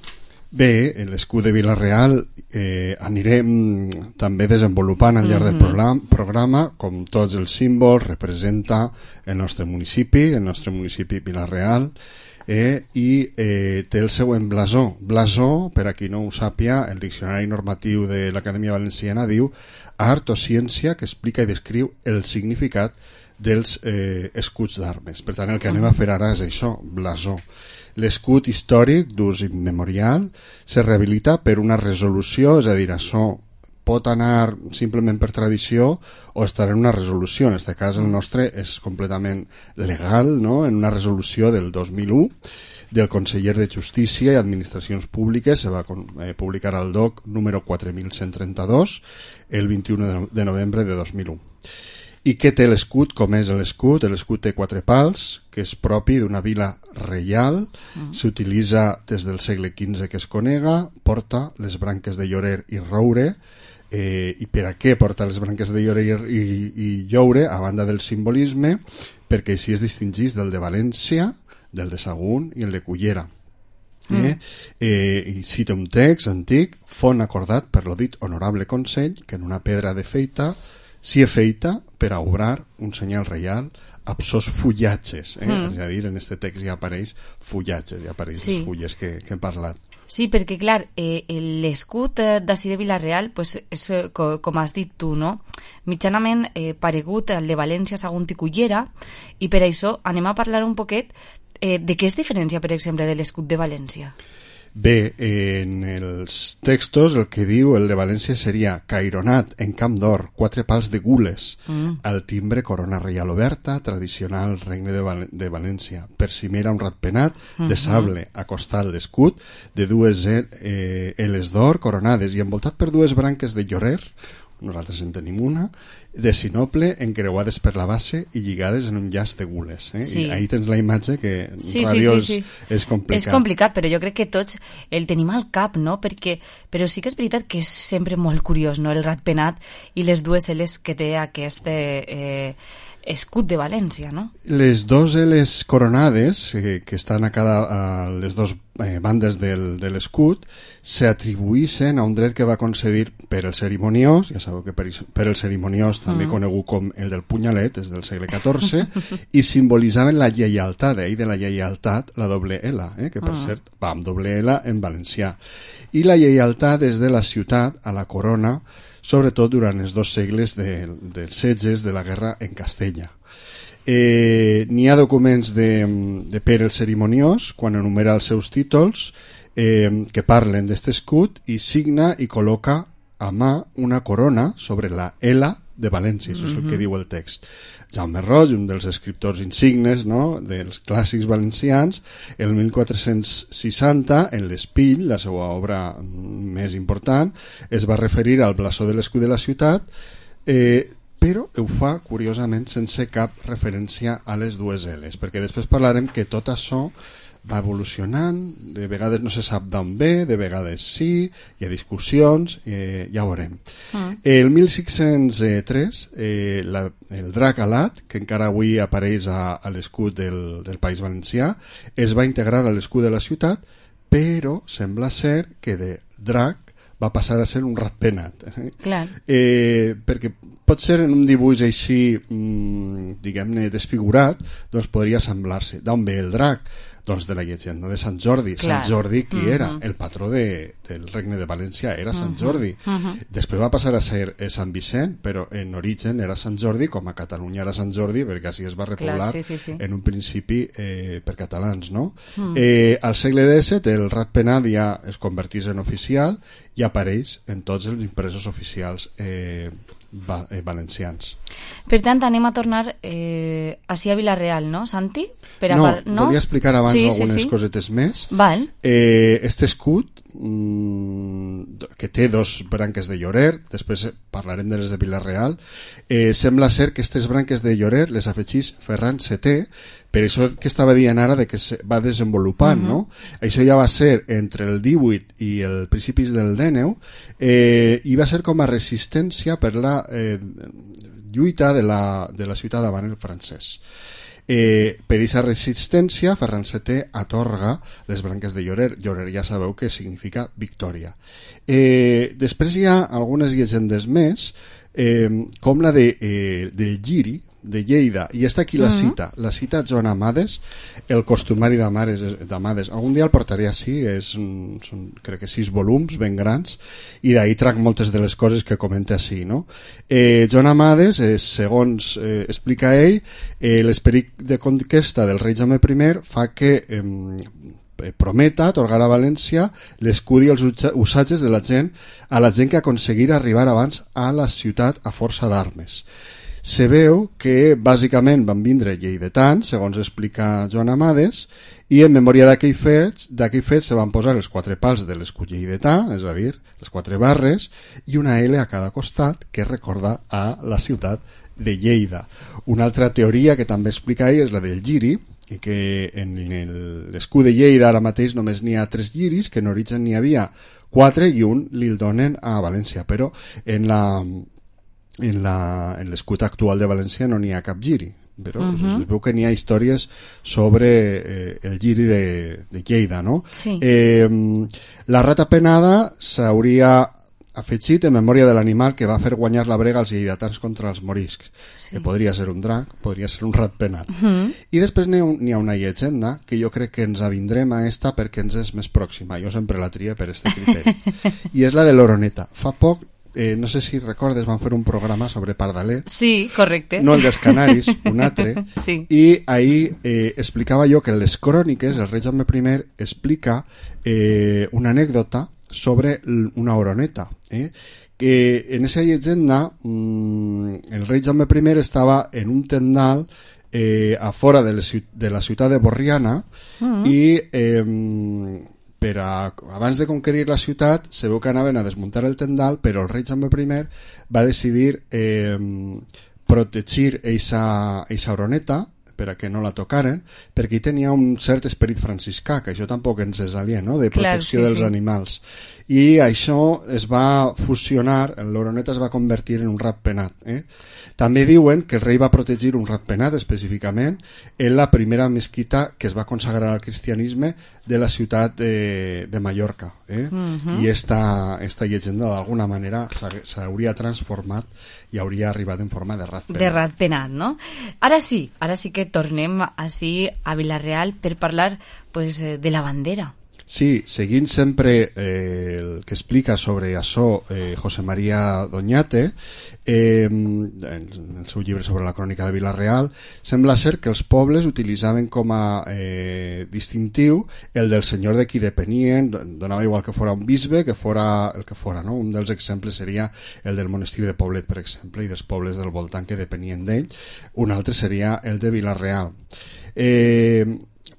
Bé, l'escut de Vila-real eh, anirem també desenvolupant al llarg mm-hmm. del programa, programa, com tots els símbols, representa el nostre municipi, el nostre municipi Vila-real, eh, i eh, té el següent blasó. Blasó, per a qui no ho sàpia, el diccionari normatiu de l'Acadèmia Valenciana diu art o ciència que explica i descriu el significat dels eh, escuts d'armes. Per tant, el que anem a fer ara és això, blasó. L'escut històric d'ús immemorial se rehabilita per una resolució, és a dir, això pot anar simplement per tradició o estar en una resolució. En aquest cas el nostre és completament legal, no? En una resolució del dos mil u del conseller de Justícia i Administracions Públiques, se va eh, publicar al D O C número quatre mil cent trenta-dos el vint-i-u de novembre de dos mil u. I què té l'escut? Com és l'escut? L'escut té quatre pals, que és propi d'una vila reial, mm. s'utilitza des del segle quinze que es conega, porta les branques de llorer i roure, eh, i per a què porta les branques de llorer i, i, i lloure, a banda del simbolisme, perquè així es distingís del de València, del de Sagunt i el de Cullera. Eh? Mm. Eh, i cita un text antic: font acordat per lo dit honorable Consell que en una pedra de feita s'hi afeita per a obrar un senyal reial amb sos fullatges, eh? Mm. És a dir, en aquest text ja apareix fullatges, ja apareix sí. les fulles que, que hem parlat. Sí, perquè clar, eh, l'escut d'ací de Vila-real, pues, és, com has dit tu, no? Mitjanament eh, paregut al de València, Sagunt i Cullera, i per això anem a parlar un poquet eh, de què es diferencia, per exemple, de l'escut de València. Bé, en els textos el que diu el de València seria caironat en camp d'or, quatre pals de gules, mm. al timbre corona reial oberta, tradicional regne de, Val de València, per cimera un ratpenat mm-hmm. de sable a costal d'escut, de dues eh, eles d'or coronades i envoltat per dues branques de llorer, nosaltres en tenim una, de sinople encreuades per la base i lligades en un llaç de gules. Eh? Sí. I ahí tens la imatge que sí, ràdio sí, sí, sí. És, és complicat. És complicat, però jo crec que tots el tenim al cap, no? Perquè, però sí que és veritat que és sempre molt curiós, no? El ratpenat i les dues eles que té aquest eh, escut de València, no? Les dues eles coronades eh, que estan a cada a les dues eh, bandes del, de l'escut s'atribuïssin a un dret que va concedir per el cerimoniós, ja sabeu que per, per el cerimoniós també mm. conegut com el del punyalet, és del segle catorze, i simbolitzaven la lleialtat, eh? I de la lleialtat la doble L, eh? Que per mm. cert va amb doble L en valencià. I la lleialtat és de la ciutat a la corona, sobretot durant els dos segles de, dels setges de la guerra en Castella. Eh, n'hi ha documents de, de Pere el Cerimoniós, quan enumera els seus títols, eh, que parlen d'este escut, i signa i col·loca a mà una corona sobre la L de València, això és el que diu el text. Jaume Roig, un dels escriptors insignes, no?, dels clàssics valencians, el mil quatre-cents seixanta, en l'Espill, la seva obra més important, es va referir al blasó de l'escut de la ciutat, eh, però ho fa, curiosament, sense cap referència a les dues L's, perquè després parlarem que tot això va evolucionant, de vegades no se sap d'on ve, de vegades sí, hi ha discussions, eh, ja ho veurem. Mm. El mil cinc-cents tres, eh, la, el drac alat, que encara avui apareix a, a l'escut del, del País Valencià, es va integrar a l'escut de la ciutat, però sembla ser que de drac va passar a ser un ratpenat. Clar. Eh, perquè pot ser en un dibuix així, mmm, diguem-ne, desfigurat, doncs podria semblar-se. D'on ve el drac? Doncs de la llegenda de Sant Jordi. Clar. Sant Jordi, qui uh-huh. era? El patró de, del Regne de València era Sant uh-huh. Jordi. Uh-huh. Després va passar a ser eh, Sant Vicent, però en origen era Sant Jordi, com a Catalunya era Sant Jordi, perquè així es va repoblar Clar, sí, sí, sí. en un principi eh, per catalans, no? Uh-huh. Eh, al segle disset el ratpenat ja es convertís en oficial i apareix en tots els impresos oficials eh, va, eh, valencians. Per tant, anem a tornar eh, així a Vila-real, no, Santi? Per a no, par... no, volia explicar abans sí, algunes sí, sí. cosetes més. Val. Eh, este escut, mmm, que té dos branques de llorer, després parlarem de les de Vila-real, eh, sembla ser que aquestes branques de llorer les afegís Ferran setè, per això que estava dient ara de que se va desenvolupant, uh-huh. no? Això ja va ser entre el divuit i el principis del dinou, eh, i va ser com a resistència per la eh, lluita de la, de la ciutat davant el francès. Eh, per aquesta resistència Ferran setè atorga les branques de llorer. Llorer ja sabeu que significa victòria. Eh, després hi ha algunes llegendes més, eh, com la de, eh, del Lliri de Lleida, i està aquí la uh-huh. cita la cita Joan Amades, el costumari d'Amades. Algun dia el portaré així, és, són crec que sis volums ben grans, i d'ahir trac moltes de les coses que comenta així, no? eh, Joan Amades, eh, segons eh, explica ell, eh, l'esperit de conquesta del rei Jaume primer fa que eh, prometa atorgar a València l'escut i els usatges de la gent, a la gent que aconseguirà arribar abans a la ciutat a força d'armes. Se veu que bàsicament van vindre lleidatans, segons explica Joan Amades, i en memòria d'aquell fet, d'aquell fet se van posar els quatre pals de l'escut lleidatà, és a dir, les quatre barres, i una L a cada costat que recorda a la ciutat de Lleida. Una altra teoria que també explica ell és la del lliri, i que en l'escut de Lleida ara mateix només n'hi ha tres lliris, que en origen n'hi havia quatre i un li'l donen a València, però en la... en la, en l'escut actual de València no n'hi ha cap lliri, però uh-huh. es veu que n'hi ha històries sobre eh, el lliri de, de Lleida, no? Sí. Eh, la rata penada s'hauria afegit en memòria de l'animal que va fer guanyar la brega als lleidatans contra els moriscs, sí. que podria ser un drac, podria ser un rat penat. Uh-huh. I després n'hi ha, n'hi ha una llegenda que jo crec que ens avindrem a esta perquè ens és més pròxima, jo sempre la tria per este criteri, i és la de l'oroneta. Fa poc, Eh, no sé si recordes, van fer un programa sobre pardalet. Sí, correcte. No el dels Canaris, un altre. Sí. I ahir eh, explicava jo que en les cròniques el rei Jaume primer explica eh, una anècdota sobre una oroneta. Eh? Que en esa llegenda mmm, el rei Jaume primer estava en un tendal eh, a fora de, les, de la ciutat de Borriana mm-hmm. i... Eh, per a, abans de conquerir la ciutat se veu que anaven a desmuntar el tendal, però el rei Jaume primer va decidir eh, protegir eixa, eixa oroneta per a que no la tocaren, perquè hi tenia un cert esperit franciscà, que això tampoc ens és aliè, no? De protecció Clar, sí, dels sí. animals. I això es va fusionar, l'oroneta es va convertir en un ratpenat. Eh? També diuen que el rei va protegir un ratpenat específicament en la primera mesquita que es va consagrar al cristianisme de la ciutat de, de Mallorca. Eh? Uh-huh. I esta, esta llegenda d'alguna manera s'hauria transformat i hauria arribat en forma de ratpenat. De ratpenat, no? Ara sí, ara sí que tornem així a Vila-real per parlar pues, de la bandera. Sí, seguint sempre eh, el que explica sobre això eh, José María Doñate, eh, en el seu llibre sobre la crònica de Vila-real, sembla ser que els pobles utilitzaven com a eh, distintiu el del senyor de qui depenien, donava igual que fora un bisbe, que fora el que fora, no? Un dels exemples seria el del monestir de Poblet, per exemple, i dels pobles del voltant que depenien d'ell. Un altre seria el de Vila-real. Eh,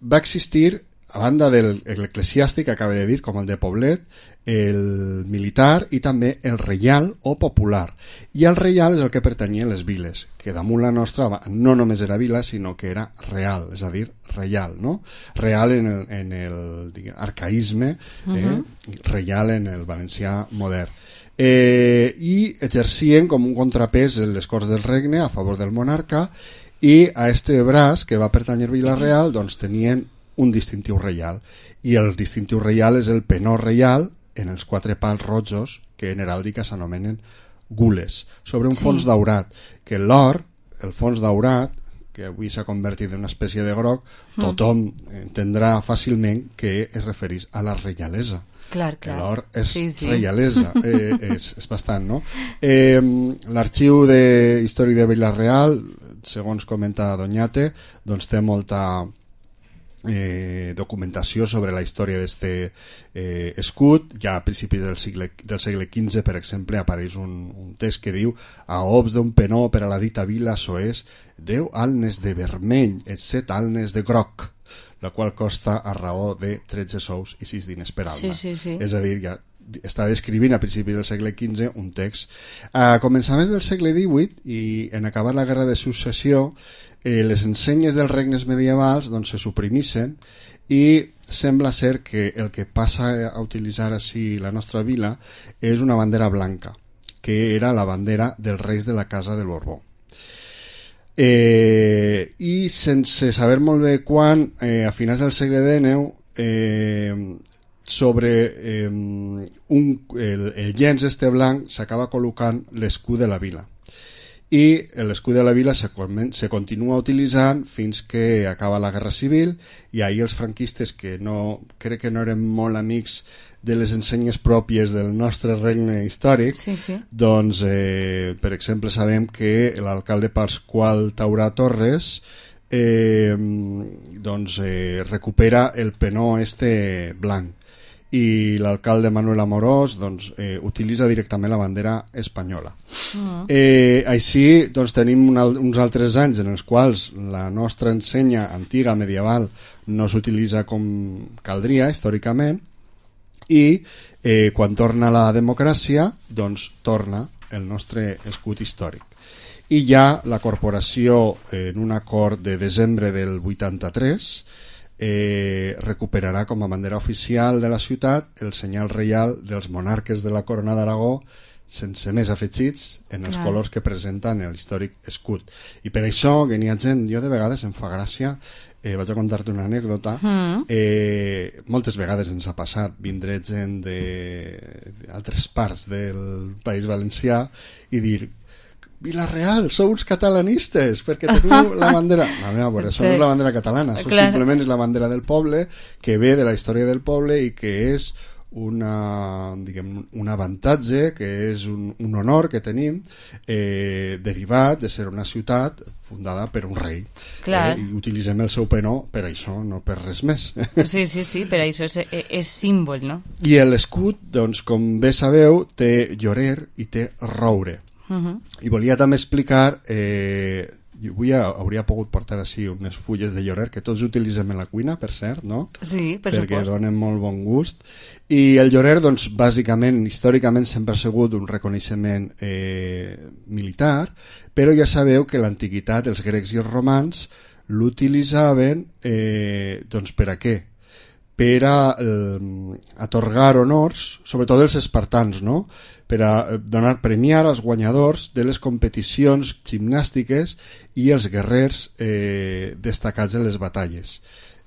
va existir a banda del eclesiàstic, acaba de dir, com el de Poblet, el militar i també el reial o popular. I el reial és el que pertanyia a les viles, que damunt la nostra no només era vila, sinó que era real, és a dir, reial, no? Real en el, en el diguem, arcaïsme, eh? Uh-huh. Reial en el valencià modern. Eh, I exercien com un contrapès en les Corts del Regne a favor del monarca, i a este braç, que va pertànyer a Vila-real, doncs tenien un distintiu reial. I el distintiu reial és el penó reial en els quatre pals rojos que en heràldica s'anomenen gules, sobre un sí. fons daurat, que l'or, el fons daurat, que avui s'ha convertit en una espècie de groc, tothom entendrà fàcilment que es referís a la reialesa. Clar, clar. L'or és sí, sí. reialesa, eh, és, és bastant, no? Eh, L'arxiu de Història de Vila-real, segons comenta Doñate, doncs té molta Eh, documentació sobre la història d'este eh, escut. Ja a principis del segle, del segle quinze, per exemple, apareix un, un text que diu: a obs d'un penó per a la dita vila soés deu alnes de vermell et set alnes de groc, la qual costa a raó de tretze sous i sis diners per alma. Sí, sí, sí. És a dir, ja està descrivint a principis del segle quinze un text. A començaments del segle divuit i en acabar la guerra de successió, eh, les ensenyes dels regnes medievals doncs, se suprimissen i sembla ser que el que passa a utilitzar així la nostra vila és una bandera blanca, que era la bandera dels reis de la casa del Borbó. Eh, I sense saber molt bé quan, eh, a finals del segle dinou, eh, sobre eh, un, el, el llenç este blanc s'acaba col·locant l'escut de la vila, i l'escut de la vila se, se continua utilitzant fins que acaba la Guerra Civil, i ahir els franquistes, que no, crec que no eren molt amics de les ensenyes pròpies del nostre regne històric, sí, sí. doncs eh, per exemple sabem que l'alcalde Pasqual Taurà Torres eh, doncs eh, recupera el penó este blanc, i l'alcalde Manuel Amorós doncs, eh, utilitza directament la bandera espanyola. Uh-huh. Eh, així doncs, tenim un, uns altres anys en els quals la nostra ensenya antiga medieval no s'utilitza com caldria històricament, i eh, quan torna la democràcia doncs torna el nostre escut històric. I ja la corporació, eh, en un acord de desembre del vuitanta-tres, Eh, recuperarà com a bandera oficial de la ciutat el senyal reial dels monarques de la Corona d'Aragó, sense més afegits en els Clar. colors que presenten el històric escut. I per això que n'hi ha gent, jo de vegades em fa gràcia, eh, vaig a contar-te una anècdota, mm. eh, moltes vegades ens ha passat vindre gent d'altres parts del País Valencià i dir: Vila-real, sou uns catalanistes perquè teniu la bandera. No, a veure, això no és la bandera catalana, això Clar. simplement és la bandera del poble, que ve de la història del poble i que és una, diguem, un avantatge, que és un, un honor que tenim, eh, derivat de ser una ciutat fundada per un rei. Eh, I utilitzem el seu penó per això, no per res més. Sí, sí, sí, per això és, és símbol, no? I l'escut, doncs, com bé sabeu, té llorer i té roure. Uh-huh. I volia també explicar, eh, jo avui hauria pogut portar així unes fulles de llorer que tots utilitzem en la cuina, per cert, no? Sí, per perquè supost. donen molt bon gust. I el llorer, doncs, bàsicament, històricament sempre ha sigut un reconeixement eh, militar, però ja sabeu que l'antiguitat, els grecs i els romans l'utilitzaven eh, doncs per a què? Per a eh, atorgar honors, sobretot els espartans, no? Per a donar, premiar als guanyadors de les competicions gimnàstiques i els guerrers eh, destacats en les batalles.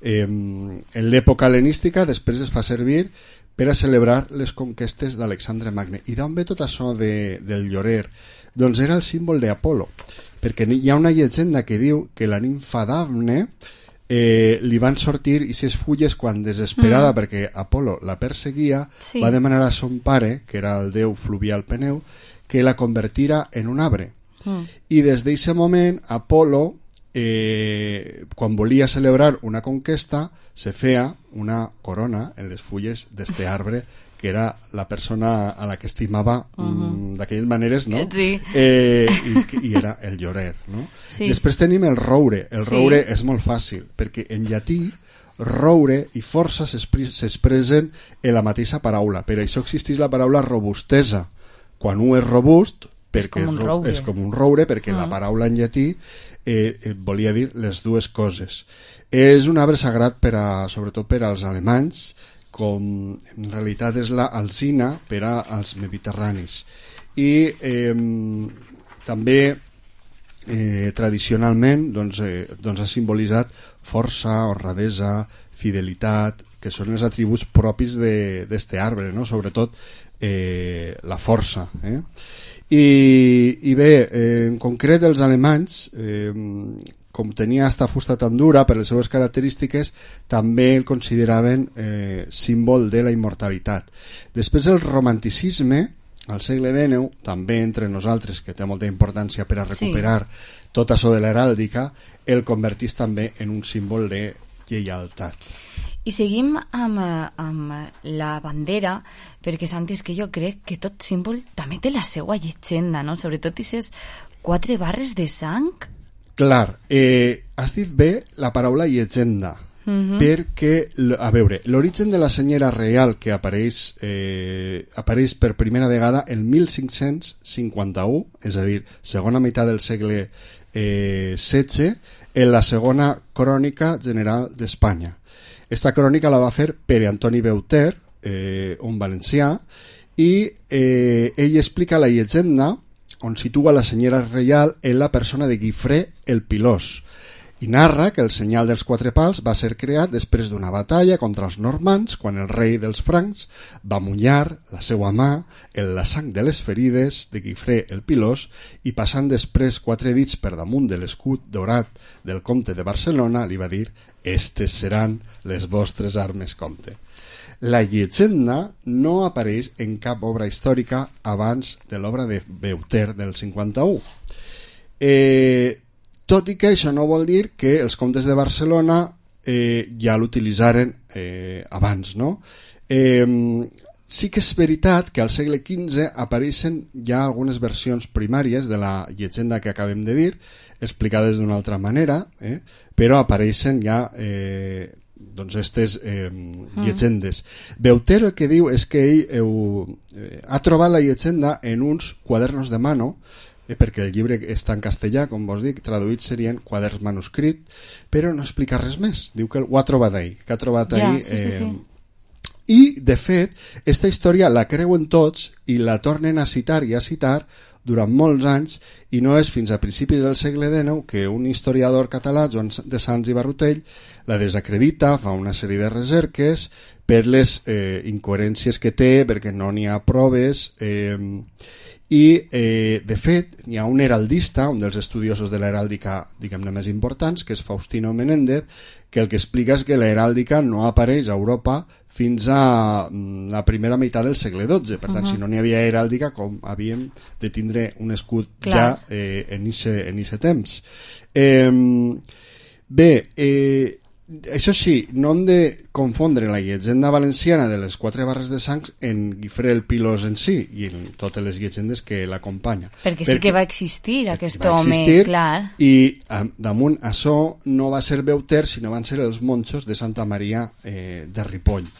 Eh, en l'època hel·lenística després es fa servir per a celebrar les conquestes d'Alexandre Magne. I d'on ve tot això de, del llorer? Doncs era el símbol d'Apolo, perquè hi ha una llegenda que diu que la nimfa Dafne Eh, li van sortir aquestes fulles quan desesperada mm. perquè Apolo la perseguia, sí. va demanar a son pare, que era el déu fluvial Peneu, que la convertira en un arbre. Mm. I des d'aquest moment Apolo, eh, quan volia celebrar una conquesta, se feia una corona en les fulles d'este arbre, que era la persona a la que estimava uh-huh. mm, d'aquelles maneres, no? Sí. Eh, i, i era el llorer, no? Sí. Després tenim el roure. El sí. roure és molt fàcil, perquè en llatí roure i força s'expressen en la mateixa paraula. Per això existeix la paraula robustesa. Quan un és robust, perquè és com un roure, és com un roure perquè uh-huh. la paraula en llatí eh, eh, volia dir les dues coses. És un arbre sagrat per a, sobretot per als alemanys, com en realitat és la alzina per als mediterranis. I eh, també eh, tradicionalment doncs, eh, doncs ha simbolitzat força, honradesa, fidelitat, que són els atributs propis d'aquest arbre, no? Sobretot eh, la força. Eh? I, i bé, eh, en concret els alemanys, eh, com tenia esta fusta tan dura per les seves característiques, també el consideraven eh, símbol de la immortalitat. Després el romanticisme, al segle dinou, també entre nosaltres, que té molta importància per a recuperar sí. tot això de l'heràldica, el convertís també en un símbol de lleialtat. I seguim amb, amb la bandera, perquè Santi, és que jo crec que tot símbol també té la seva llegenda, no? Sobretot aquestes quatre barres de sang. Clar, eh, has dit bé la paraula llegenda, uh-huh. perquè, a veure, l'origen de la senyera reial que apareix, eh, apareix per primera vegada el mil cinc-cents cinquanta-u, és a dir, segona meitat del segle eh, setze, en la segona crònica general d'Espanya. Esta crònica la va fer Pere Antoni Beuter, eh, un valencià, i eh, ell explica la llegenda on situa la senyera reial en la persona de Guifré el Pilós, i narra que el senyal dels quatre pals va ser creat després d'una batalla contra els normands, quan el rei dels francs va mullar la seva mà en la sang de les ferides de Guifré el Pilós, i passant després quatre dits per damunt de l'escut daurat del comte de Barcelona li va dir: estes seran les vostres armes, comte. La llegenda no apareix en cap obra històrica abans de l'obra de Beuter del cinquanta-u. Eh, tot i que això no vol dir que els comtes de Barcelona eh, ja l'utilitzaren eh, abans, no? Eh, sí que és veritat que al segle quinze apareixen ja algunes versions primàries de la llegenda que acabem de dir, explicades d'una altra manera, eh? però apareixen ja eh, doncs estes eh, llegendes. Mm. Beuter el que diu és que ell eh, ha trobat la llegenda en uns quadernos de mano, eh, perquè el llibre està en castellà, com vos dic, traduït serien quaderns manuscrit, però no explica res més. Diu que ho ha trobat ahir, que ha trobat ahir... Ja, sí, sí, sí. Eh, I, de fet, esta història la creuen tots i la tornen a citar i a citar durant molts anys, i no és fins a principis del segle dinou que un historiador català, Joan de Sans i Barrutell, la desacredita, fa una sèrie de recerques per les eh, incoherències que té, perquè no n'hi ha proves, eh, i eh, de fet hi ha un heraldista, un dels estudiosos de l'heràldica diguem-ne més importants, que és Faustino Menéndez, que el que explica és que l'heràldica no apareix a Europa fins a la primera meitat del segle dotze. Per tant, uh-huh. si no n'hi havia heràldica, com havíem de tindre un escut Clar. ja eh, en aquest temps. Eh, bé, eh, això sí, no hem de confondre la llegenda valenciana de les quatre barres de sang en Guifré el Pilós en si i en totes les llegendes que l'acompanyen. Perquè, perquè sí que va existir aquest va home, existir, clar. I damunt això no va ser Beuter, sinó van ser els monjos de Santa Maria eh, de Ripoll.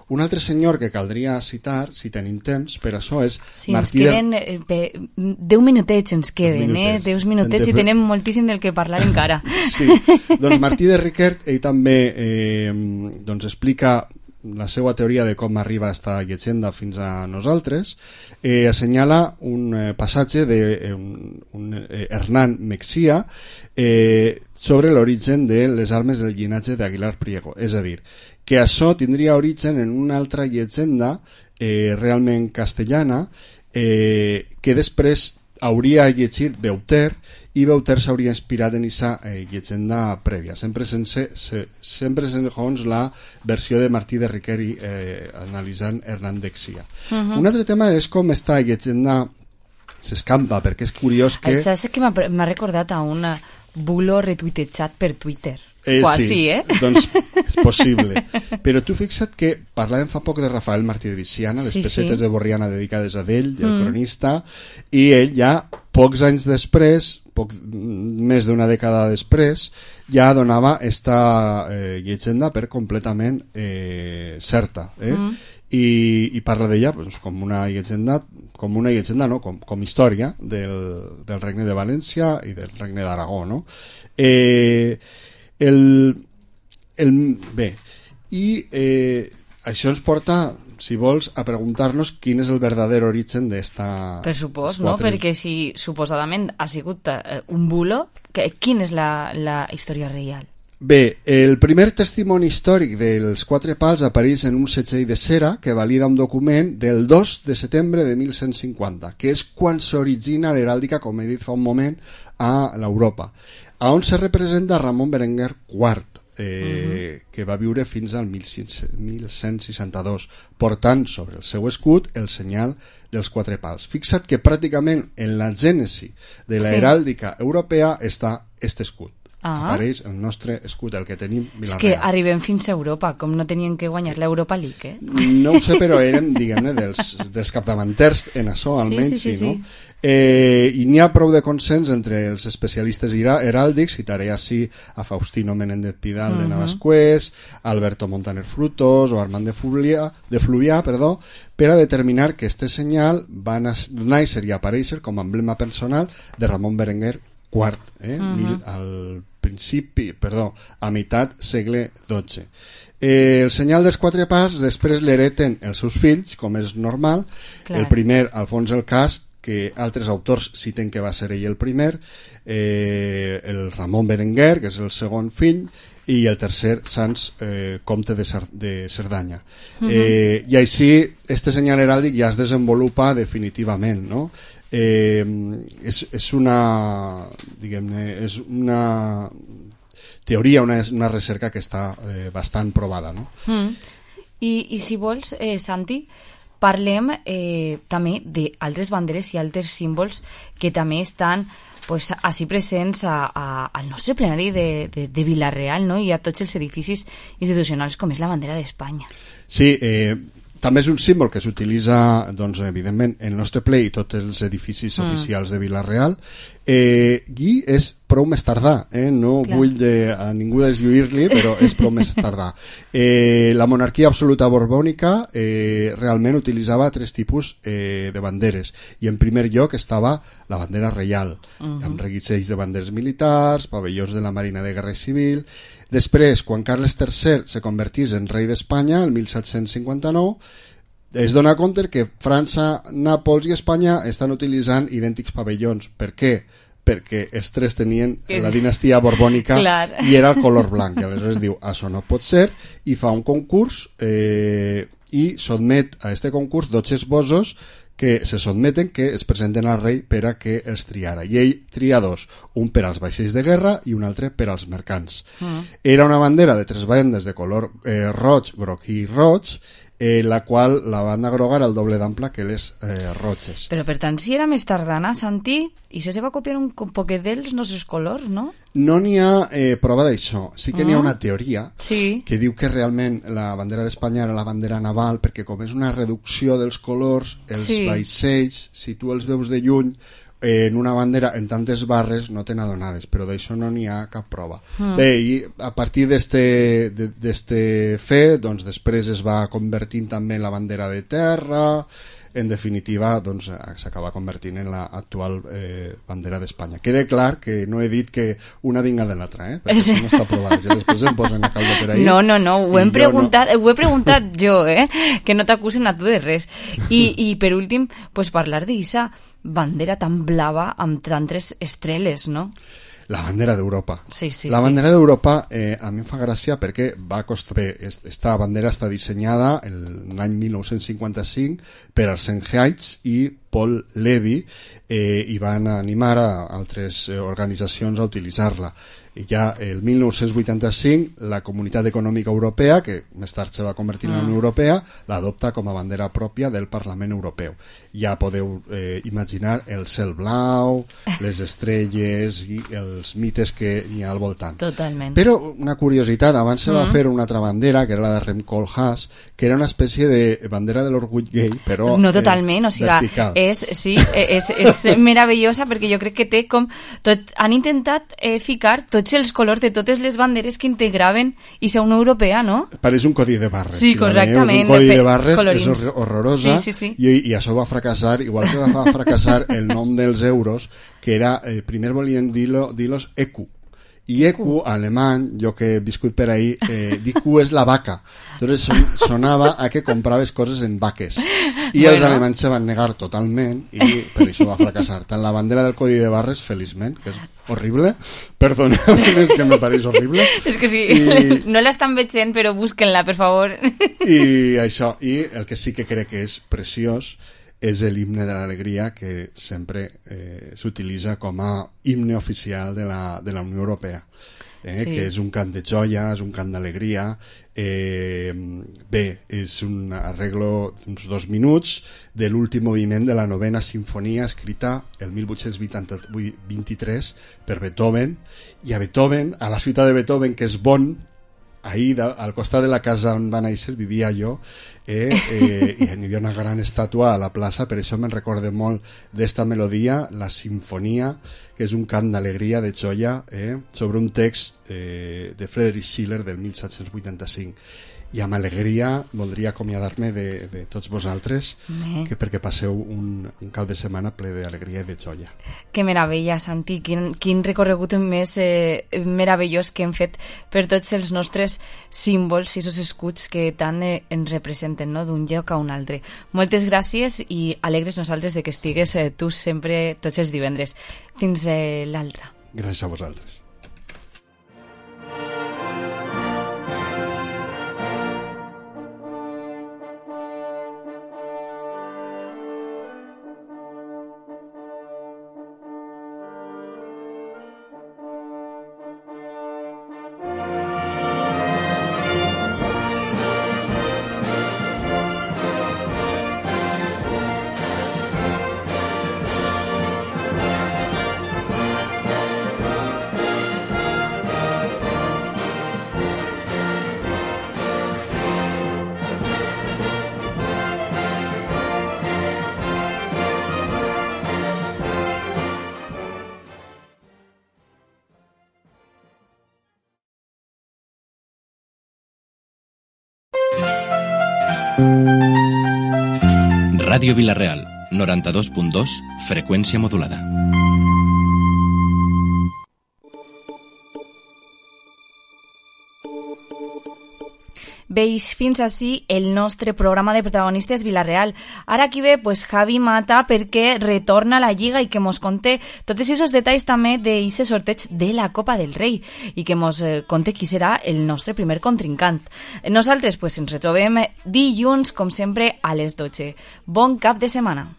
Un altre senyor que caldria citar, si tenim temps, per això és sí, Martí ens queden eh, pe, deu minutets ens queden, minutets. eh? Deu minutets i tenem moltíssim del que parlar encara. Sí, doncs Martí de Riquert, ell també eh, doncs explica la seva teoria de com arriba esta llegenda fins a nosaltres, eh, assenyala un eh, passatge de eh, un, un, eh, Hernán Mexía eh, sobre l'origen de les armes del llinatge d'Aguilar Priego, és a dir, que això tindria origen en una altra llegenda eh, realment castellana eh, que després hauria llegit Beuter i Beuter s'hauria inspirat en aquesta eh, llegenda prèvia, sempre sense, se, sempre segons la versió de Martí de Riqueri eh, analitzant Hernán Mexía. Uh-huh. Un altre tema és com esta llegenda s'escampa, perquè és curiós que... Això és que m'ha recordat a un bulo retuitejat per Twitter. Eh, Quasi, sí, eh? Doncs és possible. Però tu fixa't que parlàvem fa poc de Rafael Martí de Viciana, les Sí, pessetes sí. de Borriana dedicades a ell, el Mm. cronista, i ell ja, pocs anys després, poc, més d'una dècada després, ja donava esta eh, llegenda per completament eh, certa. Eh? Mm. I, i parla d'ella doncs, com una llegenda, com una llegenda, no? com, com història del, del regne de València i del regne d'Aragó, no? Eh, el, el, bé, i eh, això ens porta, si vols, a preguntar-nos quin és el verdader origen d'esta... Per supost, no? quatre... Perquè si suposadament ha sigut eh, un bulo, que, quina és la, la història real? Bé, el primer testimoni històric dels quatre pals apareix en un setgell de cera que valida un document del dos de setembre de mil cent cinquanta, que és quan s'origina l'heràldica, com he dit fa un moment, a l'Europa, a on se representa Ramon Berenguer quart, eh, uh-huh. que va viure fins al mil cent seixanta-dos, portant sobre el seu escut el senyal dels quatre pals. Fixa't que pràcticament en la gènesi de la Sí. heràldica europea està este escut. Ah. Apareix el nostre escut, el que tenim És Vila-real. que arribem fins a Europa, com no tenien que guanyar l'Europa League, eh? No ho sé, però érem, diguem-ne, dels, dels capdavanters en això, Sí, almenys, sí, sí, sí, no? sí. Eh, I n'hi ha prou de consens entre els especialistes hera- heràldics, citaré així a Faustino Menéndez Pidal de Mhm. Navascués, Alberto Montaner Frutos o Armand de Fluvià, de Fluvià perdó, per a determinar que este senyal va nas- néixer i aparèixer com a emblema personal de Ramon Berenguer quart, eh? Mhm. Mil, al principi, perdó, a meitat segle dotze. Eh, el senyal dels quatre pals després l'hereten els seus fills, com és normal. Clar. El primer, Alfons el Cast, que altres autors citen que va ser ell el primer, eh, el Ramon Berenguer, que és el segon fill, i el tercer, Sans, eh, comte de, Cer de Cerdanya. Mhm. eh, I així, este senyal heràldic ja es desenvolupa definitivament, no? Eh, és, és una diguem-ne, és una teoria, una, una recerca que està eh, bastant provada, no? Mm. I, I si vols, eh, Santi, parlem eh, també d'altres banderes i altres símbols que també estan pues, així presents a, a, al nostre plenari de, de, de Vila-real, no? I a tots els edificis institucionals com és la bandera d'Espanya. Sí, eh, també és un símbol que s'utilitza, doncs, evidentment, en el nostre ple i tots els edificis Mm. oficials de Vila-real, eh, i és prou més tardà, eh? No Clar. vull de, a ningú deslluir-li, però és prou més tardà. Eh, la monarquia absoluta borbònica eh, realment utilitzava tres tipus eh, de banderes, i en primer lloc estava la bandera reial, Mhm. amb reguitzells de banderes militars, pavellons de la Marina de Guerra Civil. Després, quan Carles tercer se convertís en rei d'Espanya, el mil set-cents cinquanta-nou, es dona compte que França, Nàpols i Espanya estan utilitzant idèntics pavellons. Per què? Perquè els tres tenien la dinastia borbònica Clar. i era el color blanc. I aleshores diu, això no pot ser, i fa un concurs eh, i sotmet a este concurs dotze esbossos que se sotmeten, que es presenten al rei per a que els triara. I ell tria dos, un per als vaixells de guerra i un altre per als mercants. Mm. Era una bandera de tres bandes de color eh, roig, groc i roig, eh, la qual la banda groga era el doble d'ample que les eh, roges. Però per tant, si era més tardana, Santi, i això se va copiar un poquet dels nostres colors, no? No n'hi ha eh, prova d'això. Sí que n'hi ha Ah. una teoria Sí. que diu que realment la bandera d'Espanya era la bandera naval, perquè com és una reducció dels colors, els Sí. vaixells, si tu els veus de lluny, eh, en una bandera en tantes barres no te n'adonaves, però d'això no n'hi ha cap prova. Mm. Bé, i a partir d'este de- d'este fet, doncs després es va convertint també en la bandera de terra. En definitiva, doncs, s'acaba convertint en l'actual eh, bandera d'Espanya. Quede clar que no he dit que una vinga de l'altra, eh? perquè això no està provat. Jo després em posen a caldo per ahí. No, no, no, ho, i hem jo preguntat, ho he preguntat jo, eh? Que no t'acusen a tu de res. I, i per últim, pues, parlar d'eixa bandera tan blava amb tantes estreles, no? La bandera d'Europa. Sí, sí, la sí. bandera d'Europa eh, a mi em fa gràcia perquè va costar, bé, esta bandera està dissenyada l'any mil nou-cents cinquanta-cinc per Arsène Haitz i Paul Levy, eh, i van animar a altres organitzacions a utilitzar-la. I ja el mil nou-cents vuitanta-cinc la Comunitat Econòmica Europea, que més tard se va convertir en la Unió Europea, l'adopta com a bandera pròpia del Parlament Europeu. Ja podeu eh, imaginar el cel blau, les estrelles i els mites que hi ha al voltant. Totalment. Però una curiositat, abans se va Mm. fer una altra bandera, que era la de Rem Koolhaas, que era una espècie de bandera de l'orgull gay, però No, totalment, eh, o sigui, vertical. és, sí, és, és meravellosa perquè jo crec que té com... Tot, han intentat eh, ficar tots els colors de totes les banderes que integraven i ser Unió Europea, no? Pareix un codi de barres. Sí, si la correctament, veieu, és un codi de de barres, colorins. és hor- horrorosa, Sí, sí, sí. I, i això va fracassar, igual que va fracassar el nom dels euros, que era, eh, primer volien dir-lo, dir-los E Q. I E Q, alemany, jo que he viscut per ahí, eh, D Q és la vaca. Entonces son, sonava a que compraves coses en vaques. I Bueno. els alemanys se van negar totalment i per això va fracassar. Tant la bandera del codi de barres, feliçment, que és horrible, perdoneu, és que me pareix horrible. És que sí, I, no l'estan veient, però busquen-la, per favor. i això, i el que sí que crec que és preciós és l'himne de l'alegria, que sempre eh, s'utilitza com a himne oficial de la, de la Unió Europea, eh, Sí. que és un cant de joia, és un cant d'alegria. Eh, bé, és un arreglo d'uns dos minuts de l'últim moviment de la novena sinfonia, escrita el mil vuit-cents vint-i-tres per Beethoven, i a Beethoven, a la ciutat de Beethoven, que és Bonn, ahí da, al costat de la casa on va néixer vivia jo, eh, eh, i hi havia una gran estàtua a la plaça, per això me'n recorde molt d'esta melodia, la sinfonia, que és un cant d'alegria, de joia, eh, sobre un text eh, de Friedrich Schiller del mil set-cents vuitanta-cinc. I amb alegria voldria acomiadar-me de, de tots vosaltres, Bé. que perquè passeu un, un cap de setmana ple d'alegria i de joia. Que meravella, Santi, quin, quin recorregut més eh, meravellós que hem fet per tots els nostres símbols i els escuts que tant eh, ens representen, no?, d'un lloc a un altre. Moltes gràcies i alegres nosaltres de que estigues eh, tu sempre tots els divendres. Fins eh, l'altre. Gràcies a vosaltres. Ràdio Vila-real, noranta-dos punt dos, freqüència modulada. Veis fins així el nostre programa de protagonistes Vila-real. Ara aquí ve pues, Javi Mata perquè retorna a la Lliga i que mos conté tots aquests detalls també d'aquest sorteig de la Copa del Rei i que mos eh, conté qui serà el nostre primer contrincant. Nosaltres pues, ens retrobem dilluns, com sempre, a les dotze. Bon cap de setmana.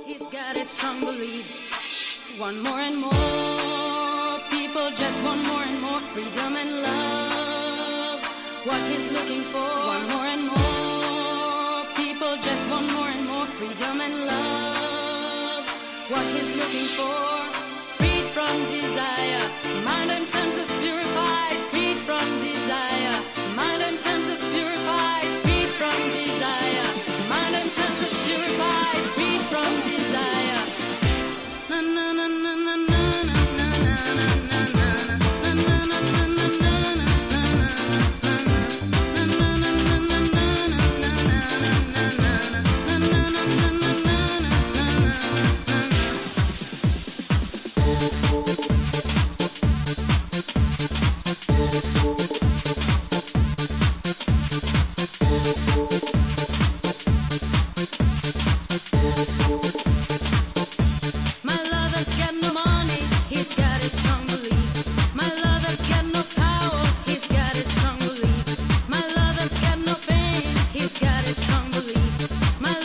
He's got his strong beliefs. One more and more people just want more and more freedom and love. What he's looking for. One more and more people just want more and more freedom and love. What he's looking for. Free from desire, mind and sun.